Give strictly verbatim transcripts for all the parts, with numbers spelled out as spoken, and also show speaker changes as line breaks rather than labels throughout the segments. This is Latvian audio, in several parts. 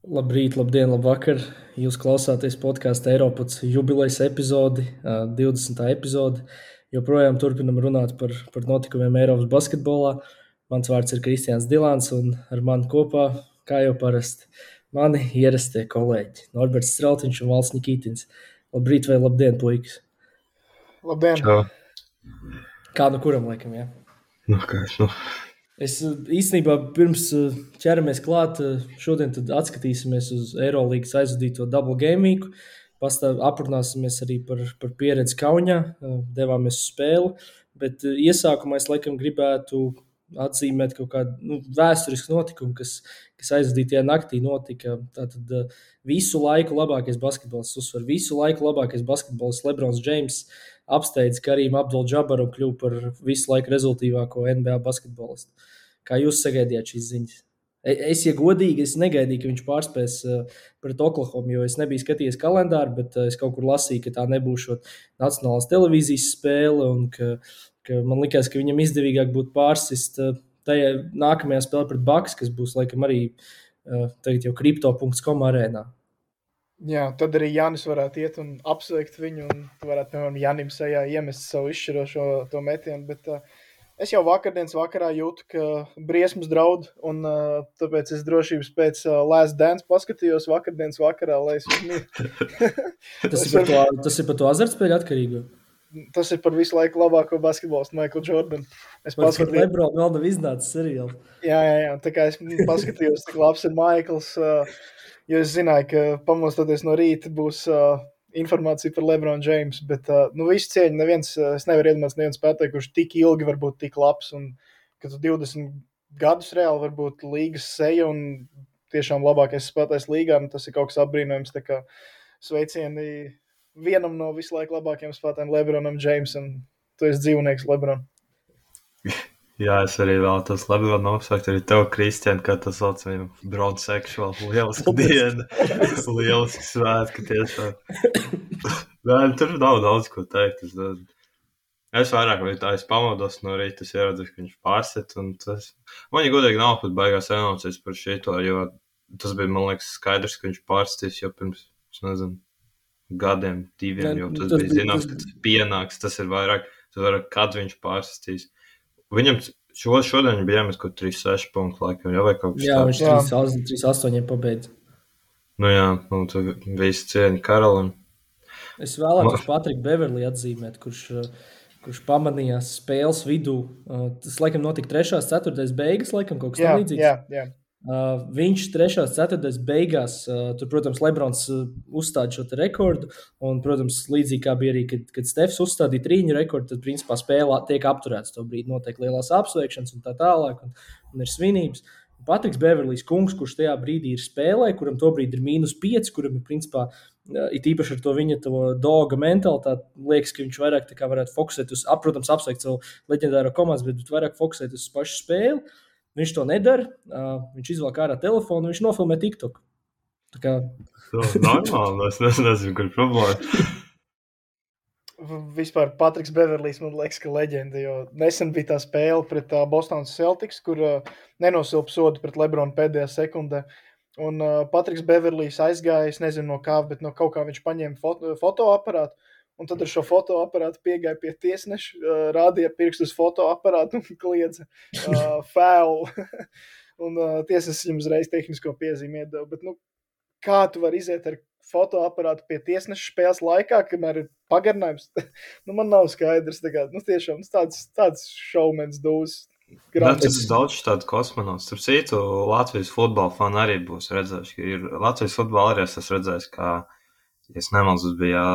Labrīt, labdien, labvakar. Jūs klausāties podkāstu Eiropas jubilejas epizodi, ā, divdesmitā epizodi. Joprojām turpinam runāt par, par notikumiem Eiropas basketbolā. Mans vārds ir Kristians Dilāns, un ar mani kopā, kā jau parasti, mani ierastie kolēģi Norberts Streltiņš un Valds Nikitins. Labrīt vai labdien, puikas!
Labdien!
Čau.
Kā nu kuram laikam, jā?
Nu, kā es, nu.
Es ā, īstenībā pirms ā, ķeramies klāt, ā, šodien tad atskatīsimies uz Eirolīgas aizvadīto double game weeku. Pastāv aprunāsimies arī par, par pieredzi Kaunijā, ā, devāmies uz spēli, bet ā, iesākumā es laikam gribētu atzīmēt kaut kādu nu, vēsturisku notikumu, kas, kas aizvadītajā naktī notika. Tātad ā, visu laiku labākais basketbols, uzsver visu laiku labākais basketbols LeBrons James apsteidz Karīmu Abdul-Džabaru un kļuva par visu laiku rezultīvāko N B A basketbolistu. Kā jūs sagaidījāt šīs ziņas? E- Es, ja godīgi, es negaidīju, ka viņš pārspēs uh, pret Oklahomu, jo es nebiju skatījies kalendāru, bet uh, es kaut kur lasīju, ka tā nebūs šot nacionālās televīzijas spēle un ka, ka man likās, ka viņam izdevīgāk būtu pārsist uh, tajā nākamajā spēlē pret Bucks, kas būs laikam arī uh, tagad jau crypto punkt com arēnā.
Jā, tad arī Jānis varētu iet un apsveikt viņu, un tu varētu, piemēram, Jānim sejā iemest savu izšķirošo to metienu, bet uh, es jau vakardienas vakarā jūtu, ka briesmas draud, un uh, tāpēc es drošības pēc uh, Last Dance paskatījos vakardienas vakarā, lai es uzmītu.
Tas ir par to, tas ir par to azartspēļu atkarīgo.
Tas ir par visu laiku labāko basketbolistu Michael Jordan. Es
Par
paskatījos,
Lebronu vēl nav iznācis seriāls.
jā, jā, jā, tā kā es paskatījos, cik labs ir Michaels, uh, jo es zināju, ka pamostoties no rīta būs uh, informācija par LeBron James, bet uh, nu visu cieņu neviens, uh, es nevaru iedomāties neviens spēlētāju, kurš tik ilgi var būt tik labs, un ka tu divdesmit gadus reāli var būt līgas seja un tiešām labākais spēlētājs līgā, un tas ir kaut kas apbrīnojams, tā kā sveicieni vienam no visu laiku labākajiem spēlētājiem LeBronam Jamesam, tu esi dzīvnieks LeBron.
Jā, es arī vēlētos Lebronu apsveikt arī tev, Kristian, kā tas sauc viņam bronseksuāli. Lieliski diena, lieliski svētki tiešām. Nē, tur nav daudz ko teikt. Es, es vairāk, vai tā es pamodos no rīta, es ieradzu, ka viņš pārset, un tas... Man, ja godīgi nav pat baigās emocijas par šito, jo tas bija, man liekas, skaidrs, ka viņš pārstīs jau pirms, es nezinu, gadiem, diviem, jo tas, tas bija zināms, ka tas pienāks, tas ir vairāk, tas vairāk, kad viņš pārstīs. Viņam šo, šodien bija jāmest kaut trīs seši punktu laikam, jā, vai kaut kas
Jā,
tāds.
viņš trīs astoņi pabeidz.
Nu jā, nu tu visi cieni Karolim.
Es vēlētos Patriku Beverlī atzīmēt, kurš, kurš pamanījās spēles vidū. Tas, laikam, notika trešās ceturtais beigas, laikam, kaut kas
Jā,
tam līdzīgs.
jā, jā.
Uh, viņš trešās ceturtais beigās, uh, tur, protams, Lebrons uh, uzstāda šo te rekordu, un, protams, līdzīgi kā bija arī, kad, kad Stefs uzstādīja trīņu rekordu, tad, principā, spēlē tiek apturēts to brīdi, notiek lielās apsveikšanas un tā tālāk, un, un ir svinības. Un Patriks Beverlijs kungs, kurš tajā brīdī ir spēlē, kuram to brīdi ir mīnus pieci, kuram ir, principā, uh, it īpaši ar to viņa to doga mentalitāti, liekas, ka viņš vairāk tā kā varētu fokusēt uz, protams, apsveikt savu leģendāro komandas, bet vairāk fokusēt uz pašu spēli. Viņš to nedara, uh, viņš izvelk ārā telefonu, viņš nofilmē TikTok. Tā kā...
Tas ir normāli, es nezinu, kur problēma.
Vispār Patriks Beverlijs, man liekas, ka leģenda, jo nesen bija tā spēle pret uh, Bostonas Celtics, kur uh, nenosilpa sodu pret Lebronu pēdējā sekundē. Un uh, Patriks Beverlijs aizgāja, es nezinu no kā, bet no kaut kā viņš paņēma foto, fotoaparātu. Un tad ar šo fotoaparātu piegāja pie tiesneša, uh, rādīja pirkstu uz fotoaparātu un kliedza uh, foul. un uh, tiesnesis viņam uzreiz tehnisko piezīmi iedeva. Bet, nu, kā tu vari iziet ar fotoaparātu pie tiesneša spēles laikā, kamēr ir pagarinājums? nu, man nav skaidrs. Tā kā, nu, tiešām tāds, tāds šaumens dūs.
Tas ir daudz tādu kosmonauts. Starp citu, Latvijas futbola fani arī būs redzējuši, ka ir Latvijas futbola arī es esmu redzējis, kā, ja es nemaldos, bija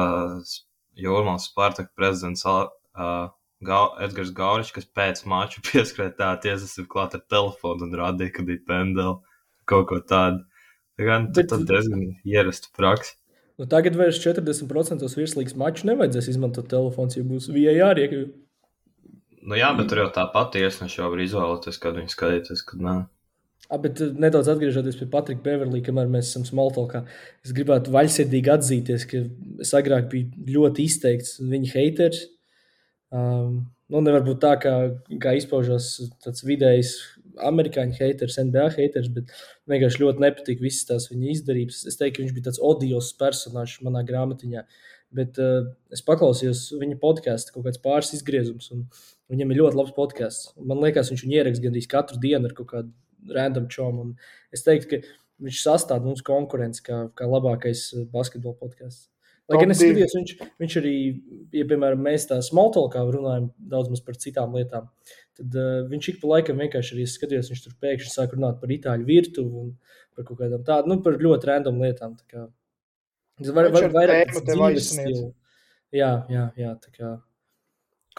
Jūrmālas Spartaka prezidents uh, Gau, Edgars Gauričs, kas pēc maču pieskrēja tā tiesas ir klāt ar telefonu un rādīja, ka bija pendeli, kaut ko tādu. Tā kā nu, tad diezgan ierasta praksa.
Nu, tagad vairs četrdesmit procenti virslīgas maču nevajadzēs izmantot telefons, ja būs V A R. Ja...
Nu jā, bet tur jau tāpat tiesneši jau var izvēlēties, kad viņi skatīties, kad nē.
A, bet nedaudz atgriežoties pie Patrika Beverlī, kamēr mēs esam smalltalkā, es gribētu vaļsirdīgi atzīties, ka es agrāk biju ļoti izteikts viņa haters. Um, nu, nevar būt tā, kā, kā izpaužos tāds vidējs amerikāņu haters, N B A haters, bet vienkārši ļoti nepatīk visas tās viņa izdarības. Es teiktu, ka viņš bija tāds odios personāžs manā grāmatiņā, bet uh, es paklausījos viņa podcastu kaut kāds pāris izgriezums, un viņam ir ļoti labs podcasts. Man liekas, viņš viņu ieraksta gandrīz katru dienu ar kaut kādu random čomu, un es teiktu, ka viņš sastāv mums konkurenci kā, kā labākais basketbola podcasts. Lai gan es skatījos, viņš, viņš arī, ja, piemēram, mēs tā smalltalkā runājam daudz maz par citām lietām, tad uh, viņš ik pa laikam vienkārši arī skatījos, viņš tur pēkšņi sāk runāt par itāļu virtuvu un par kaut kādām tādu, nu, par ļoti random lietām. Tā kā, var, var, vairāk dzīves stilu. Jā, jā, jā, tā kā,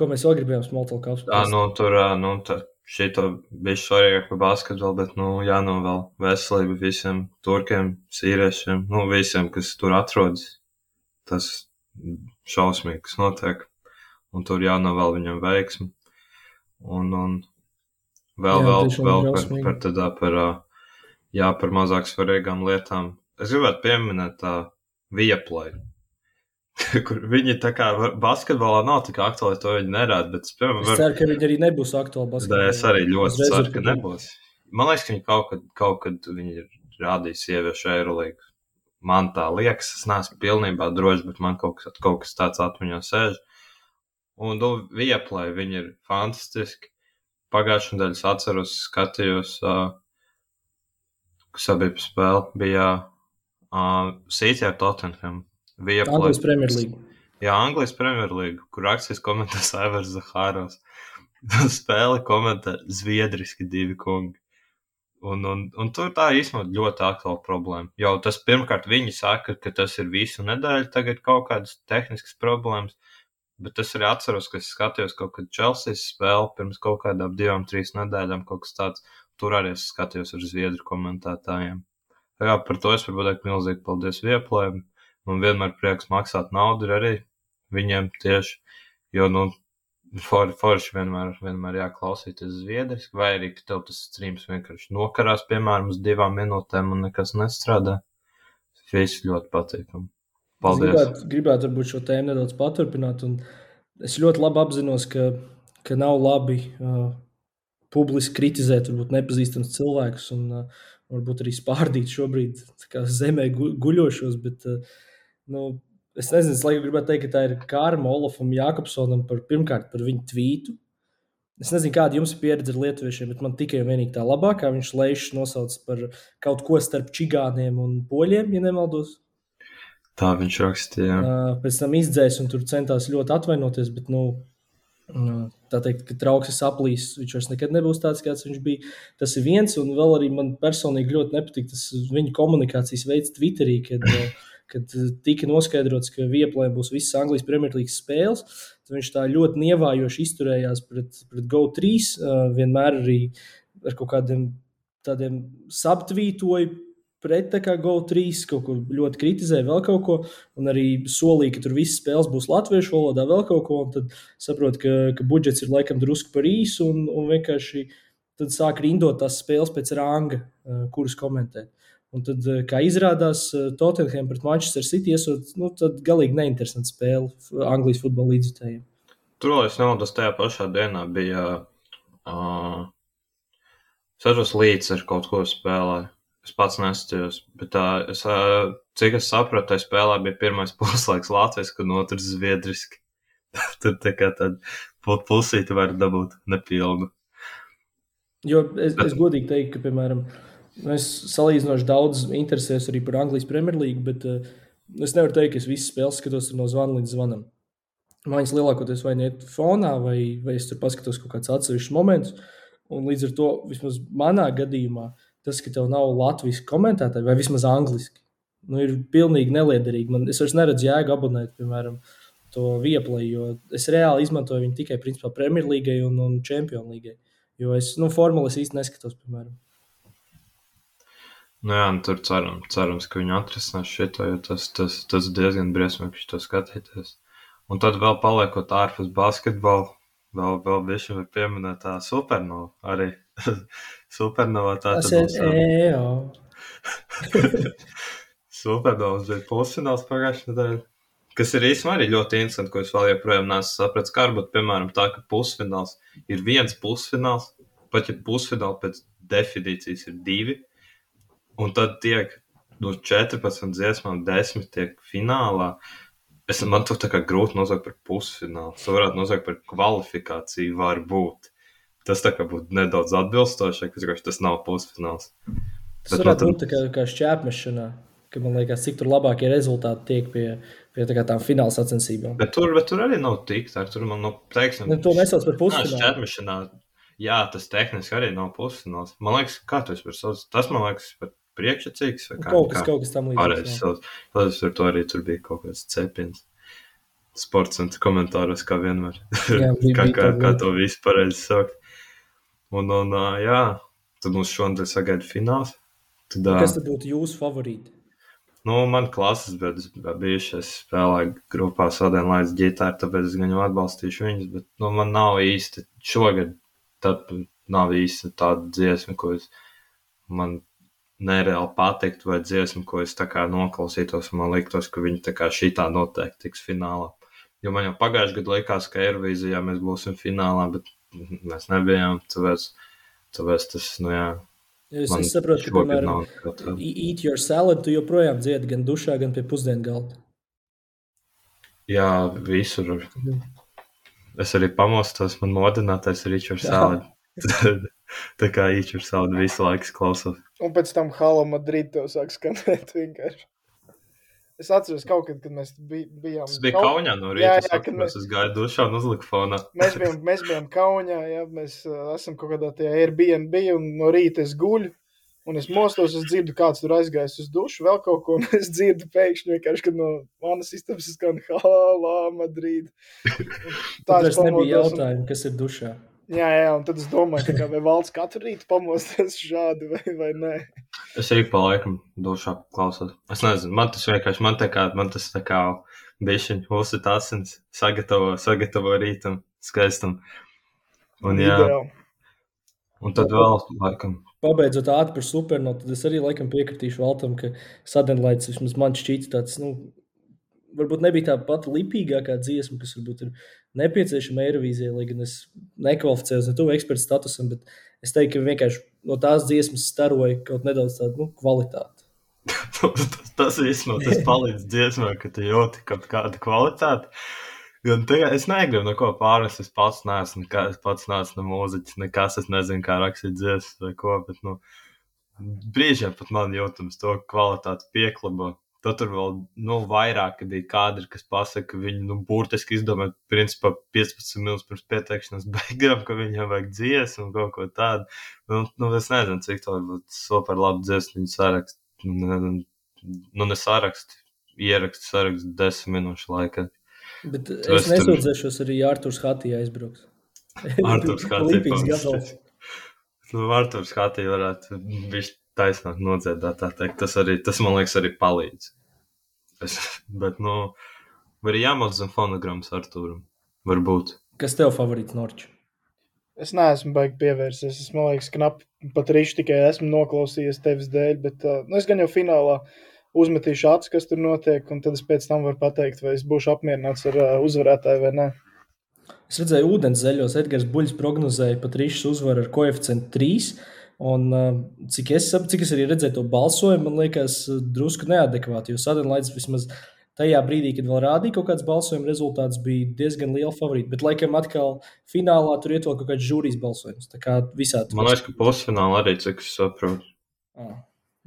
ko mēs vēl gribējām smalltalkā apspriest.
Jā, nu, tur, nu, tā, šito bija svarīgāk par basketbolu, bet, nu, jānovēl veselību visiem turkiem, sīriešiem, nu, visiem, kas tur atrodas. Tas šausmīgi, kas notiek, un tur jānovēl viņam veiksmi. Un, un vēl, jā, vēl, vēl par, par, tādā, par, jā, par mazāk svarīgām lietām. Es gribētu pieminēt tā Viaplay, kur viņi tā kā basketbolā nav tik aktuāli, to viņi nerāda, bet es, piemēram,
var... es ceru, ka viņi arī nebūs aktuāli basketbolā.
Es arī ļoti ceru, ka nebūs. Man liekas, ka viņi kaut kad, kaut kad viņi rādīs sieviešu Eirolīgu. Man tā liekas, es neesmu pilnībā droši, bet man kaut kas, kaut kas tāds atmiņā sēž. Un, nu, Viaplay, viņi ir fantastiski. Pagājušajā nedēļā es atceros, skatījos, uh, kas bija pa spēli, bija uh, City ar Tottenham. Viaplay.
Anglijas Premier League.
Jā, Anglijas Premier League, kur akcijas komentē Aivars Zahāros. Spēli komentē zviedriski divi kungi. Un, un, un tur tā īstenībā ļoti aktuāla problēma. Jau tas pirmkārt viņi saka, ka tas ir visu nedēļu, tagad kaut kādas tehniskas problēmas, bet es arī atceros, ka es skatījos kaut kad Chelseas spēli pirms kaut kādām divām, trīs nedēļām, kaut kas tāds. Tur arī es skatījos ar zviedru komentētājiem. Jā, par to es varu pateikt milzīgi paldies Viaplay. Man vienmēr prieks maksāt naudu ir arī viņiem tieši, jo, nu, For, forši vienmēr, vienmēr jāklausīties zviedriski, vai arī, ka tev tas streams vienkārši nokarās, piemēram, uz divām minūtēm un nekas nestrādā. Viss ļoti patīkam. Paldies.
Es gribētu, gribētu varbūt šo tēmu nedaudz paturpināt, un es ļoti labi apzinos, ka, ka nav labi uh, publiski kritizēt varbūt nepazīstams cilvēkus un uh, varbūt arī spārdīt šobrīd tā kā zemē gu, guļošos, bet, uh, nu, es nezinu, es laikam gribētu teikt, ka tā ir karma Olafam Jākopsonam par, pirmkārt par viņu tvītu. Es nezinu, kāda jums ir pieredze ar lietuviešiem, bet man tikai un vienīgi tā labākā. Viņš Leišs nosauc par kaut ko starp čigāniem un poļiem, ja nemaldos.
Tā viņš rakstīja.
Pēc tam izdzēs un tur centās ļoti atvainoties, bet, nu, tā teikt, ka trauksis aplīs, viņš vairs nekad nebūs tāds, kāds viņš bija. Tas ir viens, un vēl arī man personīgi ļoti nepatīk tas viņa komunikācijas veids Twitterī, kad kad tika noskaidrots, ka Viaplay būs visas Anglijas Premjerlīgas spēles, tad viņš tā ļoti nievājoši izturējās pret, pret Go trīs, uh, vienmēr arī ar kaut kādiem tādiem subtvītoju pret tā kā Go trīs, kaut ko ļoti kritizēja, vēl kaut ko, un arī solīja, ka tur visas spēles būs latviešu valodā, vēl kaut ko, un tad saprot, ka, ka budžets ir laikam drusku par īsu, un, un vienkārši tad sāk rindot tās spēles pēc ranga, uh, kuras komentēt. Un tad, kā izrādās, Tottenham pret Manchester City esot, nu, tad galīgi neinteresanti spēle Anglijas futbola līdzjutējiem.
Tur, es nemaldos, tajā pašā dienā bija uh, Sažos līdz ar kaut ko spēlēju. Es pats neskatījos, bet tā, es, uh, cik es sapratu, tai spēlē bija pirmais puslaiks latviski un otrs zviedriski. Tur tā kā tāda pusīti var dabūt nepilnu.
Jo es, bet... es godīgi teiktu, ka, piemēram, es salīdzinoši daudz interesēs arī par Anglijas Premjerlīgu, bet uh, es nevaru teikt, ka es visas spēles skatos no zvana līdz zvanam. Mājas lielākoties vai niet fonā, vai, vai es tur paskatos kaut kāds atsevišķs moments, un līdz ar to, vismaz manā gadījumā, tas, ka tev nav latviski komentētāji, vai vismaz angliski, nu, ir pilnīgi neliederīgi. Man, es vairs neredzu jēgu abonēt, piemēram, to Viaplay, jo es reāli izmantoju viņu tikai, principā, Premjerlīgai un, un Čempionlīgai, jo es, nu, formulas īsti neskatos, piemēram.
Nu jā, nu tur ceram, cerams, ka viņi atrisinās šito, jo tas, tas, tas diezgan briesmīgi šito skatīties. Un tad vēl paliekot ārpus basketbola, vēl, vēl bišķi var pieminēt tā Supernova arī. Supernova tā tad
būs. Jā.
Supernovas bija pusfināls pagājušajā nedēļā, kas ir īstenībā arī ļoti interesanti, ko es vēl joprojām neesmu sapratis, kā varbūt, piemēram, tā, ka pusfināls ir viens pusfināls, pat ja pusfināli pēc definīcijas ir divi, un tad tiek no četrpadsmit dziesmām desmit tiek finālā. Es, man to tā kā grūti nosaukt par pusfinālu. To varētu nosaukt par kvalifikāciju var būt. Tas tā kā būtu nedaudz atbilstošāk, ka tas nav pusfināls.
Tas bet varētu būt tā kā, kā šķēpmešanā, ka man liekas, cik tur labākie rezultāti tiek pie, pie tā kā tām fināla sacensībām.
Bet tur, bet tur arī nav tik, tā tur man, nu, teiksim...
Ne, to nesauc par pusfinālu.
Jā, šķēpmešanā, jā, tas tehniski arī nav pusfināls. Man liekas, kā tu esi par sauc? Tas, man liekas, par priekšsacīgs vai kā?
Kaut kas, kā, kaut kas tam līdzīgs.
Pareizi sauc. Tad ar to arī tur bija kaut kāds cepiens. Sports un komentāros, kā vienmēr. Jā, kā, kā, kā to visu pareizi saukt. Un, un, jā, tad mums šodien sagaida fināls. Tad,
kas tad būtu jūsu favorīti?
Nu, man klases bijuši, es spēlēju grupā Sodienlaids ģitāru, tāpēc es gan jau atbalstīšu viņus, bet, nu, man nav īsti šogad, tad nav īsti tāda dziesma, ko es, man nereāli patikt, vai dziesma, ko es tā kā noklausītos, un man liktos, ka viņi tā kā šitā noteikti tiks finālā. Jo man jau pagājuši gadu likās, ka Eirovīzijā mēs būsim finālā, bet mēs nebijām, tāpēc, tāpēc tas, nu jā.
Es, es saprotu, ka, piemēram, Eat Your Salad tu joprojām dziedi gan dušā, gan pie pusdienu galda.
Jā, visur. Mhm. Es arī pamostos, man modinātais ir Eat Your Salad. Tā kā Eat Your Salad visu laiku klausos.
Un pēc tam Hala Madrid tev sāk skanēt vienkārši. Es atceros kaut kad, kad mēs bij, bijām...
Tas bija kaut... Kauņā no rīta, jā, jā, kad mēs... es gāju dušā un uzliku fonā.
Mēs bijām, mēs bijām Kauņā, jā, mēs uh, esam kaut kādā tajā Airbnb un no rīta es guļu un es mostos, es dzirdu, kāds tur aizgājis uz dušu, vēl kaut ko, un es dzirdu pēkšņi vienkārši, kad no manas istabas skan Hala Madrid.
Tāds nebija jautājumi, kas ir dušā.
Jā, jā, un tad es domāju, ka kā, vai valsts katru rītu pamosties šādi vai, vai nē.
Es arī pa laikam dušā klausos. Es nezinu, man tas vienkārši, man tā kā, man tas tā kā bišķiņ uzsit asins, sagatavo, sagatavo rītam, skaistam. Un jā, Ideāli. Un tad vēl laikam.
Pabeidzot ātri par supernotu, tad es arī laikam piekritīšu Valtam, ka Suddenlights vismaz man šķīts tāds, nu, varbūt nebija tā pati lipīgākā dziesma, kas varbūt ir nepieciešama Eirovīzijai, lai gan es nekvalificējos ne tuvu ekspertu statusam, bet es teiktu, ka vienkārši no tās dziesmas staroja kaut nedaudz tādu, nu, kvalitāti.
tas, tas vismaz, tas palīdz dziesmā, ka tu jūti kaut kādu kvalitāti. Gan tagad es negribu neko pārnest, es pats neesmu, nekā, es pats neesmu mūziķis, nekas, es nezinu, kā rakstīt dziesmas vai ko, bet, nu, brīžiem pat man jūtams to kvalitāti pieklabo. Tad tur vēl, nu, vairāk bija kadri, kas pasaka, ka viņi, nu, burtiski izdomāja, principā, piecpadsmit minūtes pirms pieteikšanas beigām, ka viņam vajag dziesmu un kaut ko tādu. Nu, nu es nezinu, cik to varbūt super labi dziesmu viņi sarakst. Nu, nu, ne sarakst, ierakst, sarakst desmit minūšu laikā.
Bet tu es nesūdzēšos tur... arī Arturs Hatī aizbrauks.
Arturs Hatī pamestīs. Nu, Arturs Hatī varētu bišķi taisnāk nodziedāt, tā teikt. Tas arī, tas man liekas arī palīdz. Es, bet, nu, var arī jāmot zem fonogrammas Artūram. Varbūt.
Kas tev favorīts Norču?
Es neesmu baigi pievērsies. Es, man liekas, knapi pat rīšu tikai esmu noklausījies tevis dēļ, bet, nu, es gan jau finālā uzmetīšu acis, kas tur notiek, un tad es pēc tam varu pateikt, vai es būšu apmierināts ar uh, uzvarētāju vai ne.
Es redzēju ūdens zeļos, Edgars Buļs prognozēja pat rīšas uzvaru ar koeficientu trīs. Un cik es, cik es arī redzēju to balsojumu, man liekas drusku neadekvāti, jo Suddenlights vismaz tajā brīdī, kad vēl rādīja kaut kāds balsojuma rezultāts, bija diezgan liela favorīta. Bet laikam atkal finālā tur iet vēl kaut kāds žūrijas balsojums. Tā kā visādi.
Man liekas, ka pusfinālā arī, cik es saprotu.
Ah.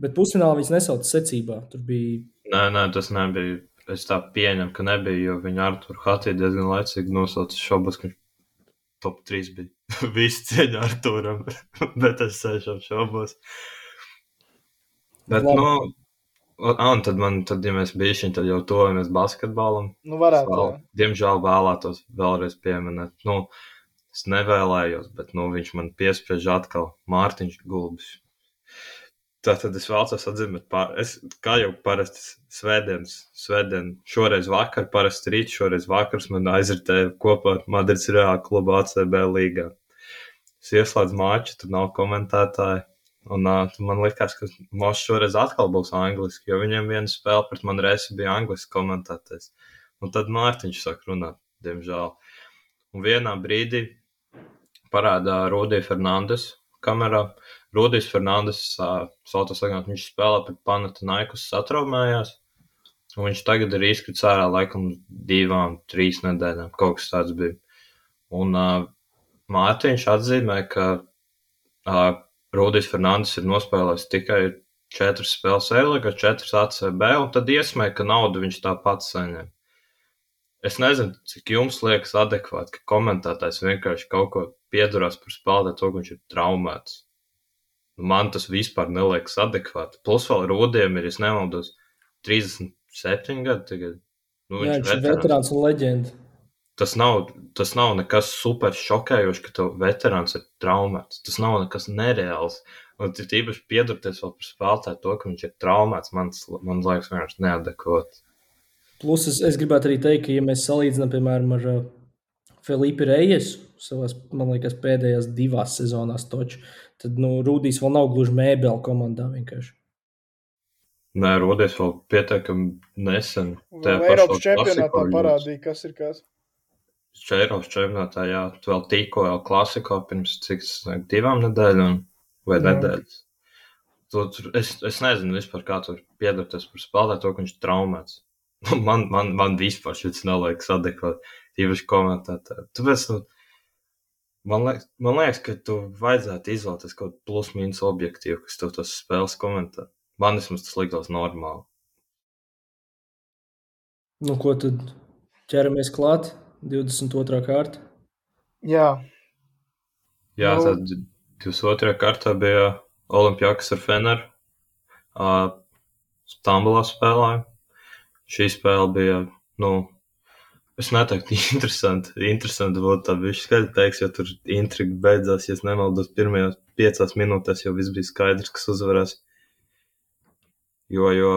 Bet pusfinālā viņas nesauc secībā. Tur bija...
Nē, nē, tas nebija. Es tā pieņemu, ka nebija, jo viņa Arturu Hatī diezgan laicīgi nosauca šobas, ka top trīs bija. Visi cieņa Artūram, bet es sēžam šobos. Bet, Labi. nu, un tad man, tad, ja mēs bijušiņ, tad jau tojamies basketbolam.
Nu, varētu.
Vēl, diemžēl vēlētos vēlreiz pieminēt. Nu, es nevēlējos, bet, nu, viņš man piespriež atkal Mārtiņš Gulbis. Tātad es vēlos atzīmēt, pār... es, kā jau parasti svētdienas, svētdien, šoreiz vakar, parasti rīt, šoreiz vakars man aizritēja kopā ar Madrids Reāla klubu A C B līgā. Es ieslēdzu māču, tur nav komentētāji, un uh, man likās, ka Mošs šoreiz atkal būs angliski, jo viņiem viena spēle pret man resi bija angliski komentētais. Un tad Mārtiņš sāk runāt, diemžēl. Un vienā brīdī parādā Rudija Fernandes kamerā. Rudijs Fernandes, Saltas Legionā, viņš spēlē pret Panathinaikos satraumējās, un viņš tagad ir izkrits ārā laikam divām, trīs nedēļām, kaut kas tāds bija. Un uh, Mārtiņš atzīmē, ka uh, Rudijs Fernandes ir nospēlējis tikai četras spēles Eirolīgā, četras A C B, un tad iesmē, ka naudu viņš tāpat saņem. Es nezinu, cik jums liekas adekvāti, ka komentētājs vienkārši kaut ko piedurās par spēlētāju to, ka viņš ir traumēts. Man tas vispār neliekas adekvāti. Plus vēl Rudijam ir, es nemaldos, trīsdesmit septiņi gadi tagad. Nu,
Jā, viņš ir veterāns un leģenda.
Tas nav, tas nav nekas super šokējoši, ka tev veterāns ir traumēts. Tas nav nekas nereāls. Un ir īpaši piedurties vēl par spēlētāju to, ka viņš ir traumēts. Man, man liekas vienkārši neadekvāti.
Plus es, es gribētu arī teikt, ka ja mēs salīdzinām, piemēram, ar uh, Felipe Rejesu, savās, man liekas, pēdējās divās sezonās toču, tad, nu, Rudijs vēl nav gluži mēbeli komandā vienkārši.
Nē, Rudijs vēl pietiekami nesen.
Vēl Eiropas čempionātā parādīja, kas ir kas.
Eiropas čempionātā, jā, vēl tikko vēl klasiko pirms cik divām nedēļām vai jā. nedēļas. Tu, es, es nezinu vispār, kā tur piedurties par spēlētāju to, ka viņš ir traumēts. Man, man, man vispār šis neliekas adekvāti, īpaši komentētāji. Tāpēc, nu, man, liek, man liekas, ka tu vajadzētu izvēlēties kaut plus-mínus objektīvu, kas tev tas spēles komentē. Man vismaz tas liktos normāli.
Nu, ko tad ķeramies klāt? divdesmit otrā kārta?
Jā.
Jā, nu... tad divdesmit otrā kārtā bija Olimpiakos ar Feneru. Uh, Stambulā spēlēja. Šī spēle bija, nu, es neteiktu interesanti. Interesanti būtu tā bišķi skaļi teiks, jo tur intriga beidzās, ja es nemaldos, pirmajās piecās minūtēs jau viss bija skaidrs, kas uzvarēs. Jo, jo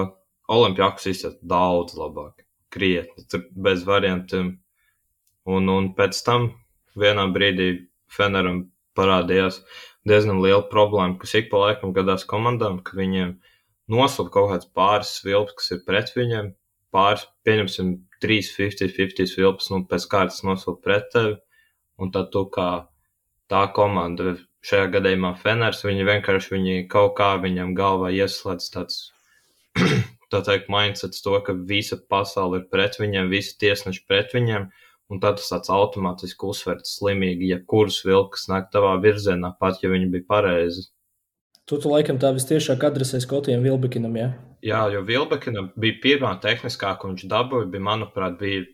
Olimpiakos izsaka daudz labāk, krietni, tur bez variantiem. Un, un pēc tam vienā brīdī Feneram parādījās diezgan liela problēma, kas ik pa laikam gadās komandām, ka viņiem noslēp kaut kāds pāris svilps, kas ir pret viņiem. Pāris, pieņemsim, trīs piecdesmit piecdesmit svilpas, nu, pēc kārtas noslēp pret tevi. Un tad tu kā tā komanda, šajā gadījumā Feners, viņi vienkārši viņi kaut kā viņam galvā ieslēdz tāds, tā teikt, mindsets to, ka visa pasaule ir pret viņiem, visi tiesneši pret viņiem. Un tad tas tāds automātiski uzsverts slimīgi, ja kurus vilkas nāk tavā virzienā, pat ja viņi bija pareizi.
Tu, tu laikam tā vistiešāk adresē Skotijam Vilbekinam, jā?
Jā, jo Vilbekinam bija pirmā tehniskā, ko viņš dabūja, bija, manuprāt, bija,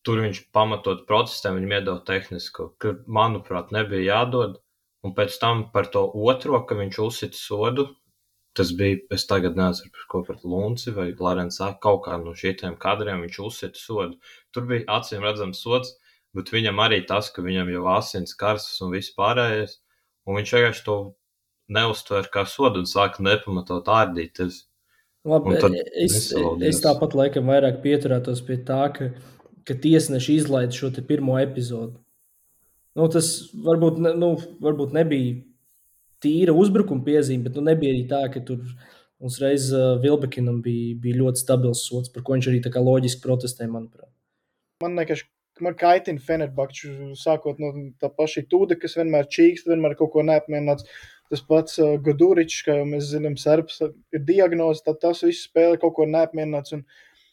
tur viņš pamatot protestēm, viņam iedod tehnisko, ka, manuprāt, nebija jādod. Un pēc tam par to otro, ka viņš uzsita sodu, tas bija, es tagad nezinu, par ko pret Lunci vai Larensā, kaut kā no šitiem kadriem viņš uzsita sodu. Tur bija acīm redzams sods, bet viņam arī tas, ka viņam jau asins karsas un viss pārējais, un viņš vienkārši to neuztver kā sodu un sāka nepamatot ārdīties.
Labi, es, es tāpat laikam vairāk pieturētos pie tā, ka, ka tiesneši izlaid šo te pirmo epizodu. Nu, tas varbūt, nu, varbūt nebija tīra uzbrukuma piezīme, bet nu, nebija arī tā, ka tur mums reiz uh, Vilbekinam bija, bija ļoti stabils sods, par ko viņš arī tā kā loģiski protestē, manuprāt.
Man nekas, man kaitina Fenerbahču, sākot no tā paša Tūda, kas vienmēr čīkst, vienmēr kaut ko neapmierināts. Tas pats uh, Goduričs, kā jau mēs zinām, Serbs ir diagnoze, tad tas viss spēle kaut ko neapmierināts. Un,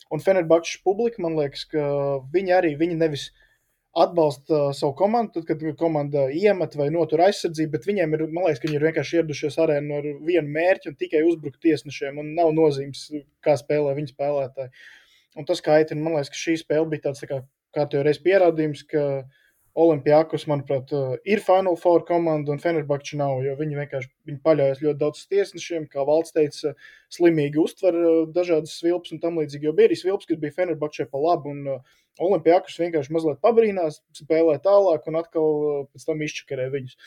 un Fenerbahčas publika, man liekas, ka viņi arī, viņi nevis atbalsta uh, savu komandu, tad, kad komanda iemet vai notur aizsardzību, bet viņiem ir, man liekas, ka viņi ir vienkārši ieradušies arēnu ar vienu mērķi un tikai uzbrukt tiesnešiem, un nav nozīmes, kā spēlē viņi spēlētāji. Un tas kaitina, man liekas, ka šī spēle bija tāds, tā kā, kā tev reiz pierādījums, ka Olimpiakos, manuprāt, ir Final Four komanda un Fenerbahča nav, jo viņi vienkārši viņi paļaujas ļoti daudz tiesnešiem, kā Valds teica, slimīgi uztver dažādas svilpas un tam līdzīgi, jo bija arī svilpas, kas bija Fenerbahčai pa labu, un Olimpiakos vienkārši mazliet pabrīnās, spēlē tālāk un atkal pēc tam izčakarē viņus.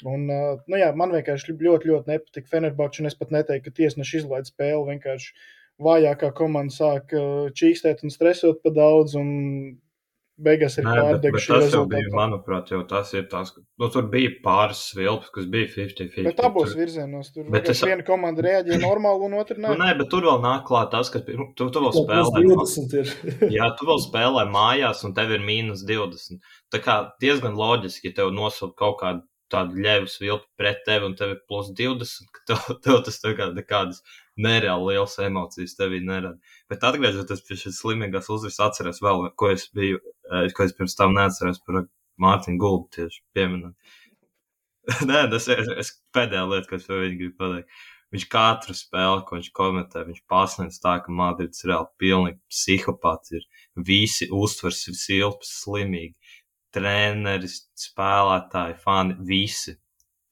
Un, nu jā, man vienkārši ļoti, ļoti nepatika Fenerbahča, un es pat neteiktu, ka tiesneši izlaid spēli, vienkārši vājākā komanda sāk čīkstēt un stresot pa daudz, un beigās ir pārdega šī rezultātā.
Bet tas jau bija, manuprāt, jau tas ir tās, nu, tur bija pāris svilpas, kas bija piecdesmit piecdesmit.
Bet abos tur... virzienos, tur
es...
viena komanda reaģēja normāli un otra nē.
Nu, nē, bet tur vēl nāk klāt tas, ka tu, tu, tu vēl spēlē. Jā, tu vēl spēlē mājās un tev ir mīnus divdesmit. Tā kā diezgan loģiski, ja tev nosaukt kaut kādu tādu ļevas vilpi pret tevi un tevi plus divdesmit, ka tev, tev tas tā kā nekādas nereāli lielas emocijas tevī nerada. Bet atgriežoties pie šīs slimīgās uzvaras, atceros vēl, ko es biju, ko es pirms tam neatceros par Mārtiņu Gulbu tieši pieminēt. Nē, tas ir es, pēdējā lieta, ko es par viņu gribu pateikt. Viņš katru spēli, ko viņš komentē, viņš pasniedz tā, ka Madrids reāli pilnīgi psihopāts ir. Visi uztvers silps, slimīgi. Treneris, spēlētāji, fani, visi.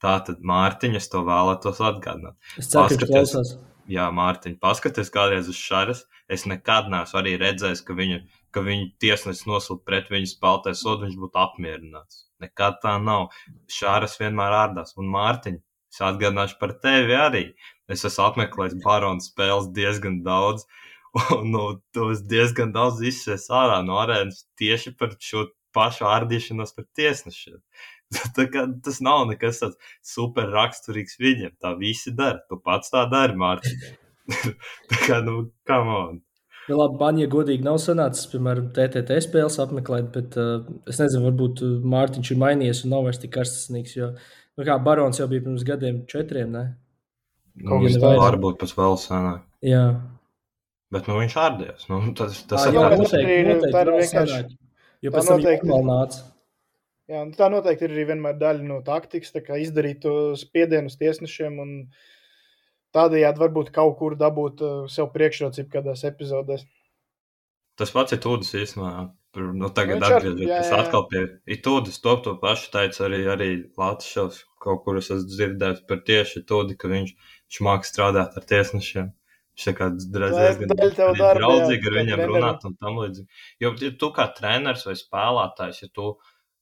Tātad Mārtiņa, es to vēlētos atgādināt.
Es ceru, ka klausās.
Jā, Mārtiņa, paskaties kādreiz uz Šaras. Es nekad neesmu arī redzējis, ka viņu, ka viņu tiesnesis nosūta pret viņu spēlētāju sodu, viņš būtu apmierināts. Nekad tā nav. Šaras vienmēr ārdās. Un Mārtiņa, es atgādināšu par tevi arī. Es esmu apmeklējis Barona spēles diezgan daudz, un nu, tu esi diezgan daudz izsies ārā no arēnas tieši par šo pašu ārdīšanos par tiesnešiem. Tā kā tas nav nekas tāds super raksturīgs viņiem. Tā visi dara. Tu pats tā dari, Mārtiņ. Tā kā, nu, come on.
Nu, labi, man, ja godīgi nav sanācis, piemēram, T T T spēles apmeklēt, bet uh, es nezinu, varbūt Mārtiņš ir mainījies un nav vairs tik karstasnīgs, jo, nu kā, Barons jau bija pirms gadiem četriem, ne?
Nu, viņš tā varbūt pēc vēl senāk.
Jā.
Bet, nu, viņš ārdījās. Nu, tas, tas
tā,
ir
jā,
tāds...
noteikti, noteikti vēl senāk. Jo pēc tam viņš vēl nāca.
Jā, tā noteikti ir arī vienmēr daļa no taktikas, tā kā izdarīt to spiedienu uz tiesnešiem un tādējādi varbūt kaut kur dabūt sev priekšrocību kādās epizodēs.
Tas pats ir Tūdas īstenībā. Nu, tagad
nu,
atgriežoties atkal pie Tūdas, to to pašu teica arī, arī Latvijas kaut kur es esmu dzirdējis par tieši Tūdi, ka viņš, viņš māk strādāt ar tiesnešiem. Viņš tā kā diezgan draudzīgi ar viņiem runāt un tam līdzīgi. Jo ja tu kā treneris vai spēlētājs, ja tu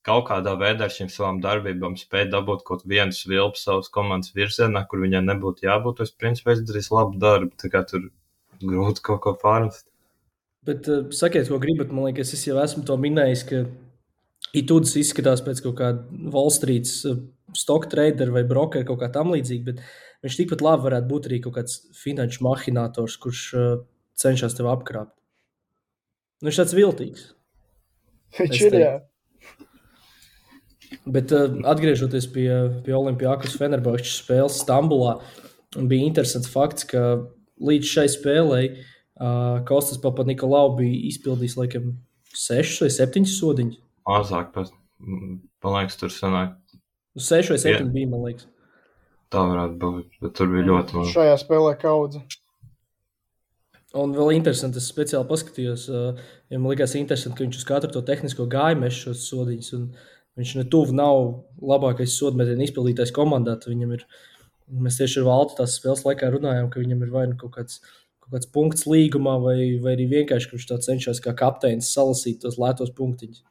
kaut kādā veidā ar šīm savām darbībām spēj dabūt kaut vienu svilpu savas komandas virzienā, kur viņai nebūtu jābūt, es principā izdarīs labu darbu, tā kā tur grūti kaut ko pārnest.
Bet uh, sakiet, ko gribat, man liekas, es jau esmu to minējis, ka Itūdas izskatās pēc kaut kāda Wall Street uh, stock trader vai broker kaut kā tam līdzīgi, bet viņš tikpat labi varētu būt arī kaut kāds finanšu mahinators, kurš uh, cenšas tev apkrāpt. Nu, viņš tāds viltīgs.
Viņš ir, jā.
Bet uh, atgriežoties pie, pie Olimpiakos Fenerbahčes spēles Stambulā, bija interesants fakts, ka līdz šai spēlei uh, Kostas Papanikolaou bija izpildījis laikam sešus vai septiņus sodiņus.
Mazāk, pēc, man liekas, tur sanāk.
Seši vai septiņi bija, man liekas.
Tā varētu būt, bet tur bija ļoti maz.
Šajā spēlē kaudze.
Un vēl interesanti, es speciāli paskatījos, uh, ja man likās interesanti, ka viņš uz katru to tehnisko gāju meš šos sodiņus, un viņš ne tuvu nav labākais sodmetienu izpildītais komandā. Viņam ir, mēs tieši ar Valtu tās spēles laikā runājām, ka viņam ir vai nu kaut kāds, kaut kāds punkts līgumā, vai, vai arī vienkārši, ka viņš tā cenšas kā kapteinis salasīt tos lētos punktiņus.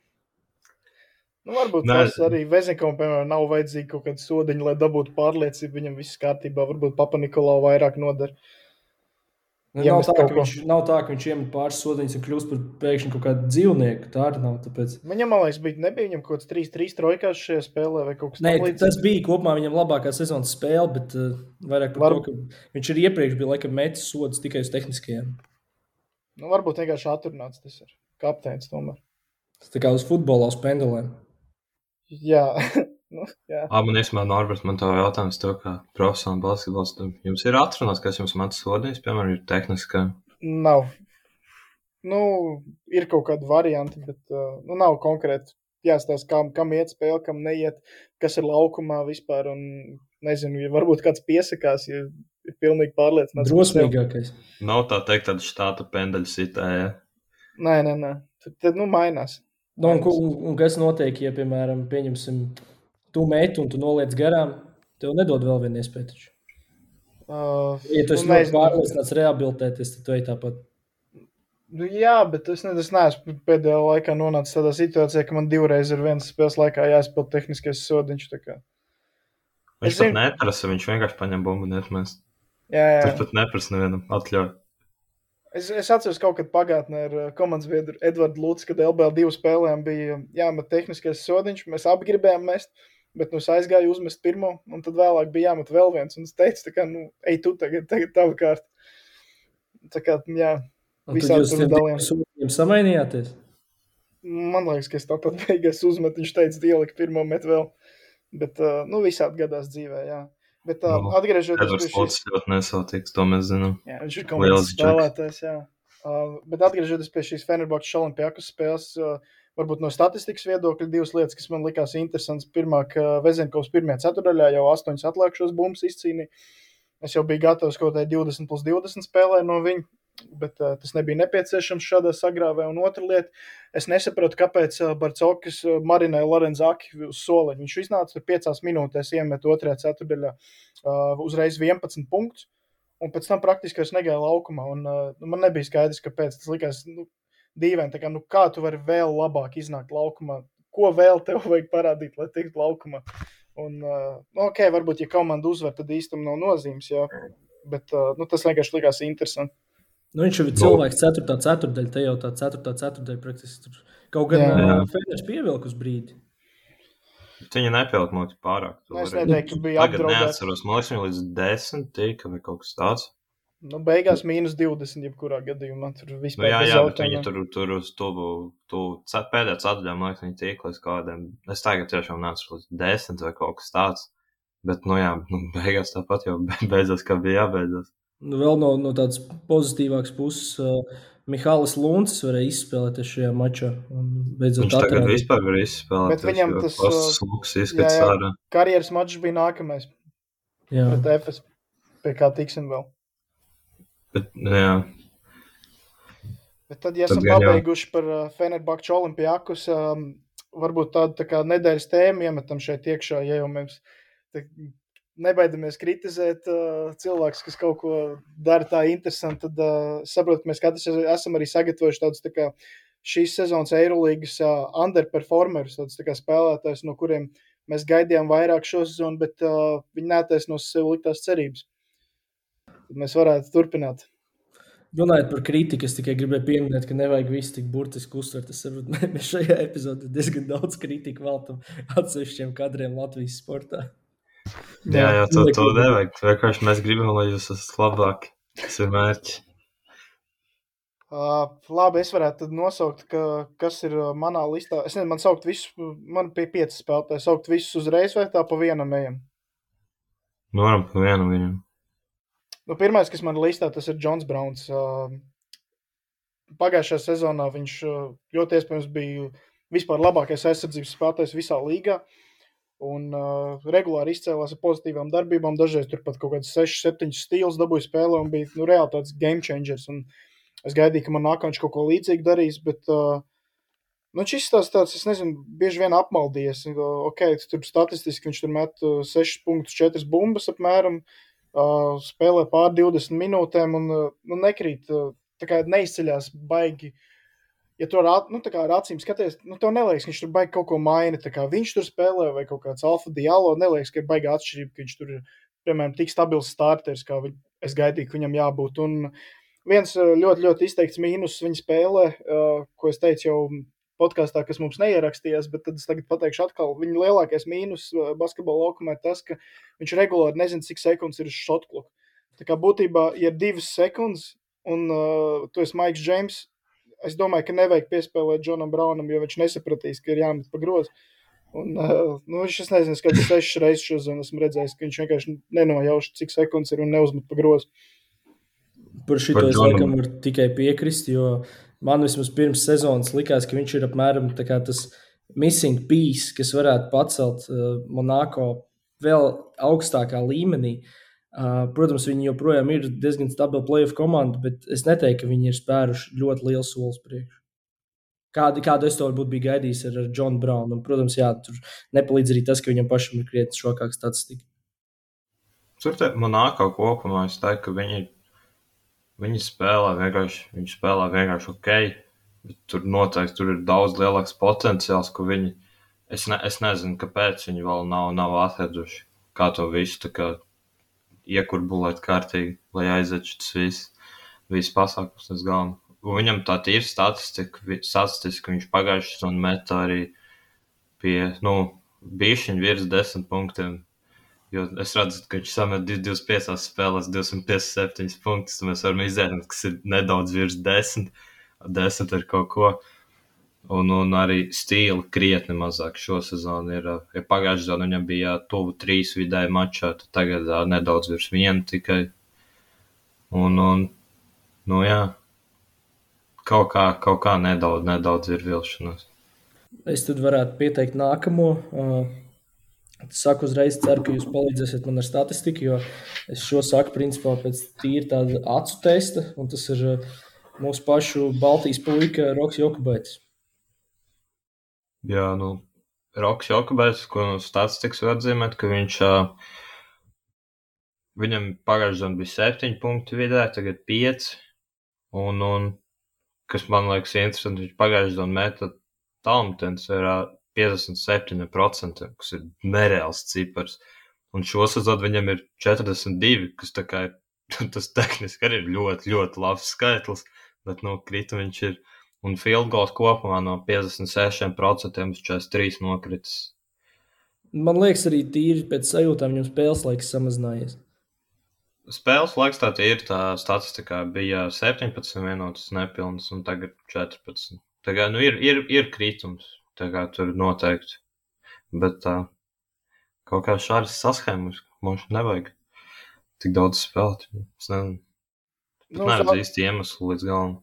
Nu, varbūt Nē. Tas arī Vezinkovam, piemēram, nav vajadzīgi kaut kādi sodiņi, lai dabūtu pārliecību, viņam viss kārtībā, varbūt Papanikolaou vairāk nodara.
Nu, nav, tā, viņš, nav tā, ka viņš iemet pāris sodiņus un kļūst par pēkšņi kaut kādu dzīvnieku. Tā arī nav. Tāpēc...
Viņam, man liekas, bija, nebija viņam kaut kāds trīs trīs trojkās šajā spēlē vai kaut kas
Nē, tas bija kopumā viņam labākā sezonas spēle, bet uh, vairāk par Var... to, ka viņš ir iepriekš bija laikam metis sodus tikai uz tehniskajiem.
Nu, varbūt vienkārši atrunāts tas ir kapteinis tomēr.
Tas tā kā uz futbolā uz pendelēm.
Jā. Nu, jā.
Ā, man īstenībā, Norbert, man tev jautājums to, kā profesionāli basketbols. Jums ir atrunāts, kas jums metas sodījis, piemēram, ir tehniskā?
Nav. Nu, ir kaut kādi varianti, bet uh, nu, nav konkrēti jāstāsta, kam, kam iet spēle, kam neiet, kas ir laukumā vispār, un nezinu, ja varbūt kāds piesakās, ja ir pilnīgi pārliecināts.
Drosmīgākais.
Nav tā teikt tāda štāta pendeļa sitē, ja?
Nē, nē, nē. Tad, tad nu, mainās.
Nu, un, un, un kas notiek, ja, piemēram, pieņemsim, tu meti un tu noliec garām, tev nedod vēl vienu iespēju taču.
Uh,
ja tu esi
nu,
ļoti pārliecināts rehabilitēties, tad tu ej tāpat.
Nu, jā, bet es, ne, es neesmu pēdējā laikā nonācis tādā situācijā, ka man divreiz ir viens spēles laikā jāizpild tehniskais sodiņš. Tā kā.
Viņš es pat zinu... neprasa, viņš vienkārši paņem bumbu un ietmēs.
Jā, jā.
Viņš pat neprasa nevienam atļauj.
Es, es atceros kaut kad pagātnē ar komandas biedru Edvardu Lūci, kad L B L divu spēlēm bija jāmet tehniskais sodiņš. Mēs abi gribējām mest, bet nu es aizgāju uzmest pirmo, un tad vēlāk bija jāmet vēl viens. Un es teicu, tā kā, nu, ej tu tagad, tagad tavu kārtu. Tā kā, jā, visādi tur dalījām.
Un tad jūs samainījāties?
Man liekas, ka es tāpat beigās uzmetu, viņš teica, ielika pirmo met vēl. Bet, uh, nu, visādi gadās dzīvē, jā. Bet uh,
Nu,
atgriežoties
Edvards
pie šīs...
Lūcis ļoti nesautīgs, to mēs zinām.
Jā, viņš ir komandas
Liels džeks.
spēlētājs, jā. Uh, bet atgriežoties pie šīs Fenerbahčes Olimpijakus spēles, uh, varbūt no statistikas viedokļa divas lietas, kas man likās interesants. Pirmā, ka Vezenkovs pirmajā ceturdaļā jau astoņas atlikušos bumbas izcīnīja. Es jau biju gatavs kaut kādai divdesmit plus divdesmit spēlē no viņa, bet uh, tas nebija nepieciešams šādā sagrāvē. Un otra lieta, es nesapratu, kāpēc uh, Barcokas uh, marinēja Lorenzaki uz soliņu. Viņš iznāca tur piecās minūtēs, iemet otrajā ceturdaļā uh, uzreiz vienpadsmit punktus. Un pēc tam praktiski es negāju laukumā, un uh, man nebija skaidrs, kāpēc. Tas likās nu, dīvaini, tā kā, nu, kā tu vari vēl labāk iznākt laukumā? Ko vēl tev vajag parādīt, lai tiktu laukumā? Un, uh, nu, ok, varbūt, ja komanda uzvar, tad īstam nav nozīmes, jā. Bet uh, nu, tas vienkārši likās interesanti.
Nu, viņš jau ir cilvēks ceturtā ceturdaļa, te jau tā ceturtā ceturdaļa praktiski tur kaut gan uh, Feners pievilk uz brīdi.
Viņa nepilk mums pārāk.
Nu, es neteiktu, ka bija
Tagad
apdraudēts.
neatceros, man liekas, viņa līdz desmit tika vai kaut kas tāds.
Nu, beigās mīnus divdesmit, jebkurā gadījumā. Tur vispār
Nu, jā,
bez
jā, bet
jautājumiem.
viņi tur, tur uz tuvu, tu, pēdējā ceturtajā, man liekas, viņi tika līdz kādiem. Es tagad tiešām neatceros līdz desmit vai kaut kas tāds. Bet, nu jā, nu, beigās tāpat jau beidzās, kā bija jābeidzās.
Nu, vēl no, no tādas pozitīvākas puses, uh, Mihālis Luncis varēja izspēlēties šajā mačā. Un beidzot
Viņš tagad
atrādīt.
vispār var izspēlēt.
Bet viņam tas,
Sluks
Jā,
izskats
jā,
ārā.
karjeras mačs bija nākamais
Jā.
pret Efes, pie kā tiksim vēl.
Bet, jā,
Bet tad, ja
Tad
esam
gan jau.
pabeiguši par uh, Fenerbahču Olimpijakus, um, varbūt tādu tā kā nedēļas tēmu iemetam šeit iekšā, ja jau mēs te nebaidamies kritizēt uh, cilvēkus, kas kaut ko dara tā interesanti, tad uh, saprotu, ka mēs katrs esam arī sagatavojuši tādus tā kā šīs sezonas Eirolīgas uh, underperformerus, tādus tā kā spēlētājus, no kuriem mēs gaidījām vairāk šo sezonu, bet uh, viņi netaisno sev liktās cerības. Tad mēs varētu turpināt.
Runājot par kritiku, es tikai gribēju pieminēt, ka nevajag visu tik burtiski uztvert. Es saprotu, mēs šajā epizodē diezgan daudz kritiku veltam atsevišķiem kadriem Latvijas sportā.
jā, jā to, to
Neklidīgi.
nevajag. Vienkārši mēs gribam, lai jūs esat labāki. Tas ir mērķis.
Uh, labi, es varētu tad nosaukt, ka, kas ir uh, manā listā. Es nezinu, man saukt visus, man pie piecas spēlētāji, saukt visus uzreiz vai tā pa vienam ejam.
Nu, varam pa vienu viņam.
Nu, pirmais, kas man listā, tas ir Džons Brauns. Uh, pagājušajā sezonā viņš uh, ļoti iespējams bija vispār labākais aizsardzības spēlētājs visā līgā. Un uh, regulāri izcēlās ar pozitīvām darbībām. Dažreiz tur pat kaut kāds seši septiņi stīls dabūja spēlē un bija nu, reāli tāds game changers. Un es gaidīju, ka man nākamā viņš kaut ko līdzīgu darīs, bet uh, nu, šis tās tāds, es nezinu, bieži vien apmaldījies. Uh, ok, tur statistiski viņš tur met uh, sešas punktus, četras bumbas apmēram. Uh, spēlē pār divdesmit minūtēm un uh, nu, nekrīt, uh, tā kā neizceļās baigi. Ja tu ar, ā- nu, tā kā ar acīm skaties, nu, tev neliekas, ka viņš tur baigi kaut ko maina, tā kā viņš tur spēlē vai kaut kāds Alfa Diallo, neliekas, ka ir baigi atšķirība, ka viņš tur ir, piemēram, tik stabils starters, kā vi, es gaidīju, ka viņam jābūt. Un viens uh, ļoti, ļoti izteikts mīnus viņa spēlē, uh, ko es teicu jau podkāstā, kas mums neierakstījās, bet tad es tagad pateikšu atkal, viņa lielākais mīnus uh, basketbola laukumā ir tas, ka viņš regulāri nezina, cik sekundes ir uz šotkloku. Tā kā būtībā, ja ir divas sekundes un uh, tu esi Maiks Džeims, es domāju, ka nevajag piespēlēt Džonam Braunam, jo viņš nesapratīs, ka ir jāmet pa grozu. Un, uh, nu, viņš, es nezinu, kāds sešas reizes šo zonu esmu redzējis, ka viņš vienkārši nenojauš, cik sekundes ir un neuzmet pa grozu.
Par šito
Par
es
Džonu.
laikam varu tikai piekrist, jo man vismaz pirms sezonas likās, ka viņš ir apmēram tā kā tas missing piece, kas varētu pacelt uh, Monako vēl augstākā līmenī. Uh, protams, viņi joprojām ir diezgan stabila playoff komanda, bet es neteiktu, ka viņi ir spēruši ļoti lielu solis priekšu. Kādu, kādu es to varbūt biju gaidījis ar, ar Džonu Braunu. Un, protams, jā, tur nepalīdz arī tas, ka viņam pašam ir krietni šokāka statistika.
Tur te Monako kopumā es teiktu, ka viņi, viņi spēlē vienkārši, viņi spēlē vienkārši ok, bet tur noteikti tur ir daudz lielāks potenciāls, ko viņi, es, ne, es nezinu, kāpēc viņi vēl nav, nav atraduši, kā to visu tā kā iekurbulēt kārtīgi, lai aiziet šis viss, viss pasākums uz galvu. Un viņam tā tīra statistika, vi- statistika viņš pagājuši un meta arī pie, nu, bišķiņ virs desmit punktiem. Jo es redzu, ka viņš samet divdesmit piecās spēlēs divsimt piecdesmit septiņus punktus, un mēs varam izdarīt, kas ir nedaudz virs desmit, desmit ar kaut ko. Un, un arī stīli krietni mazāk šo sezonu ir. Ja pagājušajā sezonā viņam bija tuvu trīs vidēji mačā, tad tagad uh, nedaudz virs viena tikai. Un, un nu jā, kaut kā, kaut kā nedaudz, nedaudz ir vilšanās.
Es tad varētu pieteikt nākamo. Uh, saku uzreiz, ceru, ka jūs palīdzēsiet man ar statistiku, jo es šo saku principā pēc tīri tāda acu testa, un tas ir uh, mūsu pašu Baltijas puika Roks Jokubaitis.
Jā, nu, Roks Jokubaitis, ko no statistikas var atzīmēt, ka viņš, uh, viņam pagājušajā sezonā bija septiņi punkti vidē, tagad pieci, un, un kas man liekas interesanti, viņš pagājušajā sezonā meta tālmetiens ir uh, piecdesmit septiņi procenti, kas ir nereāls cipars, un šo sezonu viņam ir četrdesmit divi, kas tā kā ir, tas tehniski arī ir ļoti, ļoti labs skaitlis, bet, nu, krita viņš ir. Un field goals kopumā no piecdesmit seši procenti uz četrdesmit trīs nokritis.
Man liekas, arī tīri pēc sajūtām viņam spēles laiks samazinājies.
Spēles laiks tā ir, tā statistikā bija septiņpadsmit minūtes nepilnas un tagad četrpadsmit. Tā kā, nu, ir, ir, ir kritums, tā kā tur noteikti. Bet tā, kaut kā šādas saschēmas mums nevajag tik daudz spēlēt. Es nezinu,
Nu,
neredzu
sā-
īsti iemeslu līdz galam.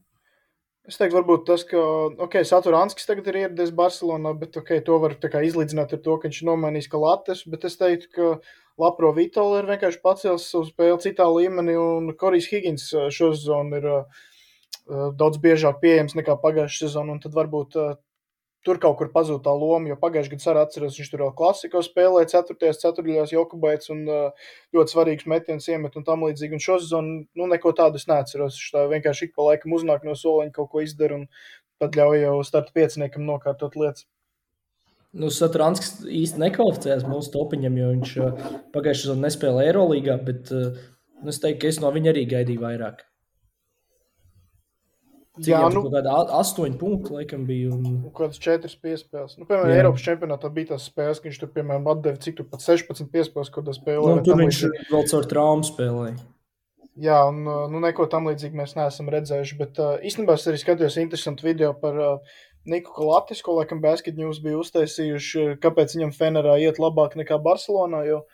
Es teiktu, varbūt tas, ka okay, Saturanskis tagad ir ieradies Barcelonā, bet okay, to var tā kā izlīdzināt ar to, ka viņš ir nomainījis Kalates, bet es teiktu, ka Lapro Vitola ir vienkārši pacēlis savu spēli citā līmenī, un Korijs Higgins uh, šo sezonu ir uh, uh, daudz biežāk pieejams nekā pagājušā sezona, un tad varbūt uh, tur kaut kur pazūd tā loma, jo pagājušajā gadā arī atceros, viņš tur vēl klasiko spēlēja ceturtajās ceturtajās Jokubaits un uh, ļoti svarīgs metiens iemet un tam līdzīgi. Un šo sezonu nu, neko tādu es neatceros. Viņš tā vienkārši ik pa laikam uznāk no soliņa, kaut ko izdara un tad ļauj jau starta pieciniekam nokārtot lietas.
Nu, Saturanskis īsti nekvalificējās mūsu topiņam, jo viņš uh, pagājušajā sezonā nespēlēja Eirolīgā, bet uh, nu, es teiktu, ka es no viņa arī gaidīju vairāk. Cik
Jā,
viņam
nu,
tur kaut kāda astoņi punkti, laikam, bija. Un...
kaut kādas četras piespēles. Nu, piemēram,
Jā.
Eiropas čempionātā bija tās spēles, ka viņš tur, piemēram, atdeva cik tur pat sešpadsmit piespēles, ko tā spēlē.
Nu,
vai
tur
tam
viņš
līdzīgi.
vēl caur traumu spēlēja.
Jā, un uh, nu, neko tam līdzīgi mēs neesam redzējuši, bet uh, īstenībā es arī skatījos interesantu video par uh, Niku Kalatis, ko laikam Basket News bija uztaisījuši, kāpēc viņam Fenerā iet labāk nekā Barcelonā, jo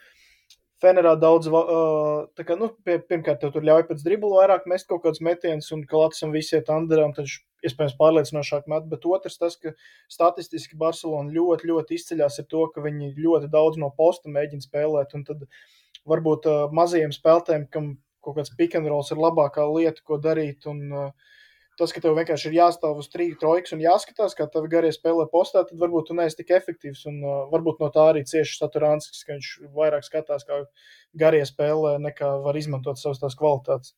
Fenerā daudz, va- uh, tā kā, nu, pie, pirmkārt, tev tur ļauj pēc driblu vairāk mest kaut kāds metiens, un Kalatisam visi iet underā, un tad viņš iespējams pārliecinošāk met, bet otrs tas, ka statistiski Barcelona ļoti, ļoti izceļās ar to, ka viņi ļoti daudz no posta mēģina spēlēt, un tad varbūt uh, mazajiem spēlētājiem, kam kaut kāds pick and rolls ir labākā lieta, ko darīt, un uh, tas, ka tev vienkārši ir jāstāv uz trīs trojkas un jāskatās, kā tev garie spēlē postā, tad varbūt tu neesi tik efektīvs, un uh, varbūt no tā arī cieši Saturanskis, ka viņš vairāk skatās, kā garie spēlē, nekā var izmantot savas tās kvalitātes.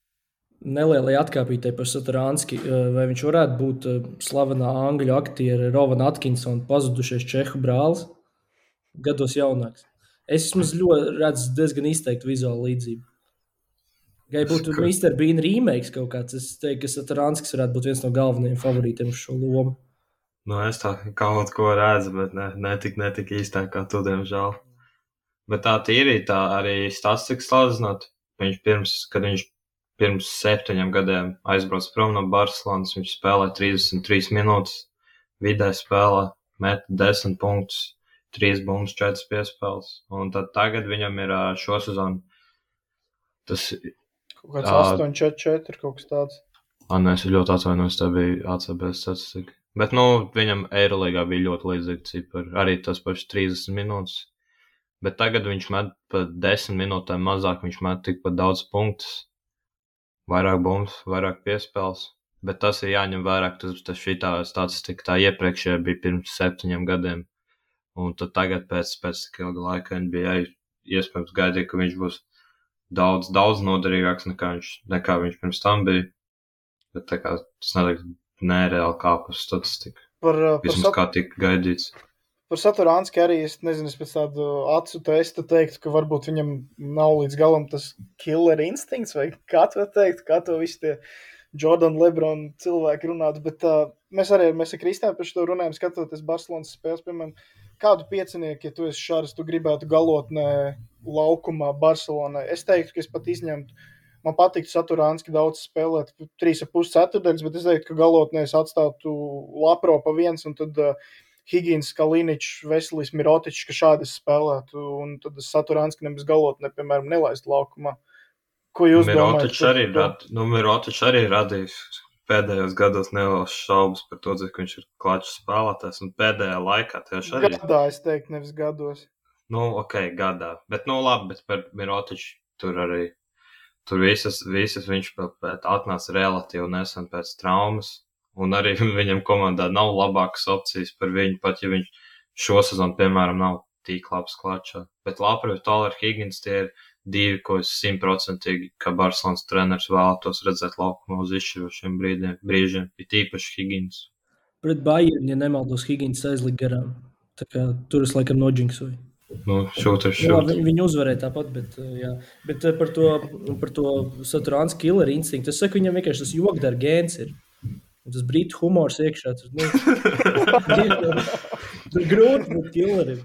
Nelielai atkāpītei par Saturanski, vai viņš varētu būt uh, slavenā angļu aktiera Rovana Atkinsona pazudušais čehu brālis, gados jaunāks. Es vismaz ļoti redzu diezgan izteiktu vizuālu līdzību. Gai būtu
Ka-
mister Bean remakes kaut kāds, es teiktu, ka Saturanskis varētu būt viens no galvenajiem favorītiem uz šo lomu.
Nu, es tā kaut ko redzu, bet ne, ne tik, ne tik īstā kā tu, diemžēl. Bet tā tīri, tā arī statistikas salīdzinot. Viņš pirms, kad viņš pirms septiņiem gadiem aizbrauc prom no Barcelonas, viņš spēlē trīsdesmit trīs minūtes, vidē spēlē, met desmit punktus, trīs bumbas, četras piespēles. Un tad tagad viņam ir ā, šo sezonu tas,
Kaut kāds
Ā.
astoņi četri četri, kaut kas tāds.
ah, nē, es ļoti atvainojos, tā bija A C B statistika. Bet, nu, viņam Eirolīgā bija ļoti līdzīgi cipari, arī tas pašs trīsdesmit minūtes. Bet tagad viņš met pa desmit minūtēm mazāk, viņš met tikpat daudz punktus, vairāk bumbas, vairāk piespēles. Bet tas ir jāņem vērā, ka tas, tas šitā statistika tā iepriekšējā bija pirms septiņiem gadiem. Un tad tagad pēc, pēc tik ilga laika N B A iespējams gaidīja, ka viņš būs daudz, daudz noderīgāks nekā viņš, nekā viņš pirms tam bija. Bet tā kā tas nedēļ nereāli kāp uz statistiku.
Par, uh, par,
Vismaz
sat,
kā tika gaidīts.
par Saturanski arī, es nezinu, es pēc tādu acu testa teiktu, ka varbūt viņam nav līdz galam tas killer instinkts, vai kā to teikt, kā to visi tie Jordan, Lebron cilvēki runātu, bet uh, mēs arī, mēs ar Kristiānu par šo runājam, skatoties Barcelonas spēles, piemēram, kādu piecinieku, ja tu esi šāds, tu gribētu galotnē laukumā Barcelonai. Es teiktu, ka es pat izņemtu, man patīk Saturānski daudz spēlēt, trīs ar pus ceturdaļas, bet es teiktu, ka galotnē es atstātu Lapro pa viens, un tad uh, Higgins, Kaliničs, Veselis, Mirotičs, ka šādi es spēlētu, un tad es Saturānski nemaz galotnē, piemēram, nelaistu laukumā. Ko jūs
Mirotičs
domājat?
arī, rad, nu, Mirotičs arī radījis pēdējos gados nelielas šaubas par to, ka viņš ir klačs spēlētājs, un pēdējā laikā tieši arī.
Gadā, es teiktu, nevis gados.
Nu, ok, gadā. Bet, nu, labi, bet par Mirotiču tur arī, tur visas, visas viņš pēc atnāca relatīvi nesen pēc traumas, un arī viņam komandā nav labākas opcijas par viņu, pat ja viņš šo sezonu, piemēram, nav tik labs klačā. Bet Lapro, Toller, Higgins, tie ir divi, ko es simtprocentīgi, kā Barcelonas treneris vēlētos redzēt laukumā uz izšķirošiem brīdiem, brīžiem, ir tīpaši Higgins.
Pret Bayern, ja nemaldos, Higgins aizlika garām. Tā kā tur es laikam noģinksoju.
Nu, šūters,
Jā,
šūters.
viņi uzvarēja tāpat, bet, jā. Bet par to, par to Saturānski killer instinktu, es saku, viņam vienkārši tas jogdara gēns ir. Un tas brītu humors iekšā. Tur, nu, tur grūti būt killerim.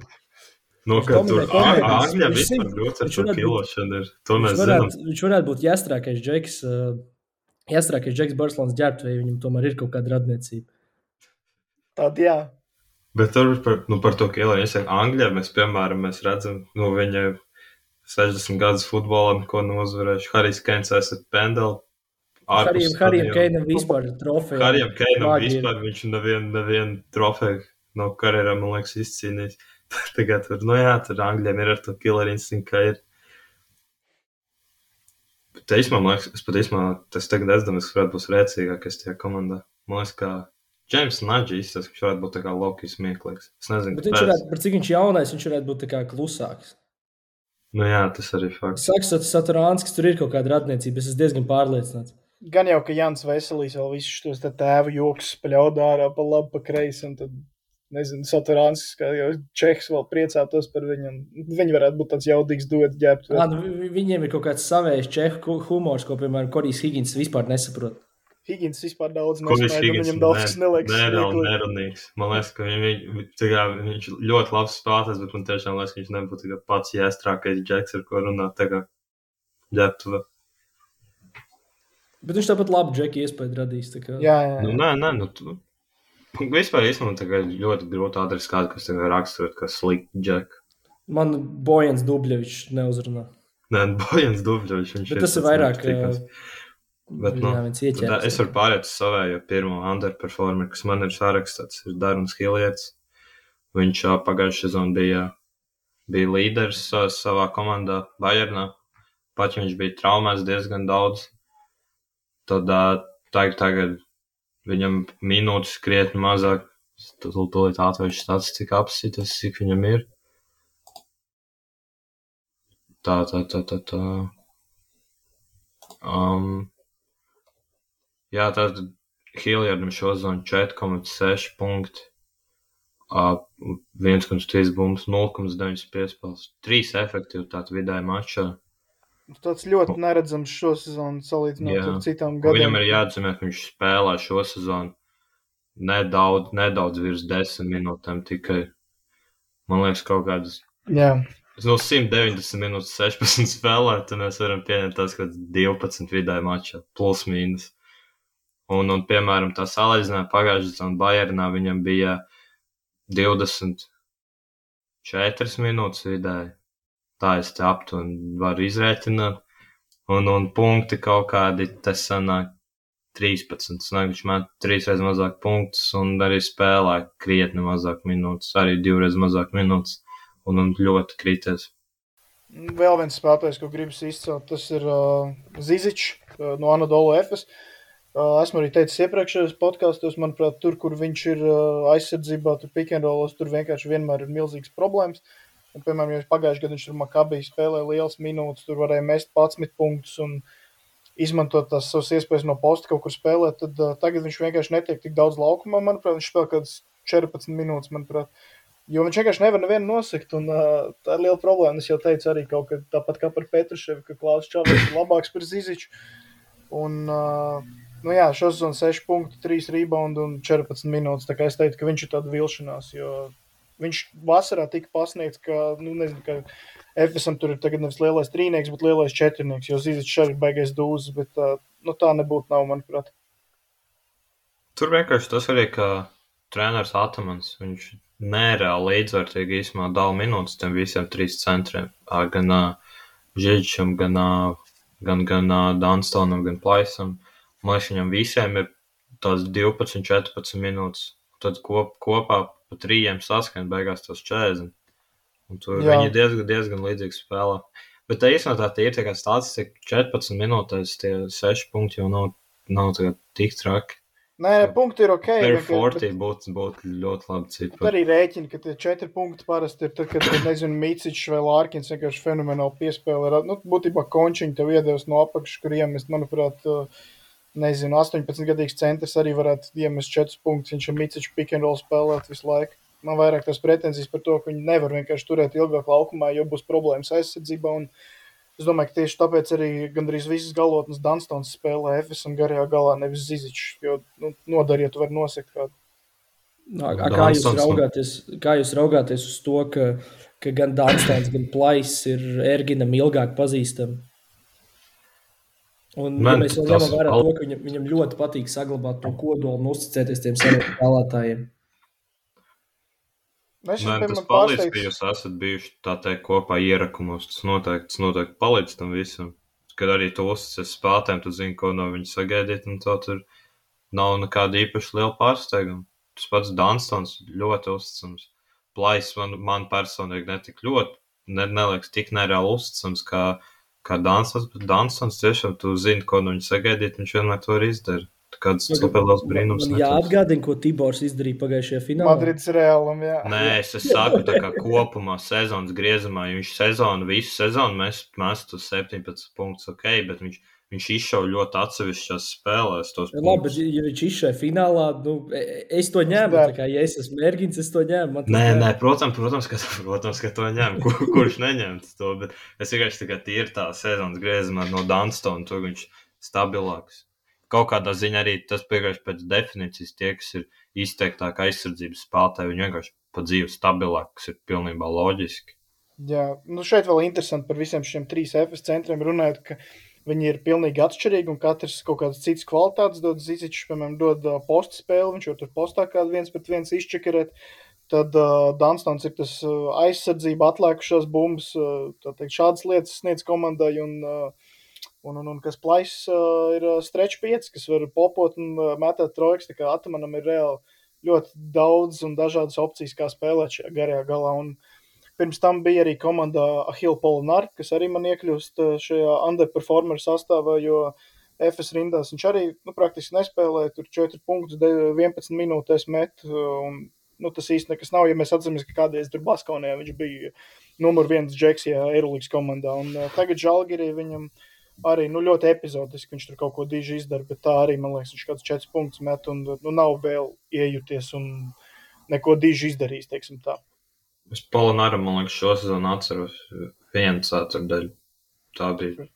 Nu, ka tur Angļa vispār grūts ar to kilošanu ir. To mēs zinām.
Viņš varētu būt jāstrākais džeks, jāstrākais džeks Barcelonas ģērbtuvē, viņam tomēr ir kaut kāda radniecība.
Tad jā.
Bet tur par, nu, par to kilošanu, es saku, Angļa mēs, piemēram, mēs redzam, nu, viņa sešdesmit gadus futbolā, ko nu uzvarējuši. Harijs Keins esat pendeli.
Harijam Keinam vispār ir trofeja.
Harijam Keinam vispār, viņš nevienu nevien trofeju no karjerā, man liekas, izcīnījis. Tagad tur, nu jā, tur Angļiem ir ar to killer instinkt, ka ir. Bet īsmā, man liekas, es pat īsmā, tas tagad aizdamies, ka varētu būt rēcīgākais tajā komandā. Man liekas, ka James Nudge izstāst, ka viņš varētu būt tā kā Loki smieklīgs. Es nezinu,
bet viņš varētu, par cik viņš jaunais, viņš varētu būt tā kā klusāks.
Nu jā, tas arī fakts.
Saka, Saturānskis, tur ir kaut kāda radniecība, es esmu diezgan pārliecināts.
Gan jau, ka Jans Veselīs vēl visus šos tēvu joks spļaudā ārā pa labi, pa kreisi, un tad nezinu, Saturānskis, kā jau Čehs vēl priecātos par viņu, un viņi varētu būt tāds jaudīgs duets ģērbtu.
Ah, nu, viņiem ir kaut kāds savējs čehu humors, ko, piemēram, Korijs Higgins vispār nesaprot.
Higgins vispār daudz nesmēja, viņam daudz kas neliekas.
Nereāli nerunīgs. Man liekas, ka viņ, tā viņš ļoti labs spēlētājs, bet man tiešām liekas, ka viņš nebūtu pats jāstrākais džeks, ar ko runāt tā kā ģērbtuve.
Bet viņš tāpat labu džeki iespēju radīs. Tā kā...
Jā, jā, jā.
Nu, nē, nē, nu, tu... Vispār īstenībā tagad ļoti grūti atrast kādu, kas tagad raksturot, kā slikti džek.
Man Bojans Dubļevičs neuzrunā.
Nē, Bojans Dubļevičs, viņš
bet
ir.
Tas ir vairāk,
bet, nu,
jā,
es varu pārēt uz savējo pirmo underperformer, kas man ir sarakstāts, ir Darons Hilliards. Viņš pagājušajā sezonā bija, bija līderis savā komandā Bayernā. Pat, ja viņš bija traumēts diezgan daudz, tad tagad, tagad viņam minūtes krietni mazāk, tūlīt atvēršu statistiku apsitas, cik viņam ir. Tā, tā, tā, tā, tā. Um, jā, tātad Hilliardam šozonu četri komats seši punkti, uh, viens komats trīs bumbas, nulle komats deviņi piespēles, trīs efektivitāti vidēji mačā.
Tāds ļoti neredzams šo sezonu salīdzinot ar citām gadiem.
Viņam ir jāatzīmē, ka viņš spēlē šo sezonu nedaudz, nedaudz virs desmit minūtēm tikai, man liekas, kaut kādas.
Jā.
No simt deviņdesmit minūtes sešpadsmit spēlē, tad mēs varam pieņemt tās kāds divpadsmit vidēji mačā, plus mīnus. Un, un, piemēram, tā salīdzinājumā pagājušajā sezonā Bayernā viņam bija divdesmit četras minūtes vidēji. Tā es te aptuveni varu izrēķināt. Un, un punkti kaut kādi, tas sanāk trīspadsmit. Sanāk, viņš met trīsreiz mazāk punktus un arī spēlē krietni mazāk minūtes. Arī divreiz mazāk minūtes. Un, un ļoti krities.
Vēl viens spēlētājs, ko gribas izcelt, tas ir uh, Zizičs uh, no Anadolu Efes. Uh, esmu arī teicis iepriekšējos podkastos, manuprāt, tur, kur viņš ir uh, aizsardzībā, tur pick and rollos, tur vienkārši vienmēr ir milzīgas problēmas. Un, piemēram, ja pagājuši gadu viņš tur Makabī spēlēja liels minūtes, tur varēja mest padsmit punktus un izmantot tās savas iespējas no posta kaut kur spēlēt, tad uh, tagad viņš vienkārši netiek tik daudz laukumā, manuprāt, viņš spēlē kādas četrpadsmit minūtes, manuprāt. Jo viņš vienkārši nevar nevienu nosakt, un uh, tā ir liela problēma. Es jau teicu arī kaut kā tāpat kā par Petruševu, ka Klaus Čavers ir labāks par Ziziču. Un, uh, nu jā, šosezon seši punkti, trīs rebound un četrpadsmit minūtes, tā kā es teiktu, ka viņš ir tāda vilšanās, jo viņš vasarā tika pasniegts, ka, nu nezinu, ka Efesam tur ir tagad nevis lielais trīnieks, bet lielais četrnieks, jo Zizičs arī baigais dūzes, bet nu, tā nebūtu nav, manuprāt.
Tur vienkārši tas arī, ka treneris Atamans, viņš nereāli līdzvērtīgi īsumā dala minūtes tiem visiem trīs centriem. Gan uh, Žižičam, gan, uh, gan, gan uh, Dunstonam, gan Plaisam. Man liekas, viņam visiem ir tās divpadsmit, četrpadsmit minūtes. Tad kop, kopā pa trījiem saskan beigās tos četrdesmit. Un tur
Jā.
viņi diezgan, diezgan līdzīgi spēlē. Bet tā īstenībā tā tie ir tā kā statistika četrpadsmit minūtēs tie seši punkti jau nav, nav tā tik traki.
Nē, punkti ir ok.
Per
bet-
četrdesmit būtu būt ļoti labi
Bet
cipari.
arī rēķini, ka tie četri punkti parasti ir tad, kad, nezinu, Micičs vai Lārkins vienkārši fenomenāli piespēlē. Nu, būtībā Končiņi tev iedevis no apakšas, kur iemest, manuprāt, uh, nezinu, astoņpadsmitgadīgs centrs arī varētu iemest četrus punktus. Viņš ar Miciču pick and roll spēlēt visu laiku. Man vairāk tās pretenzijas par to, ka viņi nevar vienkārši turēt ilgāk laukumā, jo būs problēmas aizsardzībā. Un es domāju, ka tieši tāpēc arī gandrīz visas galotnes Dunstons spēlē Efesam garajā galā, nevis Zizičs, jo nu, nodari, ja tu vari nosekt kādu.
A, a, kā, jūs
Dunstons un-
raugāties, kā jūs raugāties uz to, ka, ka gan Dunstons, gan Plais ir Erginam ilgāk pazīstami? Un ja
Man
mēs vēl
tas-
ņemam vērā to, ka viņam, viņam ļoti patīk saglabāt to kodolu un uzticēties tiem saviem spēlētājiem.
Es esmu,
Man tas
piemēram,
palīdz, ka
pārsteigts.
jūs esat bijuši tā teikt kopā ierakumos. Tas noteikti, tas noteikti palīdz tam visam. Kad arī tu uzticies spēlētājiem, tu zini, ko no viņa sagaidīt, un to tur nav nekāda īpaši liela pārsteiguma. Tas pats Dunstons ļoti uzticams. Plais man, man personīgi netik ļoti, ne, neliekas tik nereāli uzticams kā, kā Dunstons, bet Dunstons tiešām tu zini, ko no viņa sagaidīt, viņš vienmēr to arī izdara. Tā kāds super liels brīnums.
Man
netos.
jāatgādina, ko Tibors izdarīja pagājušajā finālā.
Madrids Realam, jā.
Nē, es, es saku, tā kā kopumā sezonas griezumā, ja viņš sezonu, visu sezonu mēs mestu septiņpadsmit punktus, ok, bet viņš, viņš izšauja ļoti atsevišķās spēlēs tos
Labi, bet
punktus.
ja viņš izšai finālā, nu, e- es to ņēmu,
Dar.
tā kā, ja es esmu Ergins, es to ņēmu. man tas
Nē,
der.
nē, protams, protams, ka, protams, ka to ņem, kur, kurš neņemts to, bet es vienkārši tā kā tīri tā sezonas griezumā no Dunstona, tur viņš stabilāks. Kaut kādā ziņā arī tas vienkārši pēc definīcijas tie, kas ir izteiktāk aizsardzības spēlētāji, viņi vienkārši pa dzīvi stabilāk, kas ir pilnībā loģiski.
Jā, nu šeit vēl interesanti par visiem šiem trīs Efes centriem runājot, ka viņi ir pilnīgi atšķirīgi un katrs kaut kādas citas kvalitātes dod. Zizičs, piemēram, dod uh, posta spēli, viņš jau tur postā kādu viens pret viens izčekerēt. Tad uh, Dunstons ir tas uh, aizsardzība, atlēkušās bumbas, uh, tā teikt, šādas lietas sniedz komandai un, uh, un, un, un kas Plais uh, ir uh, stretch pieci, kas var popot un uh, metēt trojkas, tā kā Atamanam ir reāli ļoti daudz un dažādas opcijas, kā spēlēt šajā garajā galā. Un pirms tam bija arī komandā Ahil Polinar, kas arī man iekļūst uh, šajā underperformer sastāvā, jo Efes rindās viņš arī nu, praktiski nespēlēja, tur četri punktus, vienpadsmit minūtēs met, uh, un nu, tas īsti nekas nav, ja mēs atceramies, ka kādreiz tur Baskonijā viņš bija numur viens džeks, ja Eirolīgas komandā, un uh, tagad Žalgirī viņam arī nu, ļoti epizodiski, viņš tur kaut ko diži izdara, bet tā arī, man liekas, viņš kāds četri punktus met, un nu, nav vēl iejuties un neko diži izdarījis, teiksim tā.
Es Polinaram, man liekas, šo sezonu atceros vienu ceturdaļu. Tā bija.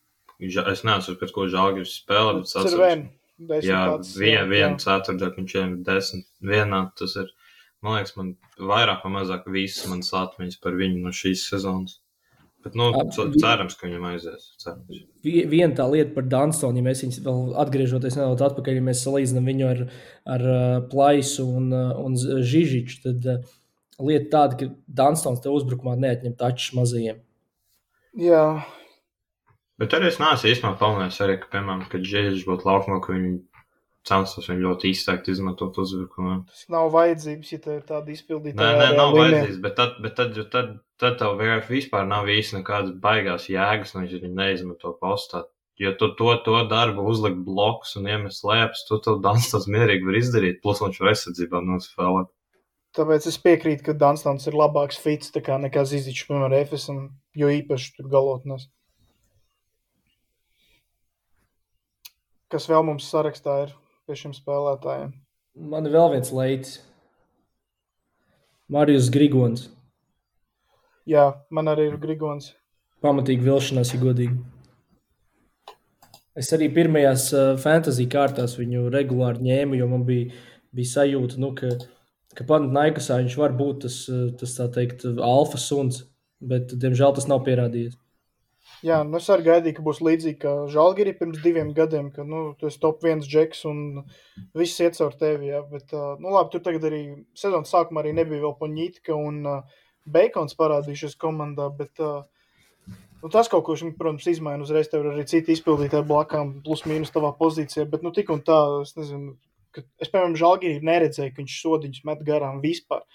Ža- Es neatceros, pēc ko Žalgiris spēlē, bet es
Tas ir
atceros.
vien, desmit
Jā,
tāds,
vien, vienu ceturdaļu, viņš ir desmit. Vienā tas ir, man liekas, man vairāk vai mazāk visas manas atmiņas par viņu no šīs sezonas. Bet, nu,
A,
c-
vi-
cerams, ka viņam aizies. Cerams.
Vi- Viena tā lieta par Dunstonu, ja mēs viņus vēl atgriežoties nedaudz atpakaļ, ja mēs salīdzinām viņu ar, ar uh, Plaisu un, uh, un Z- Žižiču, tad uh, lieta tāda, ka Dunstons te uzbrukumā neatņem tačus mazajiem.
Jā,
Bet arī es neesmu īstenībā pamanījis arī, ka, piemēram, kad Žēļš būtu laukumā, ka viņi censtos viņu ļoti izteikti izmantot uzbrukumā.
tas nav vajadzības, ja tev ir tāda izpildīta.
Nē, nē, nav
līnija.
vajadzīgs, bet tad, bet tad, jo tad, tad tev vienkārši vispār nav īsti nekādas baigās jēgas, no viņš viņu neizmanto postā. Jo tu to, to darbu uzlikt blokus un iemest lēpus, tu to Dunstons mierīgi var izdarīt, plus viņš var aizsardzībā nospēlēt.
Tāpēc es piekrītu, ka Dunstons ir labāks fits tā kā nekā Zizičs, piemēram, Efesam, jo īpaši tur galotnēs. Kas vēl mums sarakstā ir pie šiem spēlētājiem?
Man ir vēl viens leids. Marijus Grigons.
Jā, man arī ir Grigons.
Pamatīgi vilšanās, ja godīgi. Es arī pirmajās uh, fantasy kārtās viņu regulāri ņēmu, jo man bija, bija sajūta, nu, ka, ka Panathinaikosā viņš var būt tas, uh, tas tā teikt, alfa suns. bet, diemžēl, tas nav pierādījies.
Jā, nu es arī gaidīju, ka būs līdzīgi kā Žalgiri pirms diviem gadiem, ka, nu, tu esi top viens džeks un viss iet caur tevi, jā, bet, nu, labi, tur tagad arī sezonas sākumā arī nebija vēl Poņitka un uh, Beikons parādījušies komandā, bet, uh, nu, tas kaut ko, protams, izmaina uzreiz, tev ir arī citi izpildītāji blakām, plus mīnus tavā pozīcijā, bet, nu, tik un tā, es nezinu, ka es, piemēram, Žalgiri neredzēju, ka viņš sodiņus met garām vispār.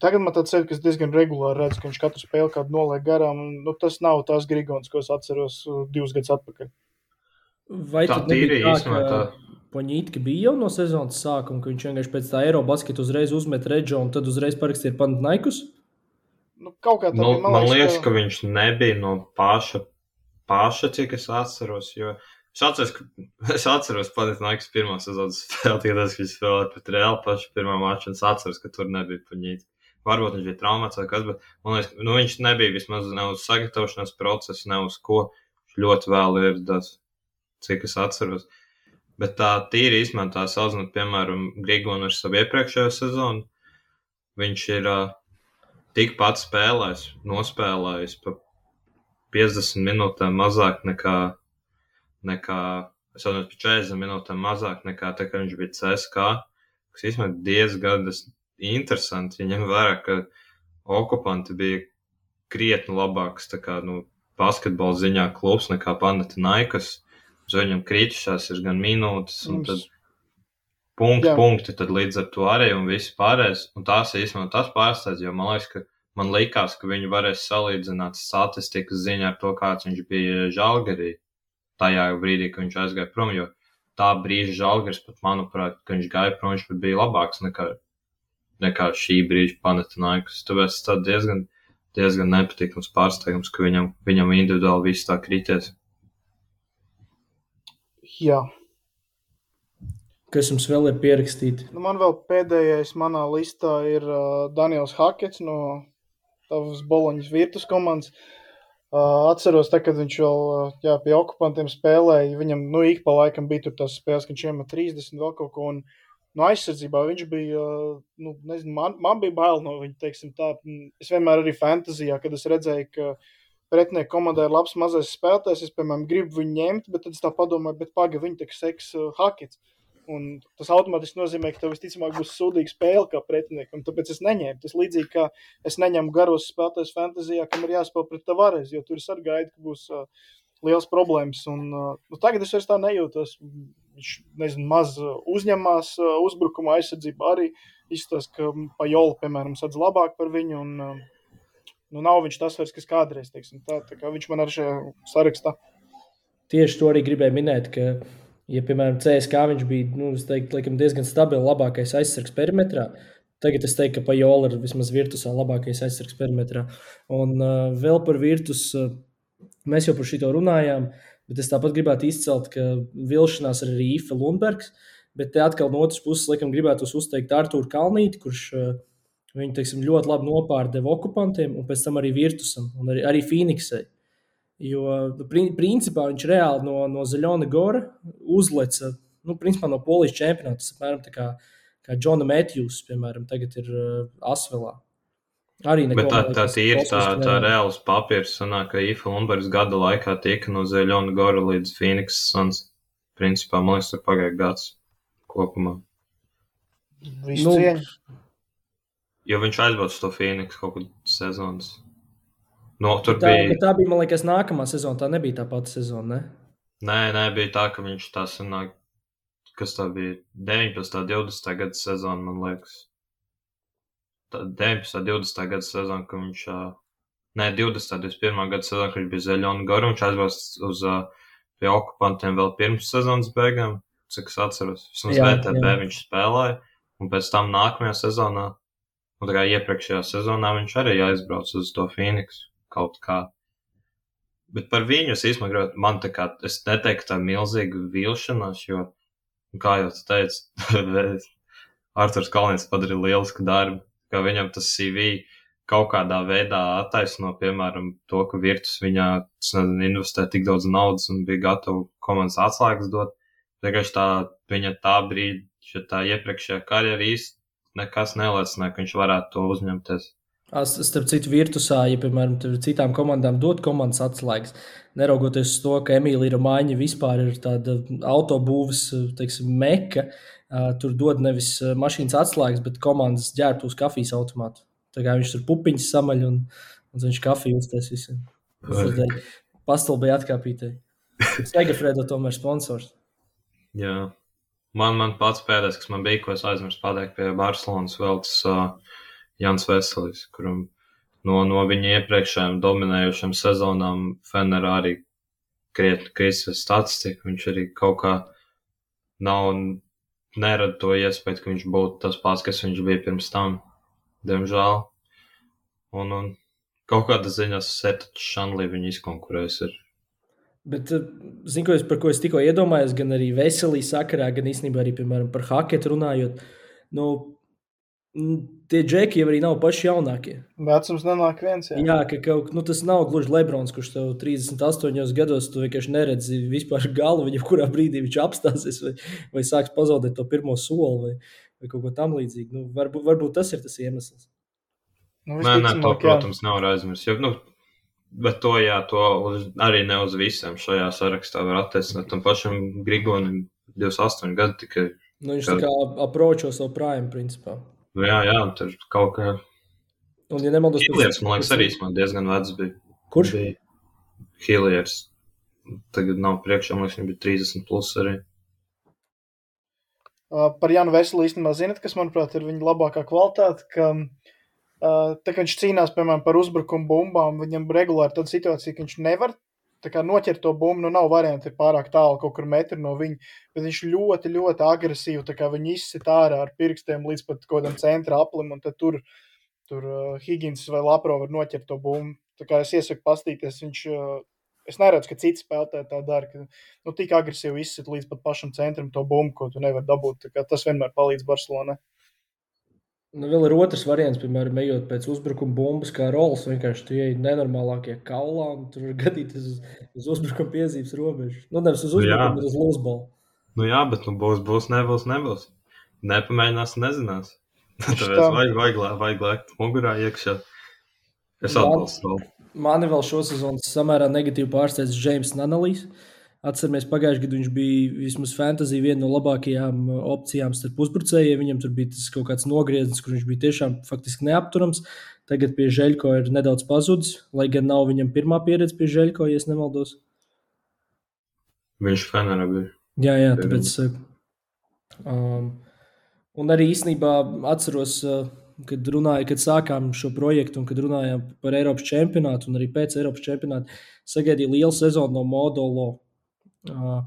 Tagad man tāds ir, ka es diezgan regulāri redzu, ka viņš katru spēli kādu noliek garām. Nu, tas nav tās Grigons, ko es atceros divus gadus atpakaļ.
Vai
Tā
tad nebija
tīri
tā,
īstenībā
ka
tā.
Poņītka bija jau no sezonas sākuma, ka viņš vienkārši pēc tā Eirobasketu uzreiz uzmet Redžo un tad uzreiz parakstīja Panathinaikos?
Nu, kaut kā tā
Nu,
bija,
man liekas, ka viņš nebija no paša, paša cik es atceros, jo es atceros, ka, es atceros Panathinaikos pirmā sezonas spēli, tikai tas, ka viņš spēlēja pret Reāli pašu pirmā maču, un es atceros, ka tur nebija Poņītka. Varbūt viņš bija traumēts vai kas, bet man liekas, nu, viņš nebija vismaz ne uz sagatavošanās procesu, ne uz ko. Viņš ļoti vēl ieradās, cik es atceros. Bet tā tīri īstenībā tā salīdzinot, piemēram, Grigonu ar savu iepriekšējo sezonu, viņš ir uh, tikpat spēlējis, nospēlējis pa piecdesmit minūtēm mazāk nekā, nekā es atceros, pa četrdesmit minūtēm mazāk nekā tā, ka viņš bija C S K, kas īstenībā diezgan interesanti, ja ņem vērā, ka okupanti bija krietni labāks, tā kā, nu, basketbola ziņā klubs nekā Panathinaikos, uz viņam kritušās ir gan minūtes, un tad punkti,
Jā.
punkti, tad līdz ar to arī, un visi pārējais, un tās īstenībā tas pārsteidz, jo man liekas, ka man likās, ka viņi varēs salīdzināt statistikas ziņā ar to, kāds viņš bija Žalgirī, tajā brīdī, ka viņš aizgāja prom, jo tā brīža Žalgiris pat, manuprāt, ka viņš gāja prom, viņš pat bija labāks nekā nekā šī brīža Panathinaikos. Tāpēc tas diezgan, diezgan nepatīkams pārsteigums, ka viņam, viņam individuāli viss tā krities.
Jā.
Kas jums vēl ir pierakstīti?
Nu, man vēl pēdējais manā listā ir uh, Daniels Hakets no tavas Boloņas Virtus komandas. Uh, atceros, tā, kad viņš vēl uh, jā, pie okupantiem spēlēja, viņam, nu, ik pa laikam bija tur tās spēles, ka viņš iemet trīsdesmit vēl kaut ko, un no aizsardzībā viņš bija, nu, nezinu, man, man bija bail no viņa, teiksim tā. Es vienmēr arī fantazijā, kad es redzēju, ka pretinieku komandai ir labs mazais spēlētājs, es, piemēram, gribu viņu ņemt, bet tad es tā padomāju, bet paga, viņa tak seks uh, Hakets. Un tas automātiski nozīmē, ka tev visticamāk būs sūdīga spēle kā pretiniekam, tāpēc es neņēmu. Tas līdzīgi, kā es neņemu garos spēlētājs fantazijā, kam ir jāspēl pret Tavares, jo tur es arī gaidu, ka būs uh, liels problēmas. Un, uh, nu, tagad es vairs tā nejūtos. Viņš, nezinu, maz uzņemās uzbrukuma aizsardzību arī izstāst, ka Pajola, piemēram, sadz labāk par viņu, un nu, nav viņš tas vairs, kas kādreiz, teiksim, tā, tā kā viņš man ar šajā sarakstā.
Tieši to arī gribēju minēt, ka, ja, piemēram, C S K viņš bija, nu, es teiktu, laikam, diezgan stabili labākais aizsargs perimetrā, tagad es teiktu, ka Pajola ir vismaz Virtusā labākais aizsargs perimetrā. Un uh, vēl par Virtus, uh, mēs jau par šito runājām, bet es tāpat gribētu izcelt, ka vilšanās ir arī Ife Lundbergs, bet te atkal no otras puses, laikam, gribētu uzteikt Artūru Kalnīti, kurš uh, viņu, teiksim, ļoti labi nopārdeva okupantiem un pēc tam arī Virtusam un arī, arī Phoenixai. Jo, nu, principā viņš reāli no, no Zaļona Gora uzleca, nu, principā no Polijas čempionāta, tas apmēram tā kā, kā Džona Matthews, piemēram, tagad ir uh, Asvelā. Arī
Bet tā, tā ir tā, tā reāls papīrs, sanāk, ka Ife Lundbergs gada laikā tika no Zaļona Gora līdz Phoenix Suns. Principā, man liekas, tur pagāja gads kopumā.
Visu
Nu,
cieņu.
Jo viņš aizbrauc to Phoenix kaut kad sezonas. No, tur
Tā,
bija...
tā bija, man liekas, nākamā sezona, tā nebija tā pati sezona, ne?
Nē, nē, bija tā, ka viņš tā sanāk, kas tā bija, deviņpadsmitā, divdesmitā gada sezona, man liekas. deviņpadsmitā, divdesmitā gada sezona, ka viņš, ne, divdesmitā, divdesmit pirmā gada sezona, ka viņš bija Zaļona Gora, viņš aizbrauc uz pie okupantiem vēl pirms sezonas beigām, cik es atceros. Vismaz
Jā,
V T B
jā.
viņš spēlēja, un pēc tam nākamajā sezonā, un tā kā iepriekšējā sezonā viņš arī aizbrauc uz to Phoenix kaut kā. Bet par viņu es īstenībā gribētu, man tā kā, es neteiktu tā milzīga vilšanās, jo, kā jau tu teici, Arturs Kalnītis padarīja lielisku darbu, ka viņam tas C V kaut kādā veidā attaisno, piemēram, to, ka Virtus viņā nezinu, investē tik daudz naudas un bija gatava komandas atslēgas dot. Vienkārši tā, viņa tā brīdi, ja tā iepriekšējā karjera īsti nekas neliecināja, ka viņš varētu to uzņemties.
Es, starp citu, Virtusā, ja, piemēram, tur citām komandām dot komandas atslēgas, neraugoties uz to, ka Emīlija Romaņa vispār ir tāda autobūves, teiksim, meka, uh, tur dod nevis mašīnas atslēgas, bet komandas ģērbtos kafijas automātu. Tā kā viņš tur pupiņas samaļ un, un viņš kafiju uztais visiem. Pastalbēja atkāpītēji. Segafredo tomēr sponsors.
Jā. Man, man pats pēdējais, kas man bija, ko es aizmirsu pateikt pie Barcelonas vēl tas uh, Jans Veselis, kuram no, no viņa iepriekšējām dominējušām sezonām Fenerā arī krietni krisis statistika. Viņš arī kaut kā nav nerada to iespēju, ka viņš būtu tas pats, kas viņš bija pirms tam. Diemžēl. Un, un kaut kāda ziņā Setačs Šanlī viņu izkonkurēs ir.
Bet, zinu, ko es, par ko es tikko iedomājos, gan arī Veselī sakarā, gan īstenībā arī, piemēram, par haketu runājot. Nu, tie džeki jau arī nav paši jaunākie.
Vecums nenāk viens, jā.
Jā, ka kaut, nu, tas nav gluži Lebrons, kurš tev trīsdesmit astoņos gados tu vienkārši neredzi vispār galu, viņa kurā brīdī viņš apstāsies vai, vai sāks pazaudēt to pirmo soli vai, vai kaut ko tam līdzīgi. Nu, varbūt, varbūt tas ir tas iemesls.
Nu,
nē, nē, to, protams, nav aizmirst. Jo, nu, bet to, jā, to uz, arī ne uz visiem šajā sarakstā var attiecināt. Tam pašam Grigonim divdesmit astoņi gadi tikai.
Nu, viņš kad... tā kā apročo savu prime, principā.
Nu, jā, jā, tur kaut kā...
Un, ja nemaldos...
Hilliers, man liekas, arī man diezgan vecs bija.
Kurš?
Bija Hilliers. Tagad nav priekšā, man liekas, viņš bija trīsdesmit plus arī.
Uh, par Janu Veseli īstenībā zinat, kas, manuprāt, ir viņa labākā kvalitāte, ka... Uh, tā kā viņš cīnās, piemēram, par uzbrukumu bumbām, viņam regulāri tāda situācija, ka viņš nevar tā kā noķert to bumbu, nu nav varianti pārāk tālu kaut kur metru no viņa, bet viņš ļoti, ļoti agresīvi, tā kā viņu izsit ārā ar pirkstiem līdz pat kaut kādam centra aplim, un tad tur, tur uh, Higgins vai Lapro var noķert to bumbu. Tā kā es iesaku pastīties, viņš, uh, es neredzu, ka citi spēlētāji tā dara, ka nu tik agresīvi izsit līdz pat pašam centram to bumbu, ko tu nevar dabūt, tā kā tas vienmēr palīdz Barcelonai.
Nu, vēl ir otrs variants, piemēram, ejot pēc uzbrukuma bumbas, kā rolas, vienkārši tu ieej nenormālākie kaulā, un tur var gadīties uz, uz uzbrukuma piezīmes robežu. Nu, nevis uz uzbrukumu, bet uz lūsbalu.
Nu jā, bet nu būs, būs, nebūs, nebūs. Nepamēģinās, nezinās. Tāpēc vajag, vajag, vajag lēkt mugurā iekšā. Es atbalstu vēl.
Mani vēl šo sezonu samērā negatīvi pārsteidz James Nanalīs. Atceramies, pagājušajā gadā viņš bija vismaz fantasy viena no labākajām opcijām starp uzbrucējiem. Viņam tur bija tas kaut kāds nogrieznis, kur viņš bija tiešām faktiski neapturams. Tagad pie Žeļko ir nedaudz pazudis, lai gan nav viņam pirmā pieredze pie Žeļko, ja es nemaldos.
Viņš Fenerā bija.
Jā, jā, tāpēc... Um, un arī īstenībā atceros, kad runāju, kad sākām šo projektu un kad runājām par Eiropas čempionātu un arī pēc Eiropas čempionāta, sagaidīja lielu sezonu no Modolo. Uh,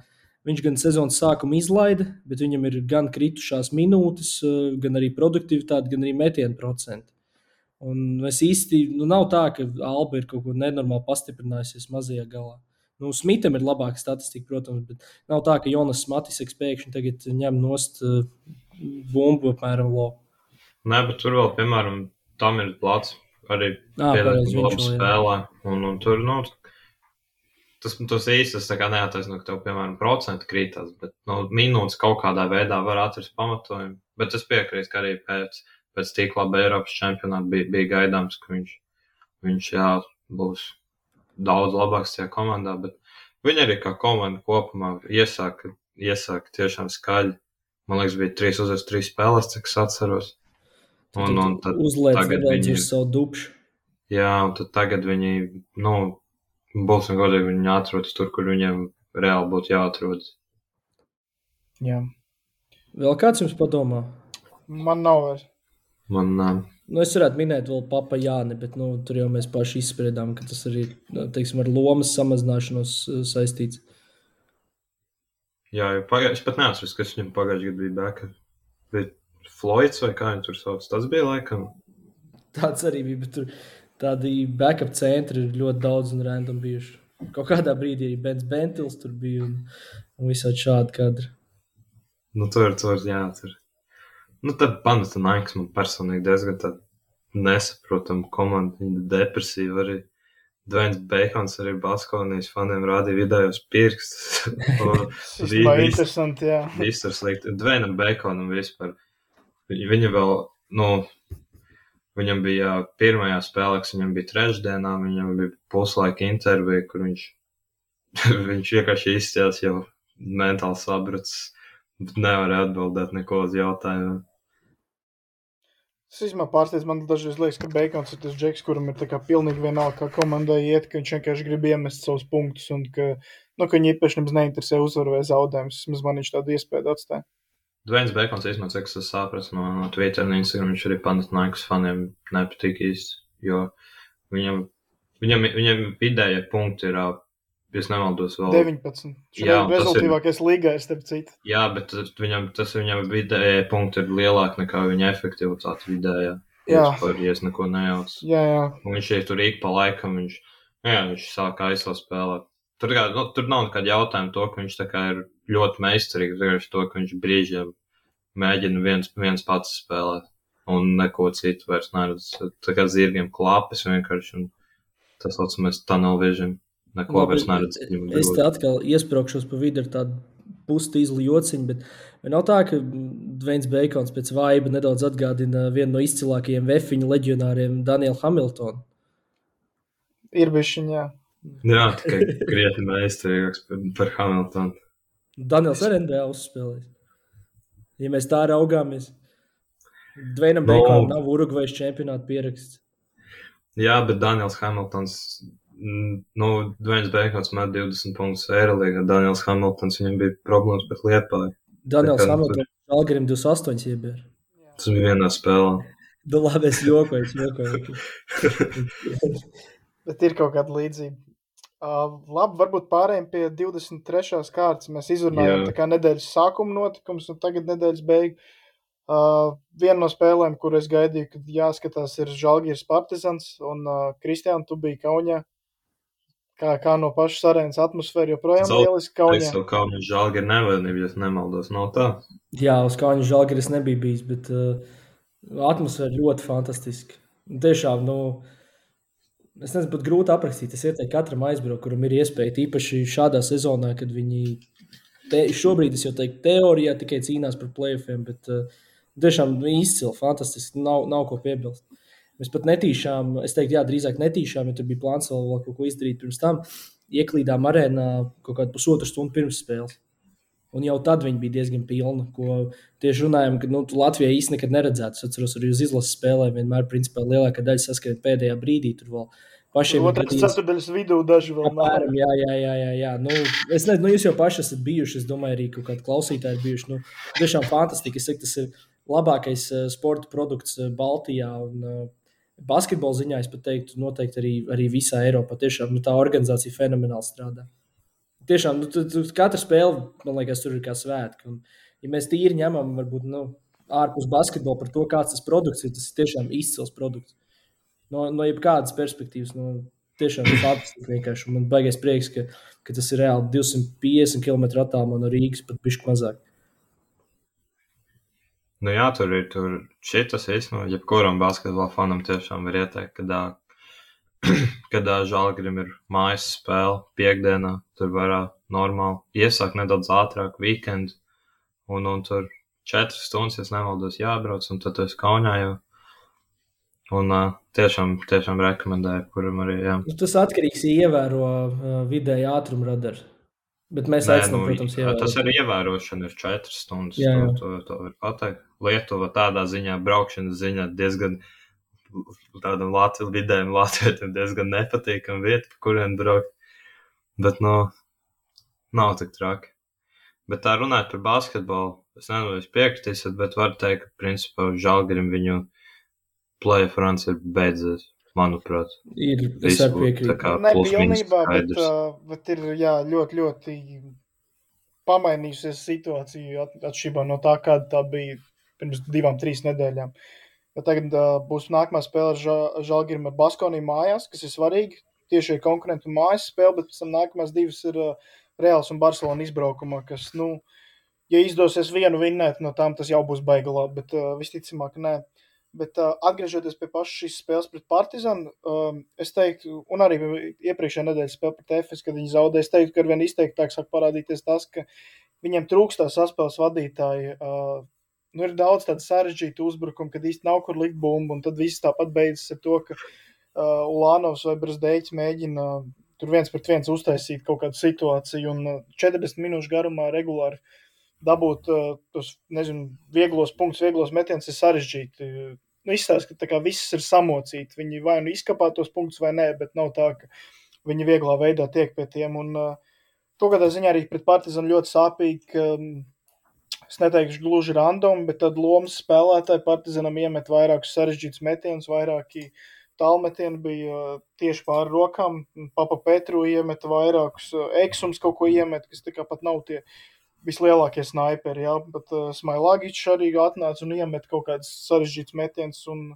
viņš gan sezonas sākumu izlaida, bet viņam ir gan kritušās minūtes, uh, gan arī produktivitāte, gan arī metienu procenti. Un es īsti, nu nav tā, ka Alba ir kaut ko nenormāli pastiprinājusies mazajā galā. Nu, Smitam ir labāka statistika, protams, bet nav tā, ka Jonas Matiseks pēkšņi tagad ņem nost uh, bumbu apmēram lo.
Nē, bet tur vēl, piemēram, tam ir plats arī piedāvāt labu spēlē. Un, un tur, nu, Tas, tas īsti tas tā kā neataisno, ka tev, piemēram, procenti krītās, bet nu, minūtes kaut kādā veidā var atrast pamatojumu. Bet es piekrītu, ka arī pēc, pēc tik laba Eiropas čempionāta bija, bija gaidāms, ka viņš, viņš jā, būs daudz labāks tajā komandā, bet viņi arī kā komanda kopumā iesāka, iesāka tiešām skaļi. Man liekas, bija trīs uzreiz trīs spēles, cik es atceros. Un, un tad tagad viņi
ir savu dupšu.
Jā, un tad tagad viņi, nu, būsim godīgi, viņi atrodas tur, kur viņiem reāli būtu jāatrodas.
Jā.
Vēl kāds jums padomā?
Man nav vairs.
Man nav.
Nu, es varētu minēt vēl Papa Jāni, bet nu, tur jau mēs paši izspriedām, ka tas arī, teiksim, ar lomas samazināšanos saistīts.
Jā, jo pagājuši, es pat neatceros, kas viņam pagājuši gadu bija backup. Bija Floyds vai kā viņi tur sauc, tas bija laikam?
Tāds arī bija, bet tur... Tādi backup centri ir ļoti daudz un random bijuši. Kaut kādā brīdī arī Bens Bentils tur bija un, un visādi šādi kadri.
Nu, tur, tur, jā, tur. Nu, tad Panathinaikos man personīgi diezgan tāda nesaprotama komanda, viņa depresīva arī. Dwayne Bacons arī Baskonijas faniem rādīja vidējos pirkstus.
Tas bija interesanti, jā.
Viss ir slikti. Dwayne Baconam vispār. Viņa vēl, nu... viņam bija pirmajā spēlē, kas viņam bija trešdienā, viņam bija puslaika intervija, kur viņš, viņš vienkārši izcēlās jau mentāli sabrucis, bet nevarēja atbildēt neko uz jautājumu.
Es īstenībā pārsteidz, man dažreiz liekas, ka Beikons ir tas džeks, kuram ir tā kā pilnīgi vienalga, kā komandai iet, ka viņš vienkārši grib iemest savus punktus un ka, nu, ka viņi īpaši nemaz neinteresē uzvaru vai zaudējumus. Vismaz man viņš tādu iespēju atstāja.
Dvains Beikons īstenībā, cik es saprastu no, no Twitter un Instagram, viņš arī Panathinaikos faniem nepatīk īsti, jo viņam, viņam, viņam vidējie punkti ir, es nemaldos vēl.
deviņpadsmit.
Jā,
Šodien rezultīvākais līgā, starp citu.
Jā, bet viņam, tas viņam vidējie punkti ir lielāk nekā viņa efektivitāte vidējā.
Jā.
Par, ja es neko nejauc.
Jā, jā.
Un viņš ir tur ik pa laikam, viņš, jā, viņš sāk aizsā spēlēt. Tur, kā, nu, tur nav nekāda jautājuma to, ka viņš tā kā ir ļoti meistarīgs, vienkārši to, ka viņš brīžiem mēģina viens, viens pats spēlēt un neko citu vairs neredz. Tā kā zirgiem klāpes vienkārši un tas saucamais tunnel vision. Neko vairs neredz.
Es te atkal iespraukšos pa vidu ar tādu pustīzlu jociņu, bet nav tā, ka Dvains Beikons pēc vaiba nedaudz atgādina vienu no izcilākajiem vefiņu leģionāriem Danielu Hamiltonu.
Ir bišķiņ, jā.
Jā, tikai krietni meistarīgāks par, par Hamiltonu.
Daniels ar N B A uzspēlējis. Ja mēs tā raugāmies, Dvainam
No.
Beikonam nav Urugvajas čempionāta pieraksts.
Jā, bet Daniels Hamiltons, mm, nu, Dvains Beikons met divdesmit punktus Eirolīgā, Daniels Hamiltons, viņam bija problēmas pēc Liepāju.
Daniels
Tā kā
Hamiltons Žalgirim divdesmit astoņi iebēr.
Tas bija vienā spēlē.
Da labi, es jokoju, es jokoju.
Bet ir kaut kāda līdzība. Uh, labi, varbūt pārējiem pie divdesmit trešās kārtas. Mēs izrunājām
Jā.
tā kā nedēļas sākuma notikums un tagad nedēļas beigu. Uh, viena no spēlēm, kur es gaidīju, kad jāskatās, ir Žalgiris Partizans un uh, Kristiāna, tu biji Kaunijā. Kā, kā no pašas arēnas atmosfēra joprojām
Zaud-
lieliski
Es
Kaunijā.
jau Kaunis Žalgiri nevainību, ja es nemaldos, nav tā.
Jā, uz Kauņa Žalgiris nebija bijis, bet uh, atmosfēra ļoti fantastiska. Un tiešām, nu, es nezinu, pat grūti aprakstīt. Es ieteiktu katram aizbraukt, kuram ir iespēja, īpaši šādā sezonā, kad viņi, te, šobrīd es jau teiktu, teorijā tikai cīnās par playoffiem, bet uh, tiešām nu, izcili, fantastiski, nav, nav ko piebilst. Mēs pat netīšām, es teiktu, jā, drīzāk netīšām, ja tur bija plāns vēl, vēl kaut ko izdarīt pirms tam, ieklīdām arēnā kaut kādu pusotru stundu pirms spēles. Un jau tad viņi bija diezgan pilni, ko tieši runājam, ka nu, Latvijā īsti nekad neredzētu. Es atceros, arī uz izlases spēlēm vienmēr principā lielākā daļa saskrien pēdējā brīdī. Tur vēl pašiem ir
Otrais
gadījums.
ceturdaļas vidū daži vēl nav.
Apmēram, jā, jā, jā, jā, jā. Nu, es nezinu, nu, jūs jau paši esat bijuši, es domāju, arī kaut kādi klausītāji ir bijuši. Nu, tiešām fantastiski. Es saku, tas ir labākais uh, sporta produkts uh, Baltijā un uh, basketbola ziņā, es pat teiktu, noteikti arī, arī visā Eiropā. Tiešām nu, tā organizācija fenomenāli strādā. Tiešām, nu, tu, tu, katra spēle, man liekas, tur ir kā svētki. Un, ja mēs tīri ņemam, varbūt, nu, ārpus basketbola par to, kāds tas produkts ir, tas ir tiešām izcils produkts. No, no jebkādas perspektīvas, nu, tiešām ir fantastiski vienkārši. Un man baigais prieks, ka, ka tas ir reāli divsimt piecdesmit kilometru attālumā no Rīgas, pat bišķi mazāk.
Nu jā, tur ir tur šitas īstenībā, jebkuram basketbola fanam tiešām var ieteikt, kad, ā, kad ā, Žalgirim ir mājas spēle piekdienā, tur varā normāli iesāk nedaudz ātrāk weekend, un, un tur četras stundas, ja nemaldos, jābrauc, un tad tu esi Kaunijā jau. Un ā, tiešām, tiešām rekomendēju, kuram arī, jā.
Nu, tas atkarīgs, ja ievēro uh, vidēji ātrumu radaru. Bet mēs
Nē,
aicinām,
nu,
protams, ievērot.
tas arī ievērošana ir četras stundas,
Jā, jā.
to, to, to var pateikt. Lietuva tādā ziņā, braukšanas ziņā diezgan tādam Latvi, vidējiem latvietim diezgan nepatīkam vieta, pa kurien braukt. Bet, nu, nav tik traki. Bet tā runāt par basketbolu, es nezinu, jūs piekritīsiet, bet var teikt, ka principā Žalgirim viņu playoff runs ir beidzies, manuprāt.
Ir, es
Visu
arī piekrītu.
tā kā
Ne
plus mīnus
pilnībā, bet,
skaidrs.
uh, bet ir jā, ļoti, ļoti pamainījusies situācija at, atšķirībā no tā, kāda tā bija pirms divām, trīs nedēļām. Jo tagad uh, būs nākamā spēle ar Ža- Žalgirim ar Baskoniju mājās, kas ir svarīgi. Tieši ir konkurentu mājas spēle, bet pēc tam nākamās divas ir uh, Reāls un Barcelona izbraukumā, kas, nu, ja izdosies vienu vinnēt no tām, tas jau būs baigi labi, bet uh, visticamāk nē. Bet uh, atgriežoties pie pašas šīs spēles pret Partizanu, um, es teiktu, un arī iepriekšējā nedēļas spēle pret Efes, kad viņi zaudēja, es teiktu, ka arvien izteiktāk sāk parādīties tas, ka viņiem trūkst tā saspēles vadītāji uh, nu, ir daudz tādu sarežģītu uzbrukumu, kad īsti nav kur likt bumbu, un tad viss tāpat beidzas ar to, ka uh, Ulānovs vai Brazdeiķis mēģina uh, tur viens pret viens uztaisīt kaut kādu situāciju, un uh, četrdesmit minūšu garumā regulāri dabūt uh, tos, nezinu, vieglos punktus, vieglos metienus ir sarežģīti. Nu, izstāst, ka tā kā viss ir samocīti. Viņi vai nu izkapā tos punktus vai nē, bet nav tā, ka viņi vieglā veidā tiek pie tiem, un uh, to kādā ziņā arī pret Partizanu ļoti sāpīgi, ka um, es neteikšu gluži random, bet tad lomas spēlētāji Partizanam iemet vairākus sarežģītus metienus, vairāki tālmetieni bija tieši pāri rokām. Papa Petru iemet vairākus, Eksums kaut ko iemet, kas tā kā pat nav tie vislielākie snaiperi, jā, bet uh, Smailagičs arī atnāca un iemet kaut kādas sarežģītas metienus, un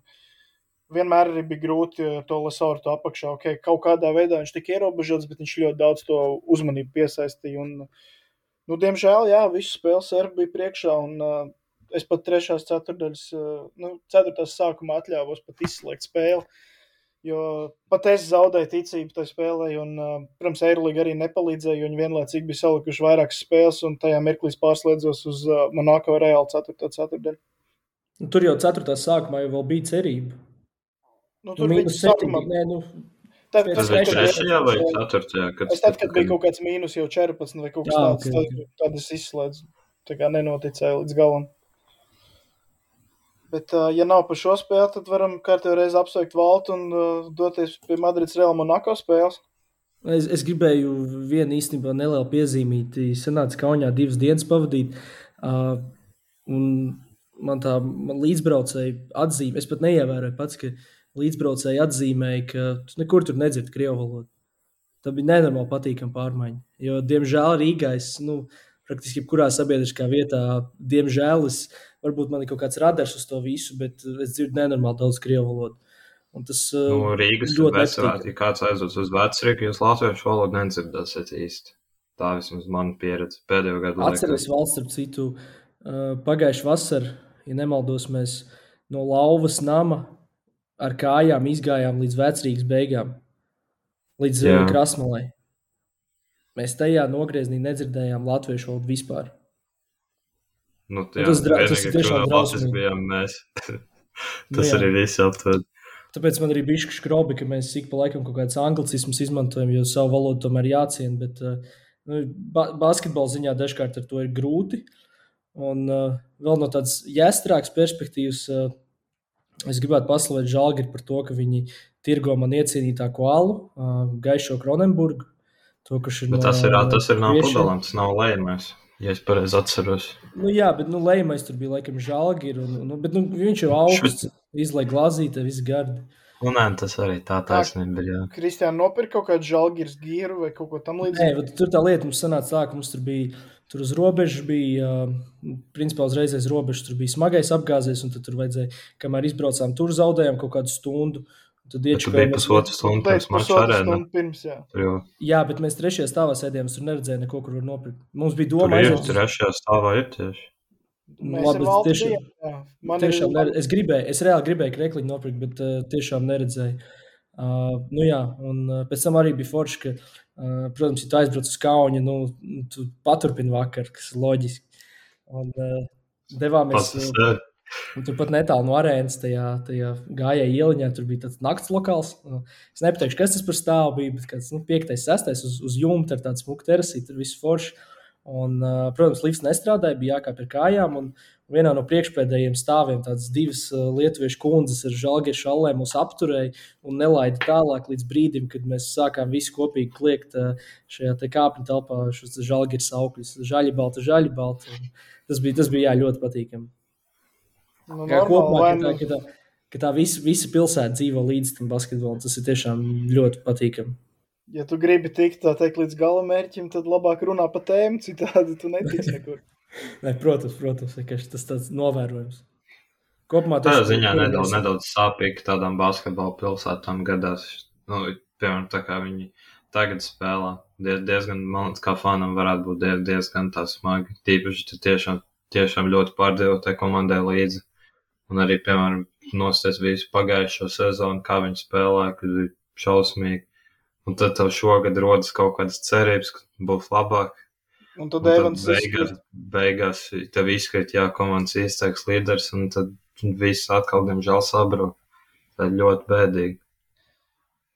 vienmēr arī bija grūti to Lesortu apakšā. Okay, kaut kādā veidā viņš tika ierobežots, bet viņš ļoti daudz to uzmanību piesaistīja, un nu, diemžēl, jā, visu spēli serbi bija priekšā, un uh, es pat trešās ceturdaļas, uh, nu, ceturtās sākumā atļāvos pat izslēgt spēli, jo pat es zaudēju ticību tai spēlē, un, uh, protams, Eirolīga arī nepalīdzēja, jo viņi vienlaicīgi bija salikuši vairākas spēles, un tajā mirklī pārslēdzos uz uh, Monako Reāli ceturtā ceturdaļa.
Nu, tur jau ceturtā sākumā jau vēl bija cerība.
Nu, tur
nu,
viņi sākumā...
Nē, nu...
Tad,
Tas bija trešajā vai ceturtajā?
Es tad, kad bija kaut kāds mīnus jau četrpadsmit vai kaut kas tāds, okay, okay. tad, tad es izslēdzu. Tā kā nenoticēju līdz galam. Bet, uh, ja nav par šo spēli, tad varam kārtējo reizi apsveikt Valtu un uh, doties pie Madrids Real Monako spēles.
Es, es gribēju vienu īstenībā nelielu piezīmīti. Sanāca Kaunijā divas dienas pavadīt. Uh, un man tā man līdzbraucēji atzīme, es pat neievēroju pats, ka līdzbraucēji atzīmēja, ka tu nekur tur nedzird krievu valodu. Tā bija nenormāli patīkama pārmaiņa. Jo, diemžēl, Rīgā es, nu, praktiski jebkurā sabiedriskā vietā, diemžēl, es, varbūt man ir kaut kāds radars uz to visu, bet es dzirdu nenormāli daudz krievu valodu. Un tas
nu, Rīgas
ļoti
nepatīk. Ja kāds aizdodas uz Vecrīgu, jūs latviešu valodu nedzirdēsiet īsti. Tā vismaz mana pieredze pēdējo gadu laikā.
Atceries valsts, starp citu, pagājuši vasar, ja nemaldos, mēs no Lauvas nama ar kājām izgājām līdz Vecrīgas beigām, līdz Jā. Krasmalai. Mēs tajā nogrieznī nedzirdējām latviešu valodu vispār.
Nu, jā,
tas dra- tas ir tiešām
drausmīgi. Bijām mēs. Tas jā. Arī viss aptved.
Tāpēc man arī bišķi škrobi, ka mēs ik pa laikam kaut kāds anglicismus izmantojam, jo savu valodu tomēr jāciena, bet nu, ba- basketbola ziņā dažkārt ar to ir grūti. Un uh, vēl no tādas jāstrāks perspektīvas uh, es gribētu paslavēt Žalgiri par to, ka viņi tirgo man iecienītāko alu, uh, Gaišo Kronenburgu. To, kas ir
bet
no,
tas ir, tas ir nav pudelam, tas nav lejamais, ja es pareizi atceros.
Nu jā, bet nu, lejamais tur bija laikam Žalgiri, un, nu, bet nu, viņš jau augsts, izlai glāzīte, viss gardi.
Un nē, tas arī tā taisnība ir, jā.
Kristiāna nopirka kaut kādu Žalgiris gīru vai kaut ko tam līdzīgi?
Nē, bet tur tā lieta mums sanāca tā, ka mums tur bija, tur uz robežas bija, uh, principā uzreiz aiz robežas tur bija smagais apgāzies, un tad tur vajadzēja, kamēr izbraucām, tur zaudējām kaut kādu stundu. Tad
tu biji pusotru stundu pirms mača arēna.
Pirms, jā.
Jā.
jā, bet mēs trešajā stāvā sēdījām, tur neredzēja neko, kur var nopirkt. Mums bija doma
tur ir,
aiziet.
Trešajā stāvā ir tieši.
Mēs Labi, ar Valtu
tiešām,
bijām,
tiešām nered... es gribēju, es reāli gribēju krekliņu nopirkt, bet uh, tiešām neredzēju. Uh, nu jā, un uh, pēc tam arī bija forši, ka, uh, protams, ja tu aizbrauc uz Kauni, nu, tu paturpini vakar, kas ir loģiski. Un uh, devāmies... Uh, Un tur pat netālu no arēnas tajā, tajā gājēja ieliņā, tur bija tāds nakts lokāls. Es nepateikšu, kas tas par stāvu bija, bet kāds nu, piektais, sestais uz, uz jumta ar tādu smuku terasī, tur viss forši. Un, protams, lifts nestrādāja, bija jākāp ar kājām, un vienā no priekšpēdējiem stāviem tādas divas lietuviešu kundzes ar žalgieru šallēm mūs apturēja un nelaida tālāk līdz brīdim, kad mēs sākām visi kopīgi kliegt šajā te kāpņu telpā šos žalgieru saukļus, žaļi balta, žaļi balta. Tas bija, tas bija jā, ļoti patīkami.
Nu,
kā
normāli,
kopumā,
vai
ka tā, ka tā, ka tā visa, visa pilsēta dzīvo līdz tam basketbolam, tas ir tiešām ļoti patīkami.
Ja tu gribi tikt, tā teikt, līdz gala mērķim, tad labāk runā pa tēmu, citādi tu netiks nekur.
Nē, protams, protams, tas tāds novērojums. Kopumā
tā ziņā nedaudz, nedaudz sāpīgi tādām basketbola pilsētām gadās. Nu, piemēram, tā kā viņi tagad spēlē, diez, diezgan, man liekas, kā fanam varētu būt diez, diezgan tā smagi. Tīpaši tiešām, tiešām ļoti pārdzīvo tai komandai līdzi. Un arī, piemēram, nosties visu pagājušo sezonu, kā viņi spēlē, kad bija šausmīgi. Un tad tev šogad rodas kaut kādas cerības, ka būs labāk.
Un tad
Un tad
Evans
beigās,
izkrīt.
beigās tev izkrīt, jā, komandas izteiks līderis, un tad viss atkal, diemžēl, sabrūk. Tā ir ļoti bēdīgi.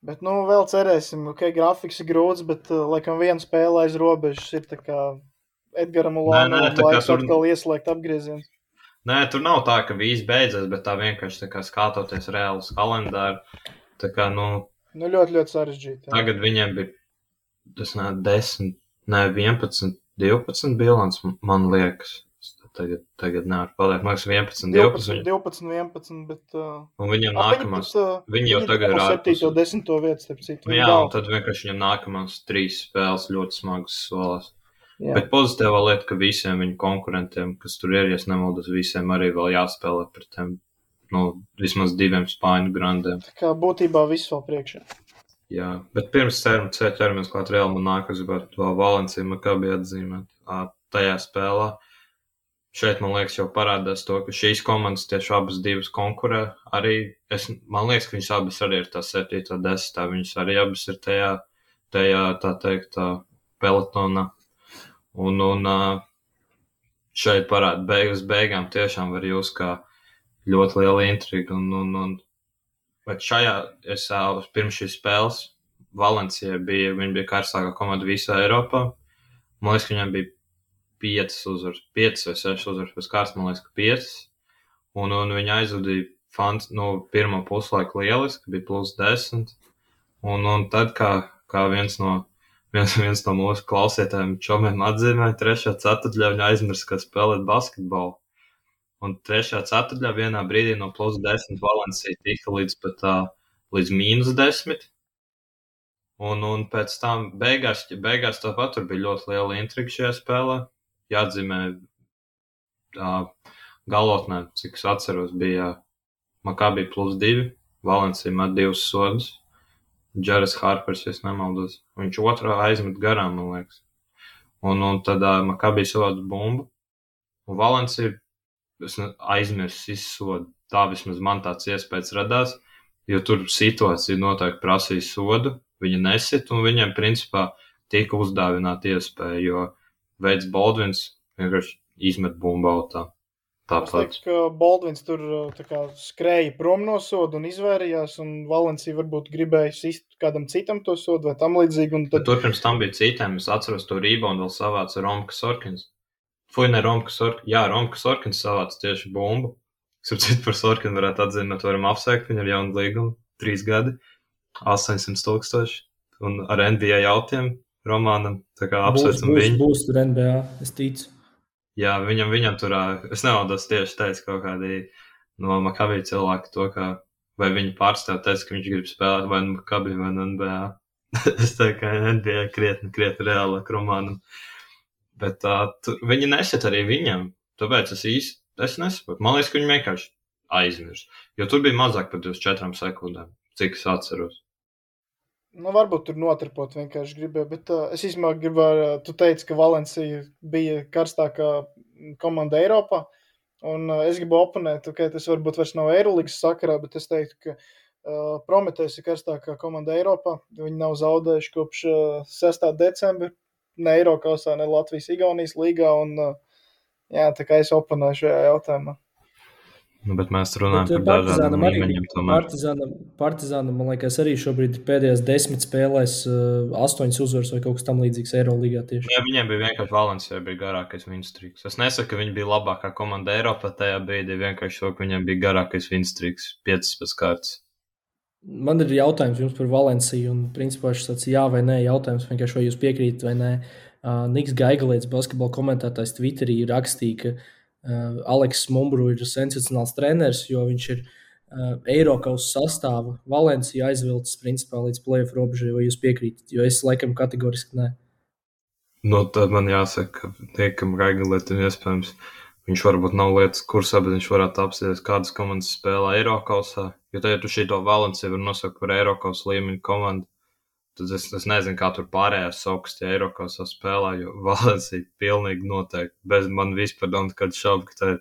Bet, nu, vēl cerēsim, ok, grafiks ir grūts, bet, uh, laikam, viena spēle aiz robežas ir tā kā Edgaram
Nē, nē,
Ulānovam
tā kā
laiks
tur,
atkal ieslēgt apgrieziens.
nē, tur nav tā, ka viss beidzas, bet tā vienkārši tā kā skatoties reālus kalendāru, tā kā, nu,
Nu, ļoti, ļoti sarežģīti. Jā.
tagad viņiem bija, tas nē, desmit, nē, vienpadsmit, divpadsmit bilants, man liekas. Tagad, tagad nevar pateikt, man liekas, vienpadsmit, divpadsmit.
divpadsmit, vienpadsmit, bet... Uh,
Un viņam
ap, viņi
nākamās,
pat, uh,
viņi jau
viņi
tagad ir
dabū
ārpus.
septīto, desmito vietu, starp citu. Viņi
Jā, un
dal.
tad vienkārši viņam nākamās trīs spēles ļoti smagas solās.
Jā.
Bet pozitīvā lieta, ka visiem viņu konkurentiem, kas tur ir, ja es nemaldos, visiem arī vēl jāspēlē pret tiem, nu, vismaz diviem spāņu grandiem.
Tā kā būtībā viss vēl priekšā.
Jā, bet pirms ceram, ķeramies klāt Real Monako, es gribētu vēl Valencia Maccabi atzīmēt ā, tajā spēlē. Šeit, man liekas, jau parādās to, ka šīs komandas tieši abas divas konkurē. Arī, es, man liekas, ka viņas abas arī ir tā septītā, desmitā, viņas arī abas ir tajā, tajā tā teikt, tā pelotonā. Un, un šeit parāda beigas beigām tiešām var jūs kā ļoti liela intriga. Un, un, un, bet šajā, es pirms šīs spēles, Valencija bija, viņa bija karstākā komanda visā Eiropā. Man liekas, ka viņam bija piecas uzvaras, piecas vai sešas uzvaras pēc kārtas, man liekas, ka piecas. Un, un viņa aizvadīja fans, nu, pirmo puslaiku lieliski, bija plus desmit. Un, un tad, kā, kā viens no Viens, viens no mūsu klausītājiem čomiem atzīmēja, trešā ceturtdaļā viņa aizmirst, kā spēlēt basketbolu. Un trešā ceturtdaļā vienā brīdī no plus desmit Valencija tika līdz pat uh, līdz mīnus desmit. Un, un pēc tam beigās, beigās tāpat tur bija ļoti liela intriga šajā spēlē. Jāatzīmē uh, galotnē, cik es atceros, bija Maccabi plus divi, Valencija met divus sodus. Džeres Harpers, ja es nemaldos. Viņš otrā aizmet garām, man liekas. Un, un tad uh, Maccabi savāc bumbu. Un Valencija aizmirst izsodu. Tā vismaz man tāds iespējas radās, jo tur situācija noteikti prasīja sodu. Viņa nesit, un viņiem principā tika uzdāvināta iespēja, jo Veids Baldvins vienkārši izmet bumbu autā.
Es teiktu, ka Baldvins tur tā kā skrēja prom no sodu un izvairījās, un Valencija varbūt gribēja sist kādam citam to sodu vai tam līdzīgi. Un tad...
Bet tur pirms tam bija citiem, es atceros to reboundu vēl savāca Romka Sorkins. Fui, ne Romka Sorkins, jā, Romka Sorkins savāca tieši bumbu. Sapcīt par Sorkinu varētu atzīmēt, varam apsveikt, viņam jaunu līgumu, trīs gadi, astoņsimt tūkstoši, un ar N B A jautiem Romānam, tā kā apsveicam
būs,
viņu.
Būs, būs tur N B A, es ticu.
Jā, viņam, viņam tur, es nevaldos tieši teicu kaut kādi no Maccabi cilvēki to, ka vai viņi pārstāv teica, ka viņš grib spēlēt vai no Maccabi vai no N B A. Es teiktu, ka N B A krietni, krietni reālāk Romānam. Bet uh, tu, viņi nesit arī viņam, tāpēc es īsti, es nesaprotu. Man liekas, ka viņi vienkārši aizmirst, jo tur bija mazāk par divdesmit četrām sekundēm, cik es atceros.
Nu, varbūt tur notripot vienkārši gribēju, bet uh, es īstenībā gribēju, uh, tu teici, ka Valencija bija karstākā komanda Eiropā, un uh, es gribu oponēt, ka tas varbūt vairs nav Eirolīgas sakarā, bet es teiktu, ka uh, Prometējs ir karstākā komanda Eiropā, viņi nav zaudējuši kopš uh, sestā decembra, ne Eirokausā, ne Latvijas Igaunijas līgā, un uh, jā, tā kā es oponēju šajā jautājumā.
Nu, bet mēs runājam
bet
par dažādiem līmeņiem tomēr.
Partizānam, Partizānam, man liekas, arī šobrīd pēdējās desmit spēlēs uh, astoņas uzvaras vai kaut kas tam līdzīgs Eirolīgā tieši.
Jā, viņiem bija vienkārši Valencija bija garākais winstreaks. Es nesaku, ka viņi bija labākā komanda Eiropā tajā brīdī, vienkārši to, ka viņiem bija garākais winstreaks, piecas pēc kārtas.
Man ir jautājums jums par Valenciju, un principā šis tāds jā vai nē jautājums, vienkārši vai jūs piekrītat vai nē. Uh, Niks Gaigalietis, basketbola komentētājs Twitterī rakstīja, ka Uh, Aleks Mumbru ir sensacionāls treneris, jo viņš ir uh, Eirokaus sastāva Valencija aizvilcis principā līdz play-off robežai, vai jūs piekrītat, jo es laikam kategoriski nē.
Nu, tad man jāsaka, ka tiekam Gaigalietim iespējams, viņš varbūt nav lietas kursā, bet viņš varētu apsties, kādas komandas spēlē Eirokausā, jo tad, ja tu šito Valenciju var nosaukt par Eirokaus līmeņu komandu, tad es, es nezinu, kā tur pārējās saukas tie Eirokausā spēlē, jo Valencija pilnīgi noteikti, bez man vispār nav nekāda šauba, ka tā ir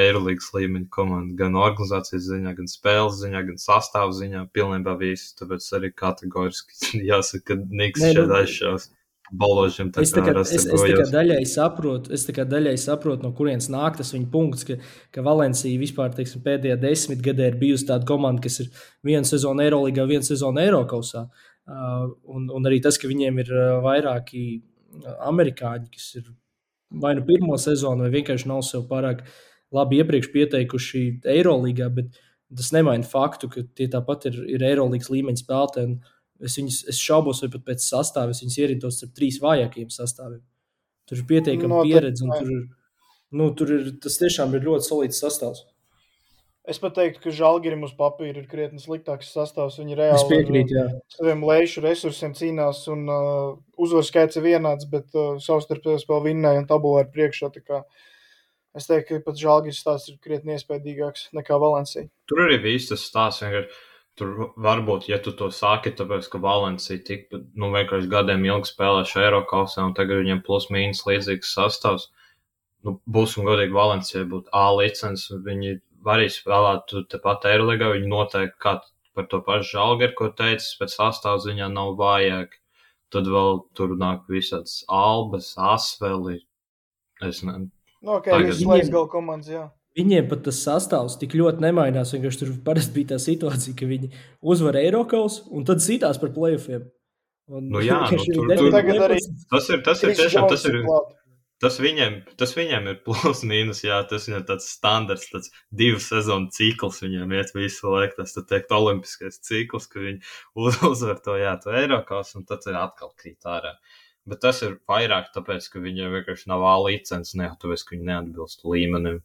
Eirolīgas līmeņa komanda, gan organizācijas ziņā, gan spēles ziņā, gan sastāvu ziņā, pilnībā visu, tāpēc arī kategoriski jāsaka, ka Niks šeit aizšaus. baložiem.
Es tā kā, es, es tā kā daļai saprotu, es tā kā daļai saprotu, no kurienes nāk tas viņa punkts, ka, ka Valencija vispār, teiksim, pēdējā desmitgadē ir bijusi tāda komanda, kas ir viena sezona Eirolīgā, viena sezona Eirokausā. Uh, un, un arī tas, ka viņiem ir uh, vairāki amerikāņi, kas ir vai nu pirmo sezonu, vai vienkārši nav sev pārāk labi iepriekš pieteikuši Eirolīgā, bet tas nemaina faktu, ka tie tāpat ir, ir Eirolīgas līmeņa spēlētāji. Es, viņus, es šaubos, vai pat pēc sastāvā viņus ierindos ar trīs vājākajiem sastāviem. Tur ir pietiekama no, pieredze, un tur ir, nu, tur ir, tas tiešām ir ļoti solīts sastāvs.
Es pat teiktu, ka Žalgirim uz papīra ir krietni sliktāks sastāvs. Viņi reāli
es piekrītu, jā.
Ar saviem lejušu resursiem cīnās, un uh, uzvaru skaits ir vienāds, bet uh, savstarpēji spēle vinnēja un tabulā ir priekšā. Tā kā es teiktu, ka pat Žalgiris stāsts ir krietni iespējīgāks nekā Valencija.
Tur arī viss tas stāsts vienkārši. Tur varbūt, ja tu to sāki, tāpēc, ka Valencija tik, nu, vienkārši gadiem ilgi spēlēšu Eirokausā, un tagad viņiem plus mīnus līdzīgs sastāvs, nu, būsim godīgi, Valencija būtu A licens, viņi arī spēlētu tepat Eirolīgā, viņi noteikti, kā par to pašu Žalgiru, ko teicis, pēc sastāvs viņā nav vājāk, tad vēl tur nāk visāds Albas, Asveli, es ne...
Nu, ok, tagad... visu laiks gal komandas, jā.
Viņiem pat tas sastāvs tik ļoti nemainās, vienkārši tur parasti bija tā situācija, ka viņi uzvar Eirokaus un tad cītās par play-offiem. Un,
nu jā, nu, tur, tur, tur, arī... tas ir, tas ir tiešām, tas ir, tas viņiem, tas viņiem ir plus mīnus, jā, tas viņam tāds standarts, tāds divu sezonu cikls viņiem iet visu laiku, tas, tad teikt, olimpiskais cikls, ka viņi uzvar to, jā, to Eirokaus un tad ir atkal krīt ārā. Bet tas ir vairāk tāpēc, ka viņiem vienkārši nav A licences, ne, tāpēc, ka viņi neatbilst līmenim.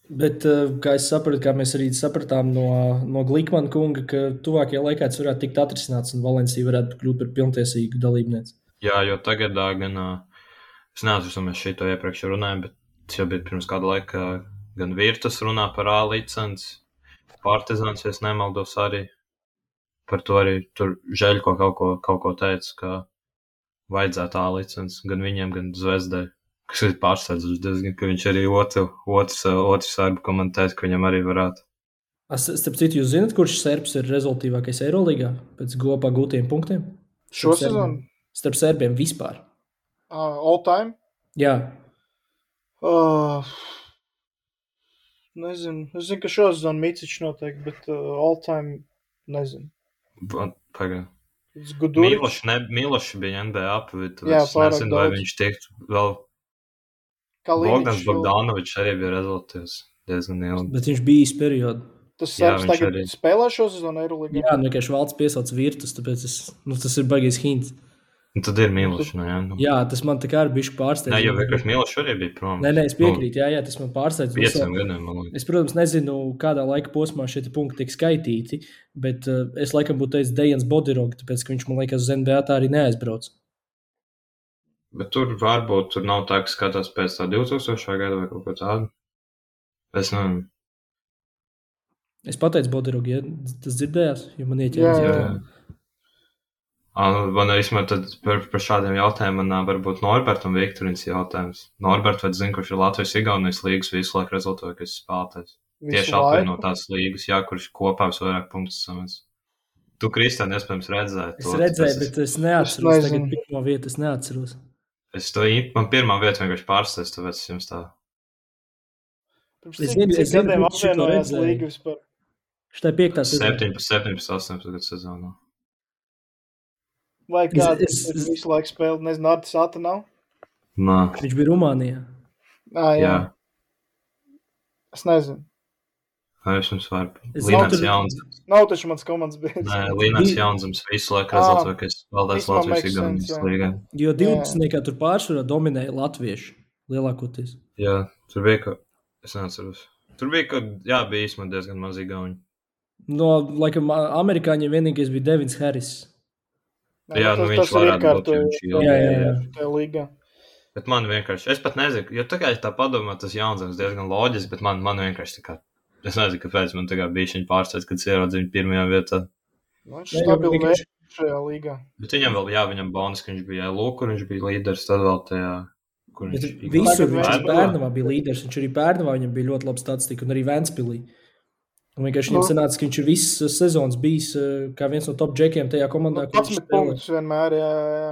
Bet, kā es sapratu, kā mēs arī sapratām no, no Glikmana kunga, ka tuvākajā laikā tas varētu tikt atrisināts un Valencija varētu kļūt par pilntiesīgu dalībnieci.
Jā, jo tagad gan, es neatceros, mēs šito iepriekš runājam, bet tas jau bija pirms kāda laika, gan Virtus runā par A licenci, Partizāns, ja es nemaldos arī, par to arī tur Žeļko kaut ko, kaut ko teica, ka vajadzētu A licenci gan viņiem, gan Zvezdai. Kas ir pārsteidzoši diezgan, ka viņš arī otru, otrs, otrs sērbu komentēs, ka viņam arī varētu.
Starp citu, jūs zināt, kurš serbs ir rezultīvākais Eirolīgā pēc gopā gūtiem punktiem?
Šo sezonu?
Starp serbiem vispār.
Uh, all time?
Jā.
Uh, nezinu. Es zinu, ka šo sezonu Micičs noteikti, bet uh, all time nezinu.
Pagaid.
Gudurič.
Miloš, ne, Miloš bija N B A, bet
Jā,
es nezinu, vai viņš tiektu vēl... Bogdans Bogdanovičs arī bija rezultāts diezgan ilgi.
Bet viņš bija īsti periodu.
Tas serbs tagad arī spēlē šo sezonu Eirolīgā?
Jā, nu, vienkārši valsts piesauc Virtus, tāpēc es, nu, tas ir baigais hints.
Un tad ir Miloš, nu, jā. Nu.
Jā, tas man tā kā arī bišķi pārsteidz.
Nē, jo vienkārši Miloš arī bija prom.
Nē, nē, es piekrītu, jā, jā, tas man pārsteidz.
Pieciem gadiem, man liekas.
Es, protams, nezinu, kādā laika posmā šie punkti tiek skaitīti, bet uh, es laikam būtu teicis Dejans Bodiroga, tāpēc, ka viņš, man liekas, uz N B A tā arī neaizbrauc.
Bet tur varbūt tur nav tā, ka skatās pēc tā divtūkstošā gada vai kaut ko tādu. Es nezinu.
Es pateicu Bodirogu, ja tas dzirdējās, jo man ieķēries.
Jā, jā. Man vismaz tad par, par šādiem jautājumiem man varbūt Norbertam Viktorins jautājums. Norbert, vai zini, kurš ir Latvijas-Igaunijas līgas visu laiku rezultātākais spēlētājs? Tieši apvienotās līgas, jā, kurš kopā visvairāk punktus samēs. Tu, Kristian, iespējams redzēji to.
Es redzēju, bet es neatceros. Es tagad pirmo vietu es neatceros.
Es to, man pirmā vieta vienkārši pārsteidz, tāpēc es jums tā.
Pirms cik, cik gadiem apvienojās līga vispār?
Šitā piektā sezona.
septiņpadsmit, septiņpadsmit, astoņpadsmit sezonā.
Vai kāds es, es, visu laiku spēlē, nezinu, Artis Ata nav?
Nā.
Viņš bija Rumānijā.
Ā, jā. jā. Es nezinu.
Vai es jums varu? Līnāts Jaunzems.
Nav taču mans komandas biedrs.
Nē, Līnāts Jaunzems visu laiku rezultātais spēlētājs Latvijas Igaunijas līgā.
Jo divdesmitniekā tur pārsvarā dominēja latvieši lielākoties.
Jā, tur bija, ka, es neatceros. Tur bija, ka, jā, bija īstenībā diezgan maz igauņi.
No, laikam, amerikāņiem vienīgais bija Devins Harris.
Jā,
jā, nu viņš varētu būt, ja viņš
jā, jā, jā.
Tā līgā.
Bet man vienkārši, es pat nezinu, jo tā kā es tā padomā, tas Jaunzems diezgan loģiski, bet man, man vienkārši tā kā, es nezinu, kāpēc man tā kā bija šiņi pārsteidz, kad es ieraudzīju viņu pirmajā vietā.
Nu, viņš stabili vērš šajā līgā.
Bet viņam vēl, jā, viņam bonus, ka viņš bija L U, kur viņš bija līderis, tad vēl tajā, kur viņš
bija. Visur viņš Bērnavā bija līderis, viņš arī Bērnavā viņam bija ļoti laba statistika un arī Ventspilī. Un vienkārši viņam sanāca, ka viņš ir visas sezonas bijis kā viens no top džekiem tajā komandā,
kur viņš spēlē. punktus vienmēr, jā, jā.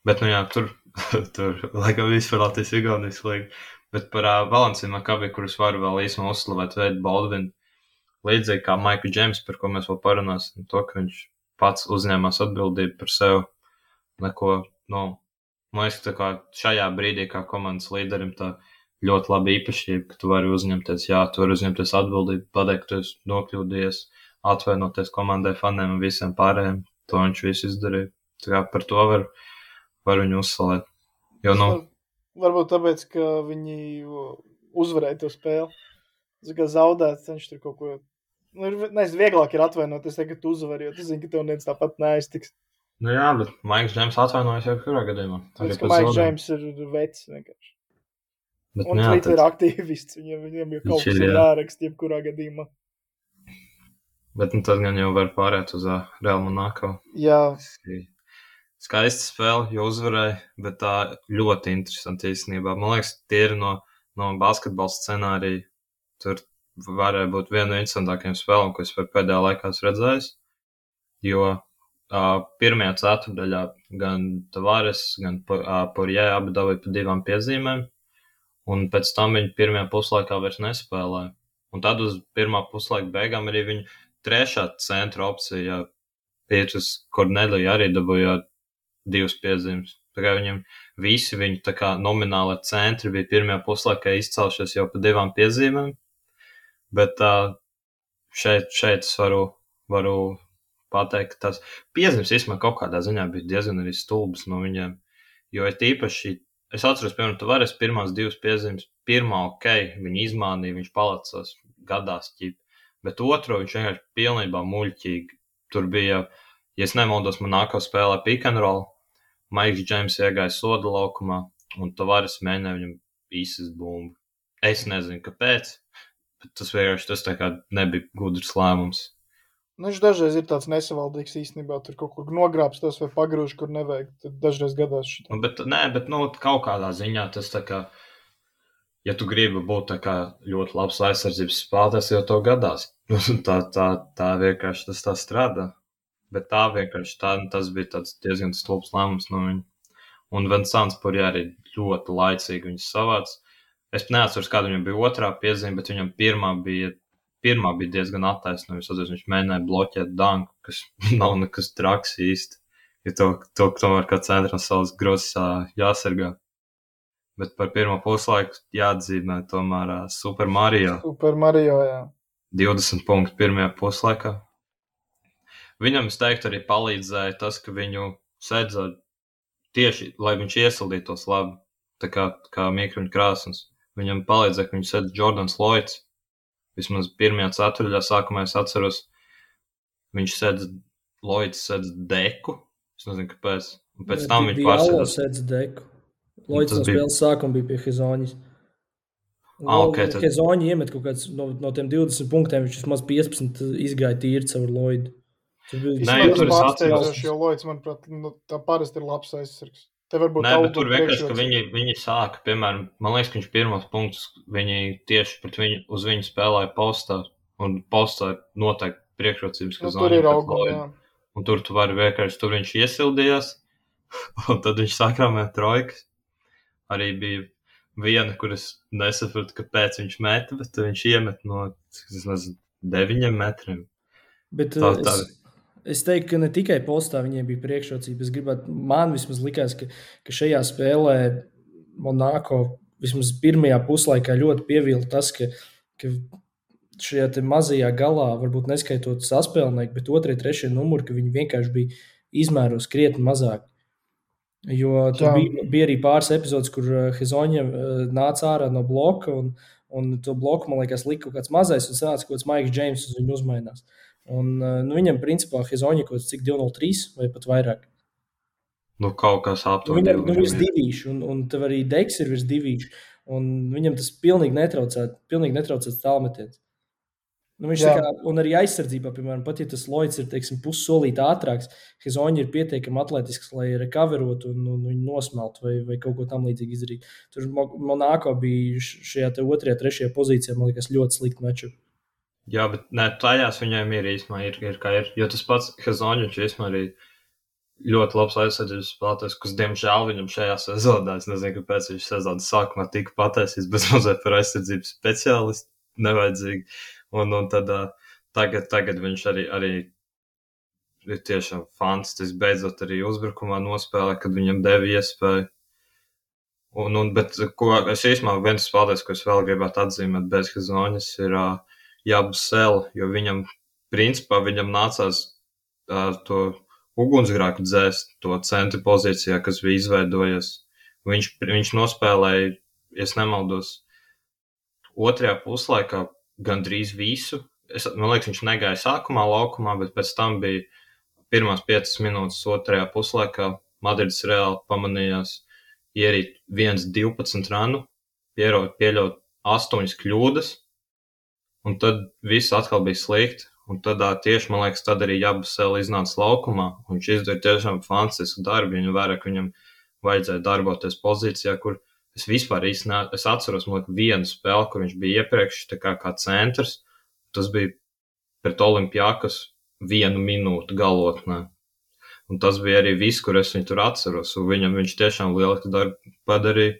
Bet, nu jā, tur, tur laikam viss par Latvijas Igaunijas līgu. Bet par uh, Valenciju Makabi, kurus varu vēl īsumā uzslavēt, Veidu Baldvinu, līdzīgi kā Maiku Džeimsu, par ko mēs vēl parunāsim, to, ka viņš pats uzņēmās atbildību par sevi, neko, nu, man liekas, tā kā šajā brīdī, kā komandas līderim, tā ļoti labi īpašība, ka tu vari uzņemties, jā, tu vari uzņemties atbildību, pateikt, ka tu esi nokļūdies, atvainoties komandai, faniem un visiem pārējiem, to viņš visu izdarīja. Tā kā par to var var viņu uzslavēt. Jo, nu...
Var, varbūt tāpēc, ka viņi uzvarēja to spēli. Tas kā zaudēt, viņš tur kaut ko... Nu, nezinu, vieglāk ir atvainoties, ka tu uzvari, jo tu zini, ka tev neviens tāpat neaiztiks.
Nu jā, bet Maiks Džeims atvainojas jau kurā gadījumā.
Tas, ka Maiks Džeims ir vecs vienkārši. Bet, un Twitter tad... ir aktīvists, viņiem, viņiem jau kaut kas ir jārakst, jebkurā gadījumā.
Bet nu tad gan jau var pārēt uz uh, Real Monaco.
Jā.
Skaista spēle, jo uzvarēja, bet tā ļoti interesanti īstenībā. Man liekas, tie ir no, no basketbola scenārija. Tur varēja būt viena no interesantākajām spēlēm, ko es pēdējā laikā esmu redzējis. Jo uh, pirmajā ceturdaļā gan Tavares, gan uh, Poirier abi dabūja pa divām piezīmēm. Un pēc tam viņi pirmajā puslaikā vairs nespēlēja. Un tad uz pirmā puslaika beigām arī viņa trešā centra opcija Pietrus Kornelija arī dabūja divas piezīmes. Tā kā viņam visi viņi tā kā nomināli centri bija pirmajā puslaikā izcelšies jau pa divām piezīmēm, bet uh, šeit, šeit es varu, varu pateikt, ka tās piezīmes vismaz kaut kādā ziņā bija diezgan arī stulbas no viņiem, jo ir tīpaši, es atceros, piemēram, Tavares pirmās divas piezīmes, pirmā ok, viņi izmānīja, viņš palicās gadās ķip, bet otro viņš vienkārši pilnībā muļķīgi. Tur bija, ja es nemaldos, Monaco spēlē pick and roll, Maiks Džeims iegāja soda laukumā, un Tavares mēģināja viņam īsas bumbu. Es nezinu, kāpēc, bet tas vienkārši tas tā kā nebija gudrs lēmums.
Nu, viņš dažreiz ir tāds nesavaldīgs īstenībā, tur kaut kur nogrābstos vai pagrūž, kur nevajag, tad dažreiz gadās šitā.
Nu, bet, nē, bet, nu, kaut kādā ziņā tas tā kā, ja tu gribi būt tā kā ļoti labs aizsardzības spēlētājs, jau to gadās. tā, tā, tā vienkārši tas tā strādā. Bet tā vienkārši, tā, tas bija tāds diezgan stulbs lēmums no viņa. Un Vincents Poirier arī ļoti laicīgi viņus savāc. Es neatceros, kāda viņam bija otrā piezīme, bet viņam pirmā bija, pirmā bija diezgan attaisnojums. Viņš mēģināja bloķēt danku, kas nav nekas traks īsti. Jo to, to tomēr kā centrā savas grozes jāsargā. Bet par pirmo puslaiku jāatzīmē tomēr uh, Super Mario.
Super Mario, jā.
divdesmit punkti pirmajā puslaikā. Viņam, es teiktu, arī palīdzēja tas, ka viņu sedza tieši, lai viņš iesildītos labi, tā kā, kā Mīkruņa Krāsns. Viņam palīdzēja, ka viņu sedza Jordans Lloyds. Vismaz pirmajā ceturdaļā sākumā es atceros, viņš sedza, Lloyds sedza deku. Es nezinu, kāpēc. Un pēc
ja,
tam viņš pārsēdās.
Sedza deku. Lloyds no
bija...
spēles sākuma bija pie Hezoņas.
Ah, okay, tad...
Hezoņa iemet kaut kāds no, no tiem divdesmit punktiem, viņš vismaz piecpadsmit izgāja tīri caur Lloydu.
Nē, jau tur es atceros.
Jo Lloyds, manuprāt, nu, tā parasti ir labs aizsargs. Te varbūt
Nē, bet tur vienkārši, ka viņi, viņi sāka, piemēram, man liekas, ka viņš pirmos punktus, viņi tieši pret viņu, uz viņu spēlēja postā, un postā ir noteikti priekšrocības, ka
nu, tur ir auguma, jā.
Un tur tu vari vienkārši, tur viņš iesildījās, un tad viņš sakrāmē trojkas. Arī bija viena, kuras nesapratu, kāpēc viņš meta, bet viņš iemet no, es nezinu, deviņiem metriem.
Bet tā, tā. Es... Es teiktu, ka ne tikai postā viņiem bija priekšrocība. Es gribētu, man vismaz likās, ka, ka šajā spēlē Monaco vismaz pirmajā puslaikā ļoti pievilta tas, ka, ka šajā te mazajā galā, varbūt neskaitot saspēlnieku, bet otrie, trešie numuri, ka viņi vienkārši bija izmēros krietni mazāk. Jo tur bija, bija arī pāris epizodes, kur Hezoņa nāca ārā no bloka, un, un to bloku, man liekas, lika kaut kāds mazais, un sanāca kaut kāds Maiks Džeims uz viņu uzmainās. Un nu, viņam, principā, Hezoņa kaut cik divi nulle trīs vai pat vairāk.
Nu, kaut kas aptuveni.
Viņam nu, virs divīši, un, un tev arī Deks ir virs divīši, un viņam tas pilnīgi netraucēt, pilnīgi netraucēt tālmetiens. Nu, viņš tā kā, un arī aizsardzībā, piemēram, pat ja tas Lloyds ir, teiksim, pussolīt ātrāks, Hezoņa ir pietiekami atletisks, lai recoverotu un, un viņu nosmeltu vai, vai kaut ko tam līdzīgi izdarīt. Tur Monaco bija šajā te otrajā, trešajā pozīcijā, man liekas, ļoti slikti meču.
Jā, bet ne, tajās viņiem ir īstenībā, ir, ir kā ir, jo tas pats Hezoņa, viņš īstenībā arī ļoti labs aizsardzības spēlētājs, kas, diemžēl, viņam šajā sezonā, es nezinu, kāpēc viņš sezonas sākumā tika pataisīts, bet mazliet par aizsardzības speciālistu nevajadzīgi. Un, un tad uh, tagad, tagad viņš arī, arī ir tiešām fantastisks, beidzot arī uzbrukumā nospēlē, kad viņam deva iespēju. Un, un, bet, ko es īstenībā viens spēlētājs, ko es vēl gribētu atzīmēt bez Hazoņas, ir uh, Jabusele, jo viņam, principā, viņam nācās uh, to ugunsgrēku dzēst, to centru pozīcijā, kas bija izveidojies. Viņš, viņš nospēlēja, ja es nemaldos, otrajā puslaikā gandrīz visu. Es, man liekas, viņš negāja sākumā laukumā, bet pēc tam bija pirmās piecas minūtes otrajā puslaikā. Madrids Reāli pamanījās ierīt viens divpadsmit ranu, pieļaut, pieļaut astoņas kļūdas, un tad viss atkal bija slikti. Un tad tieši, man liekas, tad arī Jabusele iznāca laukumā, un viņš izdarīja tiešām fantastisku darbu, viņam vairāk viņam vajadzēja darboties pozīcijā, kur es vispār īsti ne, es atceros, man liekas, vienu spēli, kur viņš bija iepriekš, tā kā, kā centrs, tas bija pret Olimpiakas vienu minūtu galotnē. Un tas bija arī viss, kur es viņu tur atceros, un viņam viņš tiešām lieliski darbu padarīja,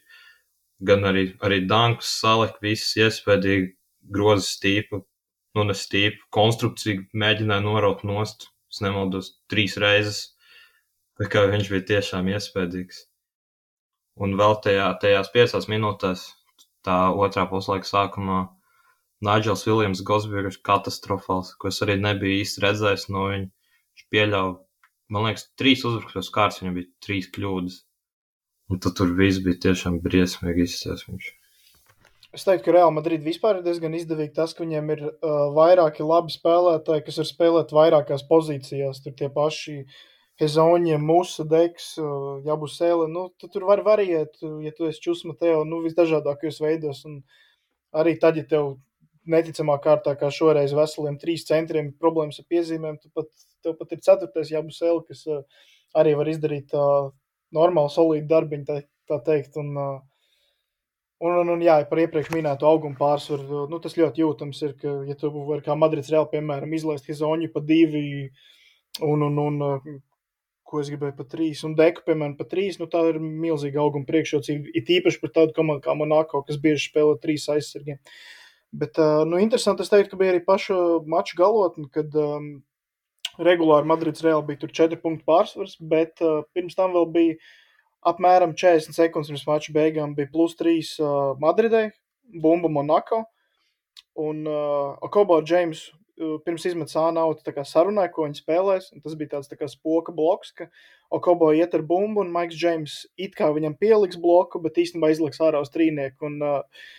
gan arī, arī dankus salika, viss iespējīgi groza stīpu, nu ne stīpu, konstrukciju mēģināja noraut nost, es nemaldos, trīs reizes, tā kā viņš bija tiešām iespējīgs. Un vēl tajā, tajās piecās minūtēs, tā otrā puslaika sākumā, Nigels Viljams Gosbjers katastrofāls, ko es arī nebiju īsti redzējis no viņa. Viņš pieļauj, man liekas, trīs uzbrukumos kārtas, viņam bija trīs kļūdas. Un tad tur viss bija tiešām briesmīgi izcies viņš.
Es teiktu, ka Real Madrid vispār ir diezgan izdevīgi tas, ka viņiem ir uh, vairāki labi spēlētāji, kas var spēlēt vairākās pozīcijās. Tur tie paši Hezoņie, Musa, Deks, uh, Jabusele. Nu, tu tur var variēt, ja tu esi Čus Mateo, nu, visdažādākajos veidos. Un arī tad, ja tev neticamā kārtā, kā šoreiz veseliem trīs centriem problēmas ar piezīmēm, tu pat, tev pat ir ceturtais Jabusele, kas uh, arī var izdarīt uh, normālu, solīdu darbiņu, tā, tā teikt. Un, uh, Un, un, un jā, par iepriekš minētu augumu pārsvaru, nu, tas ļoti jūtams ir, ka, ja tu vari kā Madrids Real, piemēram, izlaist Hezoņu pa divi un, un, un, ko es gribēju pa trīs, un Deku, piemēram, pa trīs, nu, tā ir milzīga auguma priekšrocība, it īpaši par tādu komandu kā Monaco, kas bieži spēlē trīs aizsargiem. Bet, nu, interesanti, es teiktu, ka bija arī paša mača galotni, kad um, regulāri Madrids Real bija tur četri punktu pārsvars, bet uh, pirms tam vēl bija apmēram četrdesmit sekundes pirms mača beigām bija plus trīs uh, Madridai, bumba Monaco, un uh, Okobo James uh, pirms izmetas ānautu tā kā sarunāja, ko viņi spēlēs, un tas bija tāds tā kā spoka bloks, ka Okobo iet ar bumbu, un Maiks James it kā viņam pieliks bloku, bet īstenībā izliks ārā uz trīnieku, un uh,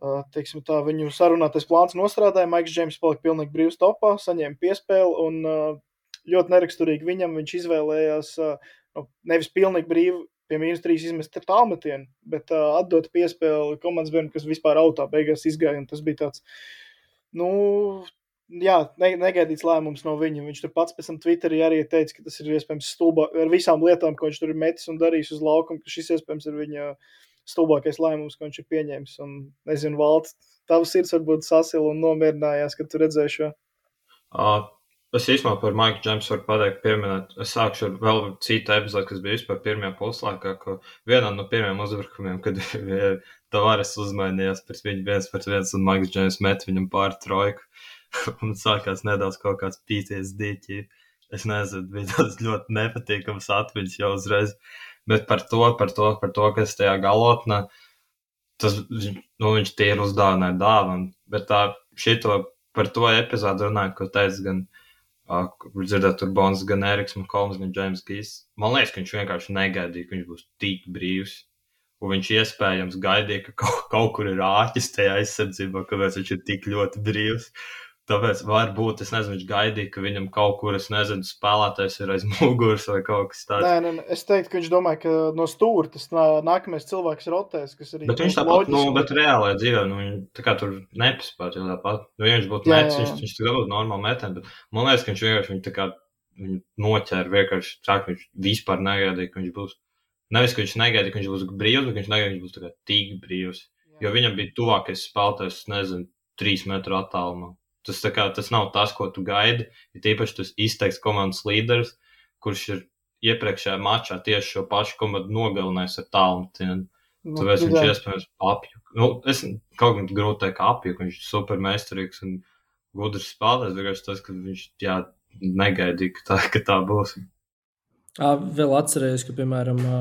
uh, teiksim tā, viņu sarunātais plāns nostrādāja, Maiks James palika pilnīgi brīvs topā, saņēma piespēli, un uh, ļoti neraksturīgi viņam viņš izvēlējās uh, nu, nevis pilnīgi brīvi pie mīnus trīs izmest tālmetienu, bet uh, atdot piespēli komandas bērnu, kas vispār autā beigās izgāja, un tas bija tāds, nu, jā, ne, negaidīts lēmums no viņa. Viņš tur pats pēc tam Twitterī arī teica, ka tas ir iespējams stulbā, ar visām lietām, ko viņš tur ir metis un darījis uz laukumu, ka šis iespējams ir viņa stulbākais lēmums, ko viņš ir pieņēmis. Un, nezinu, Valt, tavs sirds varbūt sasila un nomierinājās, kad tu redzēji šo.
Uh. Es īstenībā par Maiku Jamesu varu pateikt, pieminēt. Es sākšu ar vēl citu epizodu, kas bija vispār pirmajā puslaikā, ka vienā no pirmajiem uzbrukumiem, kad Tavares uzmainījās pret viņu viens pret viens un Maiks James met viņam pāri trojku. Un sākās nedaudz kaut kāds P T S D ķīp. Es nezinu, bija tāds ļoti nepatīkams atmiņas jau uzreiz. Bet par to, par to, par to, kas tajā galotnē, tas, nu, viņš tie ir uzdāvināja dāvanu. Bet tā, šito, par to epizodu runājot, ko teica gan Uh, dzirdēt tur Bons, gan Eriks Makolms, gan James Gīs. Man liekas, ka viņš vienkārši negaidīja, ka viņš būs tik brīvs. Un viņš iespējams gaidīja, ka kaut, kaut kur ir āķis tajā aizsardzībā, kāpēc viņš ir tik ļoti brīvs. Tāpēc varbūt, es nezinu, viņš gaidīja, ka viņam kaut kur, es nezinu, spēlētājs ir aiz muguras vai kaut kas tāds.
Nē, nē, es teiktu, ka viņš domāja, ka no stūra tas nākamais cilvēks rotēs, kas arī...
Bet viņš tāpat, nu, bet reālajā dzīvē, nu, viņi tā kā tur nepaspēt, jo tāpat, nu, ja viņš būtu metis, viņš, viņš tā būtu normāli metēm, bet man liekas, ka viņš vienkārši, viņi tā kā, viņu noķēra vienkārši, sāk, viņš vispār negaidīja, ka viņš būs, nevis, ka viņš negaidīja, ka viņš būs brīvs, bet viņš negaidīja, ka viņš būs tā kā tik brīvs, jo viņam bija tuvākais spēlētājs, nezinu, trīs metru attālumā. Tas, kā, tas nav tas, ko tu gaidi, ja tīpaši tas izteikts komandas līderis, kurš ir iepriekšējā mačā tieši šo pašu komandu nogalinājis ar tālmetienu.
Nu,
Tāpēc viņš
jā.
iespējams apjuk. Nu, es kaut gan grūti teikt, ka apjuk, viņš ir super meistarīgs un gudrs spēlētājs, vienkārši tas, ka viņš, jā, negaidīja, ka tā, ka tā būs.
Ā, vēl atcerējos, ka, piemēram, ā,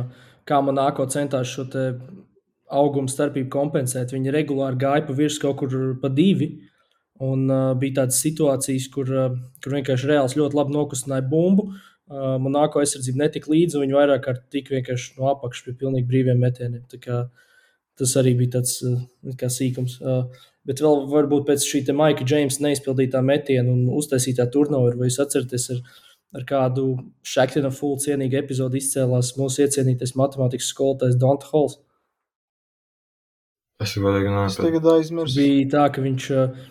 kā Monako centās šo te augumu starpību kompensēt, viņi regulāri gāja pa virs kaut kur pa divi, un uh, bija tādas situācijas, kur, uh, kur vienkārši Reāls ļoti labi nokustināja bumbu. Uh, Monako aizsardzība netika līdzi, un viņi vairāk kārt tika vienkārši no apakšas pie pilnīgi brīviem metieniem. Tā kā tas arī bija tāds uh, kā sīkums. Uh, bet vēl varbūt pēc šī te Maika Džeimsa neizpildītā metiena un uztaisītā turnover, vai jūs atceraties ar, ar kādu Shaqtina full cienīgu epizodu izcēlās mūsu iecienītais matemātikas skolotājs Donta Halls.
Es godīgi
Es
neesmu.
tagad aizmirsu.
Bija tā, ka viņš uh,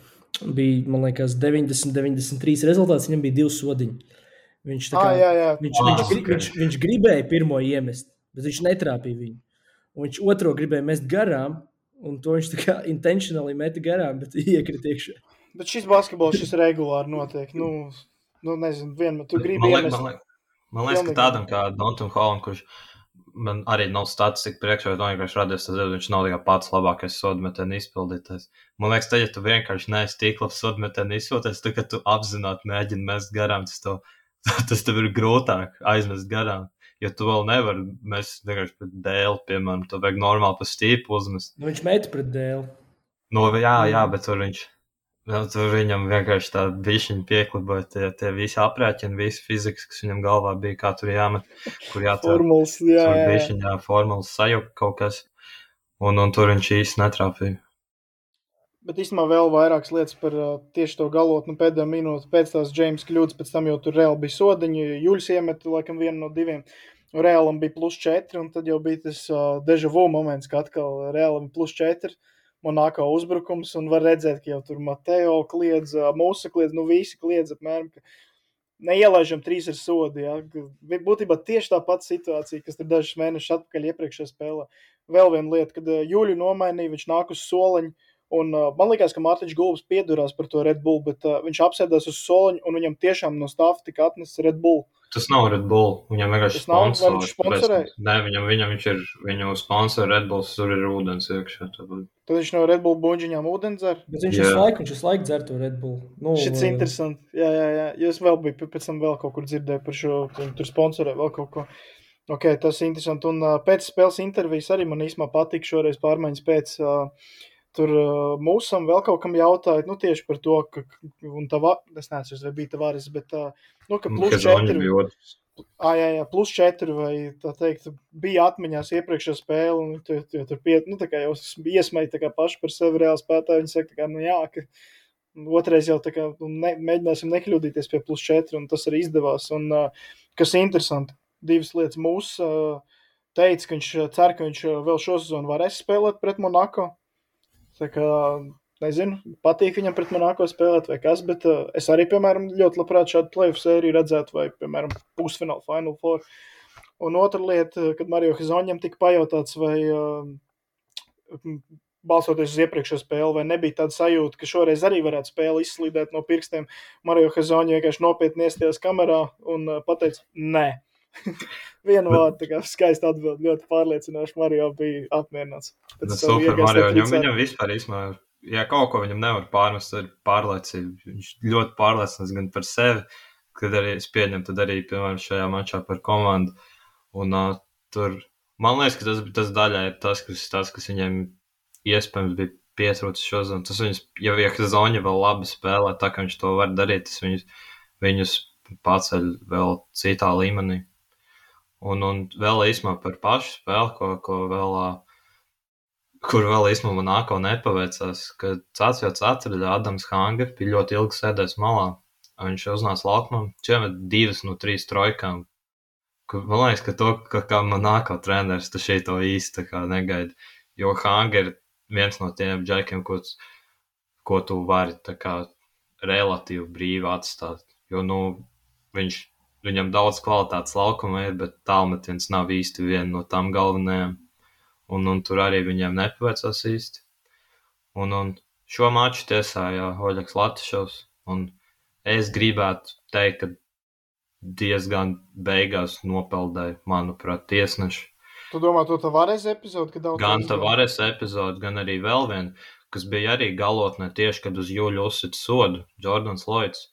bija, man liekas, deviņdesmit deviņdesmit trīs rezultāts, viņam bija divi sodiņi. Viņš, tā
Ā,
kā,
jā, jā.
viņš,
Ah,
viņš, gri-
ok.
viņš, viņš gribēja pirmo iemest, bet viņš netrāpīja viņu. Un viņš otro gribēja mest garām, un to viņš tā kā intentionally meta garām, bet iekrita iekšā.
Bet šis basketbols, šis regulāri notiek. Nu, nu nezinu, vienmēr tu gribi
Man liekas,
iemest.
man liekas, man liekas ka
Pilnīgi.
tādam kā Dontam Holland, kurš man arī nav statistika priekšā, bet vienkārši radies, tad viņš nav tikai pats labākais sodmetienu izpildītājs. Man liekas, tad, ja tu vienkārši neesi tik labs sodmetienu izpildītājs, tad, kad tu apzināti mēģini mest garām, tas tev, tas tev ir grūtāk aizmest garām. Jo tu vēl nevari mest vienkārši pret dēli, piemēram, tu vajag normāli pa stīpu uzmest.
Nu, viņš meta pret dēlu.
No, jā, jā, bet tur viņš, nu, tur viņam vienkārši tā bišķiņa piekliboja tie, tie visi aprēķini, visi fizikas, kas viņam galvā bija, kā tur jāmet, kur jātur.
Formulas, jā,
Tur
jā, jā.
bišķiņā formulas sajuka kaut kas, un, un tur viņš īsti netrāpīja.
Bet īstenībā vēl vairākas lietas par uh, tieši to galotnu pēdējā minūte. Pēc tās Džeims kļūdas, pēc tam jau tur reāli bija sodiņi. Juļs iemeta laikam vienu no diviem. Reālam bija plus četri, un tad jau bija tas uh, deja vu moments, ka atkal Reālam plus četri. Monako uzbrukums, un var redzēt, ka jau tur Mateo kliedz, uh, Musa kliedz, nu visi kliedz apmēram, ka neielaižam trīs ar sodu. Ja? Būtībā tieši tā pati situācija, kas tur dažus mēnešus atpakaļ iepriekšējā spēlē. Vēl viena lieta, kad uh, Juļu nomainīja, viņš nāk uz soliņu, un uh, man liekas, ka Mārtiņš Gulbis piedurās par to Red Bull, bet uh, viņš apsēdās uz soliņu, un viņam tiešām no stāfa tika atnests Red Bull.
Tas nav Red Bull, viņam vienkārši
Tas nav? Vai
sponsor.
viņš sponsorēja?
tāpēc- Nē, viņam, viņam viņš ir, viņu sponsor Red Bulls, tur ir ūdens iekšā. tāpēc-
Tad viņš no Red Bull buņģiņām ūdeni dzer.
Bet viņš
Jā.
visu laiku, viņš visu laiku dzer to Red Bull. Nu,
Šis
uh,
interesanti. Jā, jā, jā. Jo es vēl biju pēc tam vēl kaut kur dzirdēju par šo, viņi tur sponsorē vēl kaut ko. Ok, tas ir interesanti. Un uh, pēc spēles intervijas arī man īsumā patika šoreiz pārmaiņas pēc. Uh, tur uh, mūsam vēl kaut kam jautāja, nu tieši par to, ka, un tā, es neesmu, vai bija Tavares, bet, uh, nu, ka plus
Kazoņi
četri.
bija otrs.
Ā, jā, jā, plus četri, vai tā teikt, bija atmiņās iepriekšējā spēle, un tu, tu, tu piet, nu, tā kā jau iesmēja tā kā paši par sevi reāli spētāji, viņi saka, tā kā, nu, jā, ka otrais jau tā kā, nu, ne, mēģināsim nekļūdīties pie plus četri, un tas arī izdevās, un, uh, kas interesanti, divas lietas mūs uh, teica, ka viņš cer, ka viņš vēl šo sezonu varēs spēlēt pret Monako, tā kā, nezinu, patīk viņam pret Monako spēlēt vai kas, bet uh, es arī, piemēram, ļoti labprāt šādu playoff sēriju redzētu vai, piemēram, pusfinālu, final four. Un otra lieta, kad Mario Hazoņam tika pajautāts, vai uh, balsoties uz iepriekšējo spēli, vai nebija tāda sajūta, ka šoreiz arī varētu spēli izslīdēt no pirkstiem. Mario Hazoņa vienkārši nopietni iestījās kamerā un uh, pateica, nē. Vienu vārdu, tā kā skaisti atbild, ļoti pārliecinoši. Mario bija apmierināts. Pēc
Bet
savu
super
iegāstu
Mario, viņam,
tricēru.
viņam vispār īsmā, ja kaut ko viņam nevar pārmest, tad ir pārliecība. Viņš ļoti pārliecināts gan par sevi, kad arī es pieņemu, tad arī, piemēram, šajā mačā par komandu. Un uh, tur, man liekas, ka tas, tas daļā ir tas, kas, tas, kas viņiem iespējams bija pietrūcis šodien. Tas viņus, ja Zoņa vēl labi spēlē, tā kā viņš to var darīt, tas viņus, viņus paceļ vēl citā līmenī. Un, un vēl īsumā par pašu spēli, ko, ko vēl, kur vēl īsumā Monako nepaveicās, ka ceturtajā ceturdaļā Adams Hanger bija ļoti ilgi sēdējis malā. Viņš uznāca laukumā, čemet divas no trīs trojkām. Man liekas, ka to, ka kā Monako treneris, tu šeit to īsti tā kā negaidi. Jo Hanger ir viens no tiem džekiem, ko, ko tu vari tā kā relatīvi brīvi atstāt. Jo, nu, viņš Viņam daudz kvalitātes laukuma ir, bet tālmetiens nav īsti viena no tām galvenajām. Un, un tur arī viņiem nepaveicās īsti. Un, un šo maču tiesāja Oļegs Latišovs. Un es gribētu teikt, ka diezgan beigās nopeldēja, manuprāt, tiesneši.
Tu domā, to Tavares epizodi, kad daudz
Gan
reizes
Tavares epizodi, gan arī vēl viena, kas bija arī galotnē tieši, kad uz Juļu uzsit sodu, Jordans Lloyds.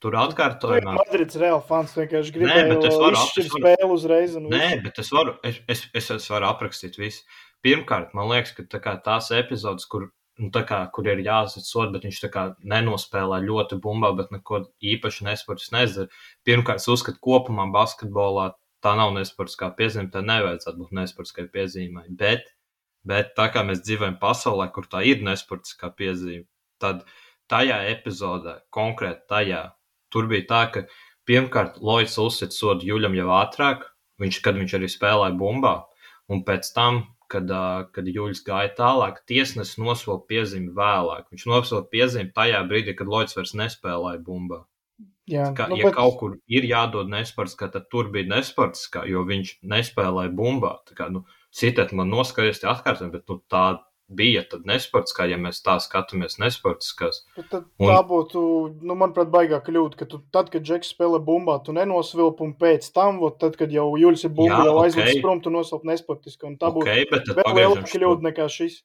Tur
Tu esi
atkārtojumā.
Madrids Real fans, vienkārši
Nē, bet es
gribēju
varu-
izšķirt
es varu-
spēli uzreiz un
Nē,
visu.
bet es varu, es, es, es, es varu aprakstīt visu. Pirmkārt, man liekas, ka tā kā tās epizodes, kur, nu, tā kā, kur ir jāsit sodu, bet viņš tā kā nenospēlē ļoti bumbā, bet neko īpaši nesportis nezdara. Pirmkārt, es uzskatu kopumā basketbolā tā nav nesportiskā piezīme, tā nevajadzētu būt nesportiskai piezīmai. Bet, bet tā kā mēs dzīvojam pasaulē, kur tā ir nesportiskā piezīme, tad tajā epizodē, konkrēti tajā, tur bija tā, ka pirmkārt Lloyds uzsit sodu Juļam jau ātrāk, viņš, kad viņš arī spēlēja bumbā, un pēc tam, kad, ā, kad Juļs gāja tālāk, tiesnesis nosauca piezīmi vēlāk. Viņš nosauca piezīmi tajā brīdī, kad Lloyds vairs nespēlēja bumbā.
Jā,
Kā,
nu,
ja
bet,
kaut kur ir jādod nesportiskā, tad tur bija nesportiskā, jo viņš nespēlēja bumbā. Tā kā, nu, sitiet man noskaties tie atkārtojumi, bet nu, tā bija tad nesportiskā, ja mēs tā skatāmies nesportiskās.
bet tad
Un-
tā būtu, nu, manuprāt, baigā kļūda, ka tu tad, kad Džeks spēlē bumbā, tu nenosvilp, un pēc tam, vot, tad, kad jau Juļs ir bumba,
Jā,
jau
ok.
aizliks prom, tu nosvilp nesportiski, un tā
Ok,
būtu
bet tad
vēl
pagriežam
lielāka
šo-
kļūda nekā šis.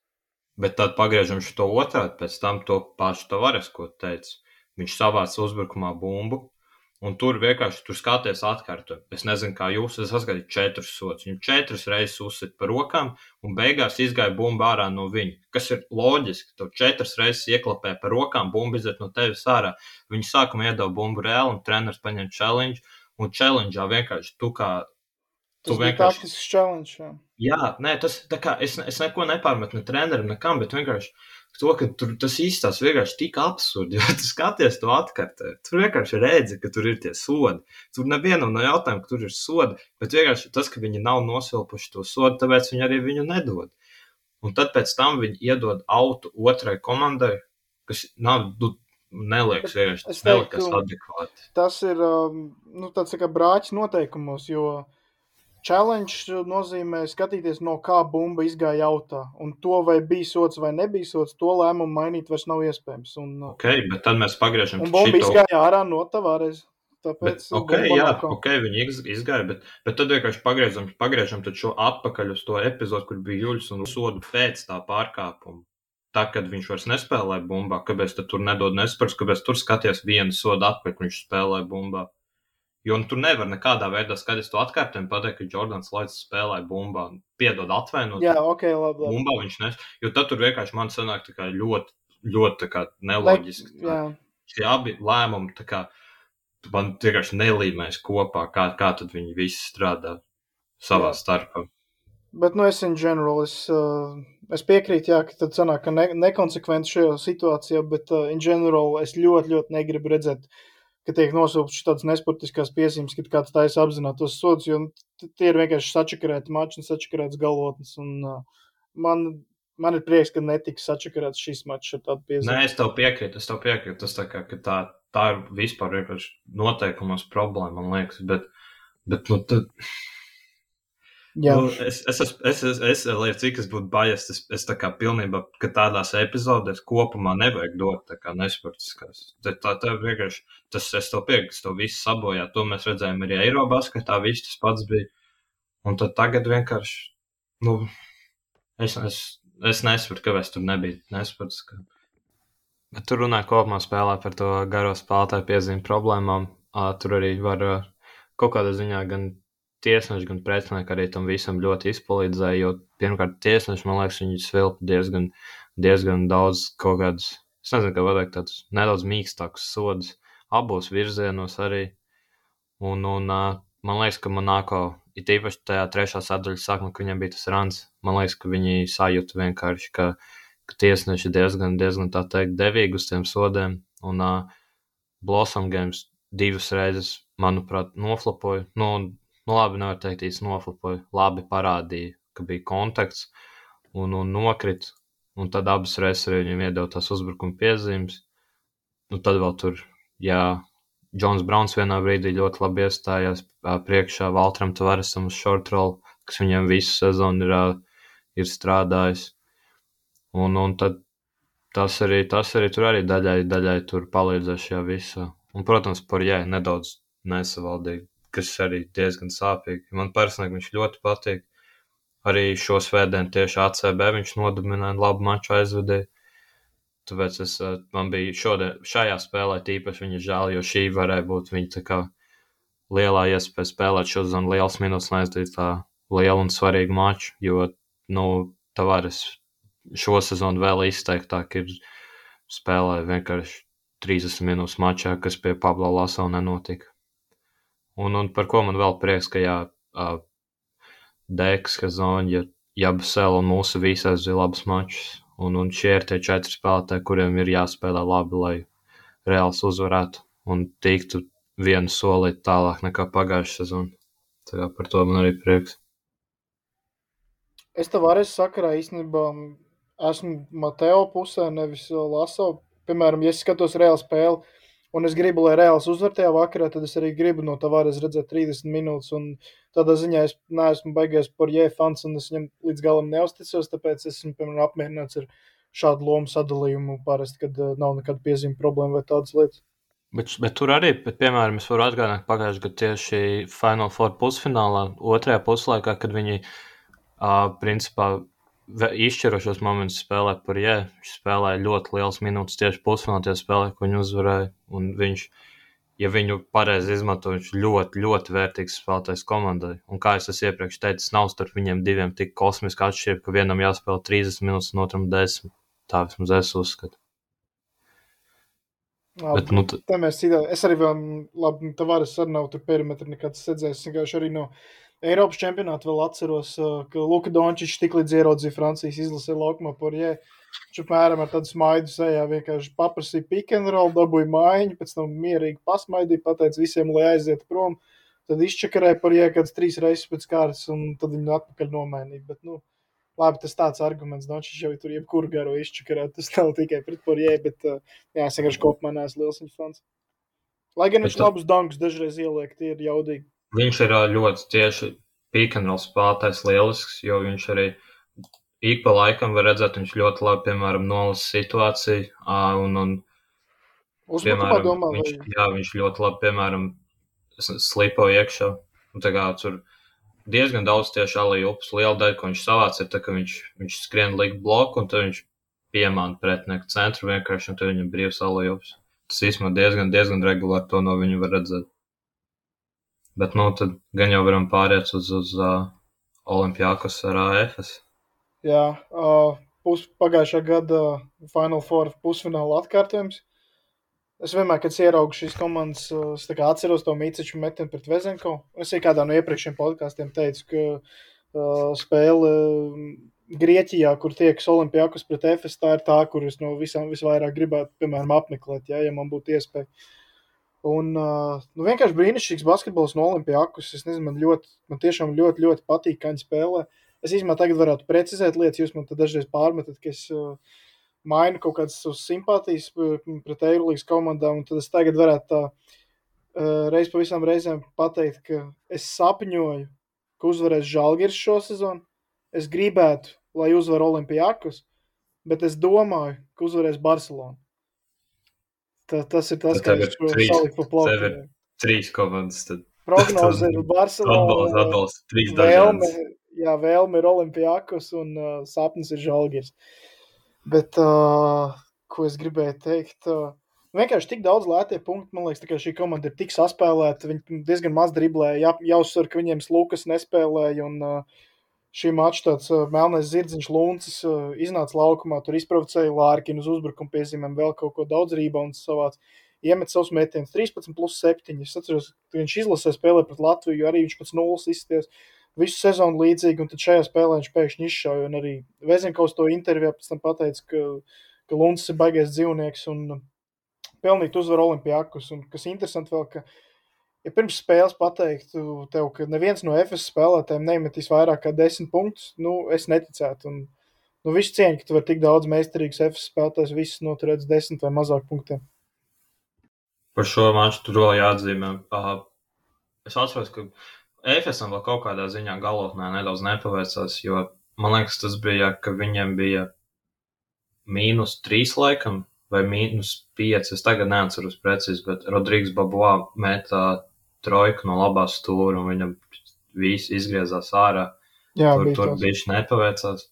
Bet tad pagriežam šo otrādi, pēc tam to pašu Tavares, ko teica. Viņš savāca uzbrukumā bumbu, un tur vienkārši tur skaties atkārtojumu. Es nezinu, kā jūs, es saskatīju četrus sodus. Viņu četras reizes uzsit par rokām, un beigās izgāja bumba ārā no viņa. Kas ir loģiski, tu četras reizes ieklapē par rokām, bumba iziet no tevis ārā. Viņi sākumā iedeva bumbu reāli, un treneris paņem challenge, un challengeā vienkārši tu kā...
Tas
Tu
bija
vienkārši...
taktisks challenge, jā.
Jā, nē, tas tā kā es, es neko nepārmetu ne trenerim, nekam, bet vienkārši to, ka tur tas īstās vienkārši tik absurdi, jo tu skaties to atkartē. Tur vienkārši redzi, ka tur ir tie sodi. Tur nevienam nav jautājumu, ka tur ir sodi, bet vienkārši tas, ka viņi nav nosilpuši to sodu, tāpēc viņi arī viņu nedod. Un tad pēc tam viņi iedod autu otrai komandai, kas nav, nu, neliekas vienkārši,
Es
tas neliekas
teiktu-
adekvāti.
Tas ir um, nu, tāds tā kā brāķis noteikumos, jo challenge nozīmē skatīties, no kā bumba izgāja autā. Un to, vai bija sots vai nebija sots, to lēmumu mainīt vairs nav iespējams. Un, uh,
Ok, bet tad mēs pagriežam
un bumba
šito-
izgāja ārā no Tavares.
Bet,
Tāpēc
ok,
bumba
jā,
nav kā.
ok, viņi iz- izgāja, bet, bet tad vienkārši pagriežam, pagriežam tad šo atpakaļ uz to epizodu, kur bija Juļs un sodu pēc tā pārkāpuma. Tā, kad viņš vairs nespēlēja bumbā, kāpēc tad tur nedod nespērs, kāpēc tur skaties vienu sodu atpakaļ, kad viņš spēlēja bumbā. Jo nu, tur nevar nekādā veidā skatīties to atkārtojumu, pateikt, ka Jordans Lloyds spēlēja bumbā. Piedod atvainot,
Jā, ok, labi. labi.
bumbā viņš nes, jo tad tur vienkārši man sanāk tā kā ļoti, ļoti tā kā neloģiski.
Ne- jā.
Šie abi lēmumi tā kā man vienkārši nelīmēs kopā, kā, kā tad viņi visi strādā savā
Jā.
starpā.
Bet, nu, es in general, es, uh, es piekrītu, jā, ka tad sanāk, ka ne, nekonsekventi šajā situācijā, bet uh, in general es ļoti, ļoti negribu redzēt, ka tiek nosūpts tāds nesportiskās piezīmes, kad kāds taisa apzinātos sodus, jo t- tie ir vienkārši sačakarēti mači un sačakarēts galotnes. Un uh, man, man ir prieks, ka netiks sačakarēts šis mačs ar tādu piezīmi.
Nē, es tev piekrītu, es tev piekrītu. Tas tā kā, ka tā, tā ir vispār vienkārši noteikumos problēma, man liekas, bet, bet nu, tad,
Jā,
nu, es, es, es, es, es, es, lai cik es būtu bajies, es, es tā kā pilnībā, ka tādās epizodēs kopumā nevajag dot tā kā nesportiskās. Tā, tā, tā vienkārši, tas es tev piekrītu, tas tev viss sabojā. To mēs redzējām arī Eirobasketā, viss tas pats bija. Un tad tagad vienkārši, nu, es, es, es nesaprotu, kāpēc tur nebija nesportiskā. Bet tur runāja kopumā spēlē par to garo spēlētāju piezīmi problēmām. Ā, tur arī var ā, kaut kādā ziņā gan tiesneši, gan pretinieki arī tam visam ļoti izpalīdzēja, jo pirmkārt tiesneši, man liekas, viņi svilpa diezgan, diezgan daudz kaut kādus, es nezinu, kā pateikt, tādus nedaudz mīkstākus sodus abos virzienos arī. Un, un ā, man liekas, ka Monako, it īpaši tajā trešā sadaļas sākumā, ka viņiem bija tas rans, man liekas, ka viņi sajūta vienkārši, ka, ka tiesneši diezgan, diezgan tā teikt devīgi uz tiem sodiem. Un uh, Blossom Games divas reizes, manuprāt, noflapoja. Nu, nu labi, nevar teikt, īsti noflapoja. Labi parādīja, ka bija kontakts un, un nokrit. Un tad abas reizes arī viņam iedeva tās uzbrukuma piezīmes. Nu, tad vēl tur, jā, Džons Brauns vienā brīdī ļoti labi iestājās ā, priekšā Valtram Tavaresam uz short roll, kas viņam visu sezonu ir, ā, ir strādājis. Un, un tad tas arī, tas arī tur arī daļai, daļai tur palīdzēs šajā visā. Un, protams, par jā, nedaudz nesavaldīgi, kas arī diezgan sāpīgi. Man personīgi viņš ļoti patīk. Arī šo svētdienu tieši A C B viņš nodominēja, labu maču aizvedīja. Tāpēc es, man bija šodien, šajā spēlē tīpaši viņa žēl, jo šī varēja būt viņa tā kā lielā iespēja spēlēt šo zonu liels minūtes un aizdīt tā lielu un svarīgu maču, jo, nu, Tavares šo sezonu vēl izteiktāk ir spēlē vienkārši trīsdesmit minūtes mačā, kas pie Pablo Laso nenotika. Un, un par ko man vēl prieks, ka jā, uh, Deks, Kazoņa, Jabusel un mūsu visi aizvīja labus mačus. Un, un šie ir tie četri spēlētāji, kuriem ir jāspēlē labi, lai Reāls uzvarētu un tiktu vienu solīt tālāk nekā pagājušā sezona. Tā kā par to man arī prieks.
Es Tavares sakarā īstenībā esmu Mateo pusē, nevis Laso. Piemēram, ja es skatos Reāla spēli un es gribu, lai Reāls uzvar tajā vakarā, tad es arī gribu no Tavares redzēt trīsdesmit minūtes. Un tādā ziņā es neesmu baigies par Jē fans un es viņam līdz galam neusticos, tāpēc esmu, piemēram, apmierināts ar šādu lomu sadalījumu parasti, kad nav nekāda piezīme problēma vai tādas lietas.
Bet, bet tur arī, bet, piemēram, es varu atgādināt pagājušajā gadā tieši Final Four pusfinālā, otrajā puslaikā, kad viņi, uh, principā, izšķirošos momentus spēlē par Jē. Viņš spēlēja ļoti liels minūtes tieši pusfinālā tie spēlē, ko viņi uzvarēja. Un viņš, ja viņu pareizi izmanto, viņš ļoti, ļoti vērtīgs spēlētājs komandai. Un kā es esmu iepriekš teicis, nav starp viņiem diviem tik kosmiski atšķirība, ka vienam jāspēlē trīsdesmit minūtes un otram desmit. Tā vismaz es uzskatu.
Labi, Bet, nu, t... mēs citā, es arī vēl, labi, Tavares arī nav tur perimetri nekāds sedzējis. Es vienkārši arī no Eiropas čempionāta vēl atceros, ka Luka Dončičs tik līdz ieraudzīja Francijas izlasē laukumā par Jē. Viņš apmēram ar tādu smaidu sejā vienkārši paprasīja pick and roll, dabūja mājiņu, pēc tam mierīgi pasmaidīja, pateica visiem, lai aiziet prom. Tad izčakarēja par Jē kāds trīs reizes pēc kārtas un tad viņu atpakaļ nomainīja. Bet, nu, labi, tas tāds arguments, Dončičs jau tur jebkuru garo izčakarēt, tas nav tikai pret par Jē, bet jā, es vienkārši kopumā neesmu liels viņa fans. Lai gan viņš tā... labus dankus dažreiz ieliek, tie ir jaudīgi.
Viņš ir ļoti tieši pick and roll spēlētājs lielisks, jo viņš arī ik pa laikam var redzēt, viņš ļoti labi, piemēram, nolasa situāciju, un, un piemēram,
domā,
viņš,
vai...
jā, viņš ļoti labi, piemēram, slipo iekšā, un tā kā tur diezgan daudz tieši alley-oops, liela daļa, ko viņš savāc, ir tā, ka viņš, viņš skrien likt bloku, un tad viņš piemāna pretinieku centru vienkārši, un tad viņam brīvs alley-oops. Tas īstenībā diezgan, diezgan regulāri to no viņu var redzēt. Bet, nu, tad gan jau varam pāriet uz, uz uh, Olimpiakos ar A F S.
Jā, uh, pus, pagājušā gada Final Four pusfināla atkārtojums. Es vienmēr, kad ieraugu šīs komandas, es tā kā atceros to Miciču metienu pret Vezenko. Es arī kādā no iepriekšējiem podkāstiem teicu, ka uh, spēle Grieķijā, kur tiekas Olimpiakos pret F S, tā ir tā, kur es no visām visvairāk gribētu, piemēram, apmeklēt, ja, ja man būtu iespēja. Un uh, nu, vienkārši brīnišķīgs basketbols no Olimpiakos. Es nezinu, man, ļoti, man tiešām ļoti, ļoti patīk, kā viņi spēlē. Es īstenībā tagad varētu precizēt lietas, jūs man tad dažreiz pārmetat, ka es uh, mainu kaut kādas simpātijas pret Eirolīgas komandām, un tad es tagad varētu tā uh, reiz pa visām reizēm pateikt, ka es sapņoju, ka uzvarēs Žalgiris šo sezonu. Es gribētu, lai uzvar Olimpiakos, bet es domāju, ka uzvarēs Barcelona. Tā, tas ir tas,
kā
es saliku pa plauku.
Tev ir trīs komandas. Tad...
Prognoze ir Barcelona.
Atbalsts, atbalsts, trīs
vēlme,
dažādas.
jā, vēlme ir Olimpiakos un uh, sapnis ir Žalgiris. Bet, uh, ko es gribēju teikt, uh, vienkārši tik daudz lētie punkti, man liekas, tā kā šī komanda ir tik saspēlēta, viņi diezgan maz driblē, jā, jāuzsver, ka viņiem Lukas nespēlēja un uh, šī mača tāds uh, melnais zirdziņš Luncis uh, iznāca laukumā, tur izprovocēja Lārkinu uz uzbrukumu piezīmēm, vēl kaut ko daudz rībauns savāc, iemet savus metienus, trīspadsmit plus septiņi. Es atceros, ka viņš izlasē spēlē pret Latviju, arī viņš pēc nulles izsties visu sezonu līdzīgi, un tad šajā spēlē viņš pēkšņi izšauja, un arī Vezinkovs to intervijā pēc tam pateica, ka, ka Luncis ir baigais dzīvnieks un pelnīt uzvaru Olimpiakos, un kas interesanti vēl, ka ja pirms spēles pateiktu tev, ka neviens no F S spēlētājiem nemetīs vairāk kā desmit punktus, nu, es neticētu. Un, nu, visu cieņu, ka tu var tik daudz meistarīgs F S spēlētājs, visus noturēts desmit vai mazāk punktiem.
Par šo maču tur vēl jāatzīmē. Uh, es atceros, ka F S vēl kaut kādā ziņā galotnē nedaudz nepaveicās, jo man liekas, tas bija, ka viņiem bija mīnus trīs laikam, vai mīnus pieci, es tagad neatceros precīzi, bet Rodrigs Babois metā trojku no labās stūra, un viņam visi izgriezās ārā.
Jā,
tur
bija
tur
tāds.
bišķi nepaveicās.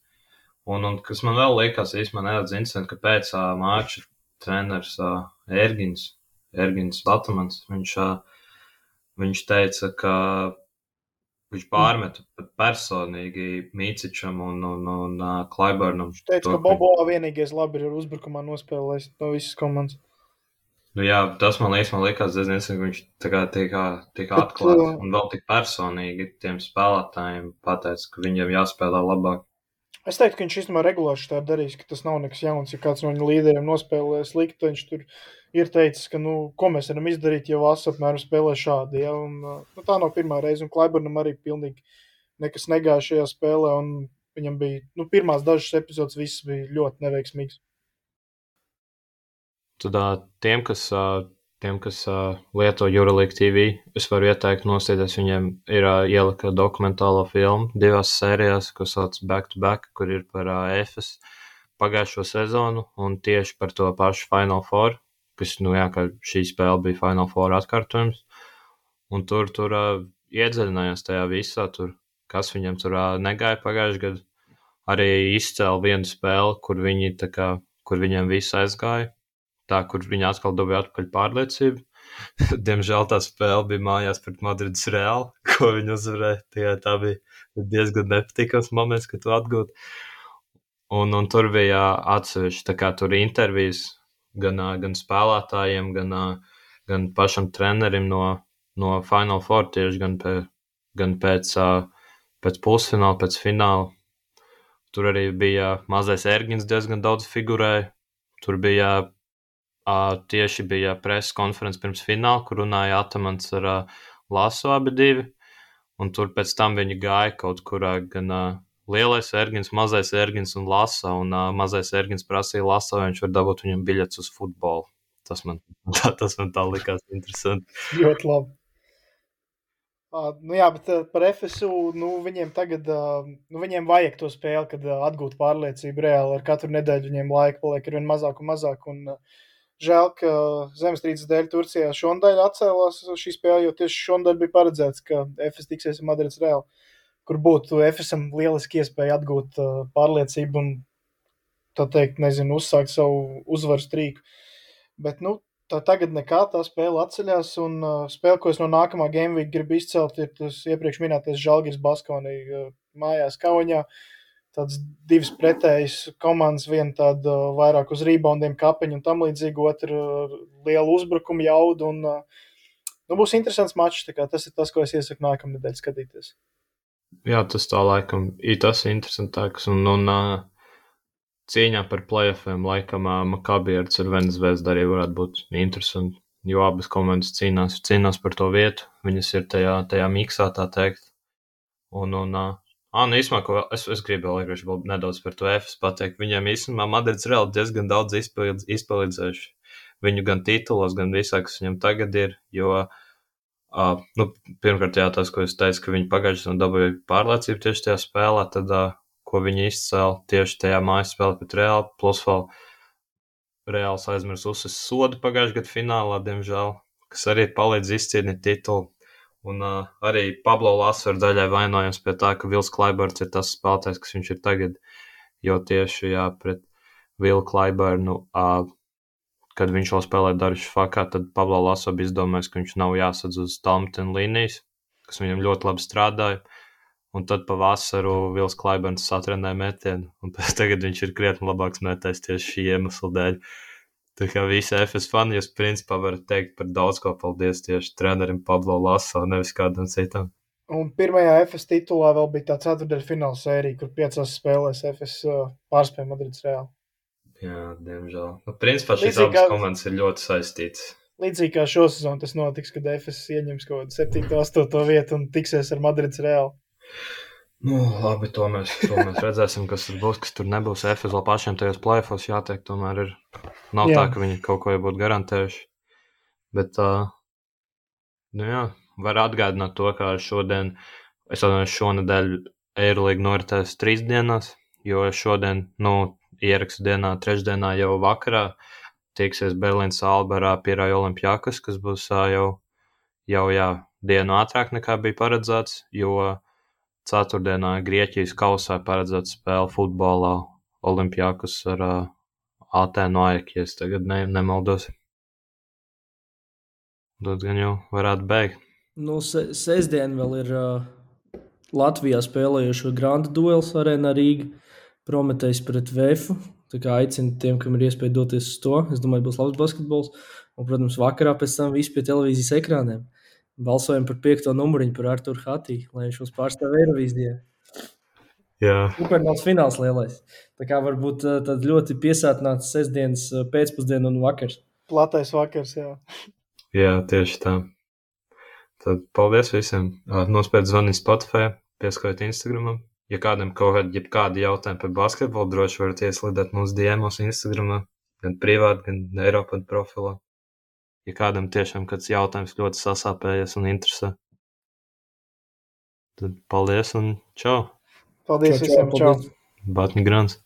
Un, un kas man vēl liekas, īstenībā nedaudz interesanti, ka pēc uh, māča treneris uh, Ergins, Ergins Batamans, viņš, uh, viņš teica, ka viņš pārmeta pat personīgi Mīcičam un, un, un uh, Klaibernam.
Viņš teica,
to,
ka Bobo vienīgais labi ir uzbrukumā nospēlējis no visas komandas.
Nu jā, tas man liekas, man liekas diezgan interesanti, ka viņš tā kā tiek, tiek
Bet,
atklāts
uh,
un vēl tik personīgi tiem spēlētājiem pateica, ka viņiem jāspēlē labāk.
Es teiktu, ka viņš īstenībā regulāri tā darīs, ka tas nav nekas jauns. Ja kāds no viņa līderiem nospēlē slikti, viņš tur ir teicis, ka, nu, ko mēs varam izdarīt, ja Vasa apmēram spēlē šādi. Ja? Un, nu, tā nav pirmā reize, un Klaibernam arī pilnīgi nekas negāja šajā spēlē, un viņam bija, nu, pirmās dažas epizodes viss bija ļoti neveiksmīgs.
Tad tiem, kas, tiem, kas lieto Euroleague T V, es varu ieteikt nostīties, viņiem ir ielika dokumentālo filmu divās sērijās, ko sauc Back to Back, kur ir par Efes pagājušo sezonu un tieši par to pašu Final Four, kas, nu jā, ka šī spēle bija Final Four atkārtojums. Un tur, tur iedziļinājās tajā visā, tur, kas viņam tur negāja pagājušajā gadu. Arī izcēla vienu spēli, kur viņi tā kā, kur viņiem viss aizgāja. Tā, kur viņi atkal dabūja atpakaļ pārliecību. Diemžēl tā spēle bija mājās pret Madrides Real, ko viņi uzvarēja. Tā, tā bija diezgan nepatīkams moments, kad tu atgūti. Un, un tur bija atsevišķi, tā kā tur intervijas gan, gan spēlētājiem, gan, gan pašam trenerim no, no Final Four tieši, gan, pē, gan pēc, pēc pusfināla, pēc fināla. Tur arī bija mazais Ergins diezgan daudz figurēja. Tur bija Uh, tieši bija preses konferences pirms fināla, kur runāja Atamans ar uh, Laso abi divi, un tur pēc tam viņi gāja kaut kurā gan uh, lielais Ergins, mazais Ergins un Laso, un uh, mazais Ergins prasīja Laso, vai viņš var dabūt viņam biļets uz futbolu. Tas man, tas man tā likās interesanti.
Ļoti labi. Uh, nu jā, bet uh, par Efesu, nu viņiem tagad, uh, nu viņiem vajag to spēli, kad uh, atgūt pārliecību reāli, ar katru nedēļu viņiem laika paliek ar vien mazāk un mazāk, un uh, žēl, ka zemestrīces dēļ Turcijā šondaļ atcēlās šī spēle, jo tieši šondaļ bija paredzēts, ka Efes tiksies ar Madrides Real, kur būtu Efesam lieliski iespēja atgūt uh, pārliecību un, tā teikt, nezinu, uzsākt savu uzvaru strīku. Bet, nu, tā tagad nekā, tā spēle atceļās, un uh, spēle, ko es no nākamā Game Week gribu izcelt, ir tas iepriekš minētais Žalgiris Baskonī uh, mājās Kauņā. Tāds divas pretējas komandas, viena tāda uh, vairāk uz reboundiem kapeņu un tam līdzīgi, otra uh, lielu uzbrukumu jaudu, un uh, nu, būs interesants mačs, tā kā tas ir tas, ko es iesaku nākamnedēļ skatīties.
Jā, tas tā laikam ir tas interesantāks, un, un uh, cīņā par playoffiem laikam uh, Maccabi ar Cervenas Zvezdu arī varētu būt interesanti, jo abas komandas cīnās, cīnās par to vietu, viņas ir tajā, tajā miksā, tā teikt, un, un uh, Ah, nu īstenībā, ko es, es gribu vēl, vēl nedaudz par to Efes pateikt. Viņiem īstenībā Madrides Real diezgan daudz izpildz, izpalīdzējuši viņu gan titulos, gan visā, kas viņam tagad ir, jo, uh, nu, pirmkārt, jā, tas, ko es teicu, ka viņi pagājuši un dabūja pārliecību tieši tajā spēlē, tad, uh, ko viņi izcēla tieši tajā mājas spēlē pret Real, plus vēl Reāls aizmirs uzsist sodu pagājuši gadu finālā, diemžēl, kas arī palīdz izcīnīt titulu. Un uh, arī Pablo Laso ir daļai vainojams pie tā, ka Vils Klaiberns ir tas spēlētājs, kas viņš ir tagad, jo tieši, jā, pret Vilu Klaibernu, uh, kad viņš vēl spēlē Darīšu Fakā, tad Pablo Laso bija izdomājis, ka viņš nav jāsadz uz Talmten līnijas, kas viņam ļoti labi strādāja, un tad pa vasaru Vils Klaiberns satrenēja metienu, un tagad viņš ir krietni labāks metējs tieši šī iemesla dēļ. Tā kā visi Efes fani, jūs principā varat teikt par daudz ko paldies tieši trenerim Pablo Laso, nevis kādam citam.
Un pirmajā Efes titulā vēl bija tā ceturtdaļa fināla sērija, kur piecās spēlēs Efes uh, pārspēja Madrides Real.
Jā, diemžēl. Nu, principā šīs
Līdzīgi
abas
kā-
komandas ir ļoti saistītas.
Līdzīgi kā šo sezonu tas notiks, kad Efes ieņems kaut kādu septīto astoto vietu un tiksies ar Madrides Real.
Nu, labi, to mēs, to mēs redzēsim, kas tur būs, kas tur nebūs. Efes vēl pašiem tajos play-offos jāteikt, tomēr ir. Nav
Jā.
tā, ka viņi kaut ko jau būtu garantējuši. Bet, uh, nu jā, var atgādināt to, kā šodien, es atvainojos, šonedēļ Eirolyga noritēs trīs dienās, jo šodien, nu, ierakstu dienā, trešdienā jau vakarā tiksies Berlīnas Alberā Pirāja Olimpiakas, kas būs uh, jau, jau, jā, dienu ātrāk nekā bija paredzēts, jo ceturtdienā Grieķijas kausā paredzēta spēle futbolā Olimpiakos ar uh, Atēnu Ajaku, ja es tagad ne, nemaldos. Tad gan jau varētu beigt.
Nu, se, sestdien vēl ir uh, Latvijā spēlējušo Granda duels arēnā Rīga, Prometejs pret Vēfu. Tā kā aicinu tiem, kam ir iespēja doties uz to. Es domāju, būs labs basketbols. Un, protams, vakarā pēc tam visi pie televīzijas ekrāniem. Balsojam par piekto numuriņu par Arturu Hatī, lai viņš mums pārstāv Eirovīzijā.
Jā.
Supernovs fināls lielais. Tā kā varbūt uh, tad ļoti piesātināts sestdienas uh, pēcpusdiena un vakars.
Platais vakars, jā.
Jā, tieši tā. Tad paldies visiem. Nospēc zvanīt Spotify, pieskaitiet Instagramam. Ja kādam kaut kādi, ja kādi jautājumi par basketbolu, droši varat ieslidēt mūsu D M-os Instagramā, gan privāti, gan Eiropad profilā. Ja kādam tiešām kāds jautājums ļoti sasāpējies un interesē, tad paldies un čau.
Paldies
Čau, čau,
visiem, čau.
paldies.
Batņi Grants.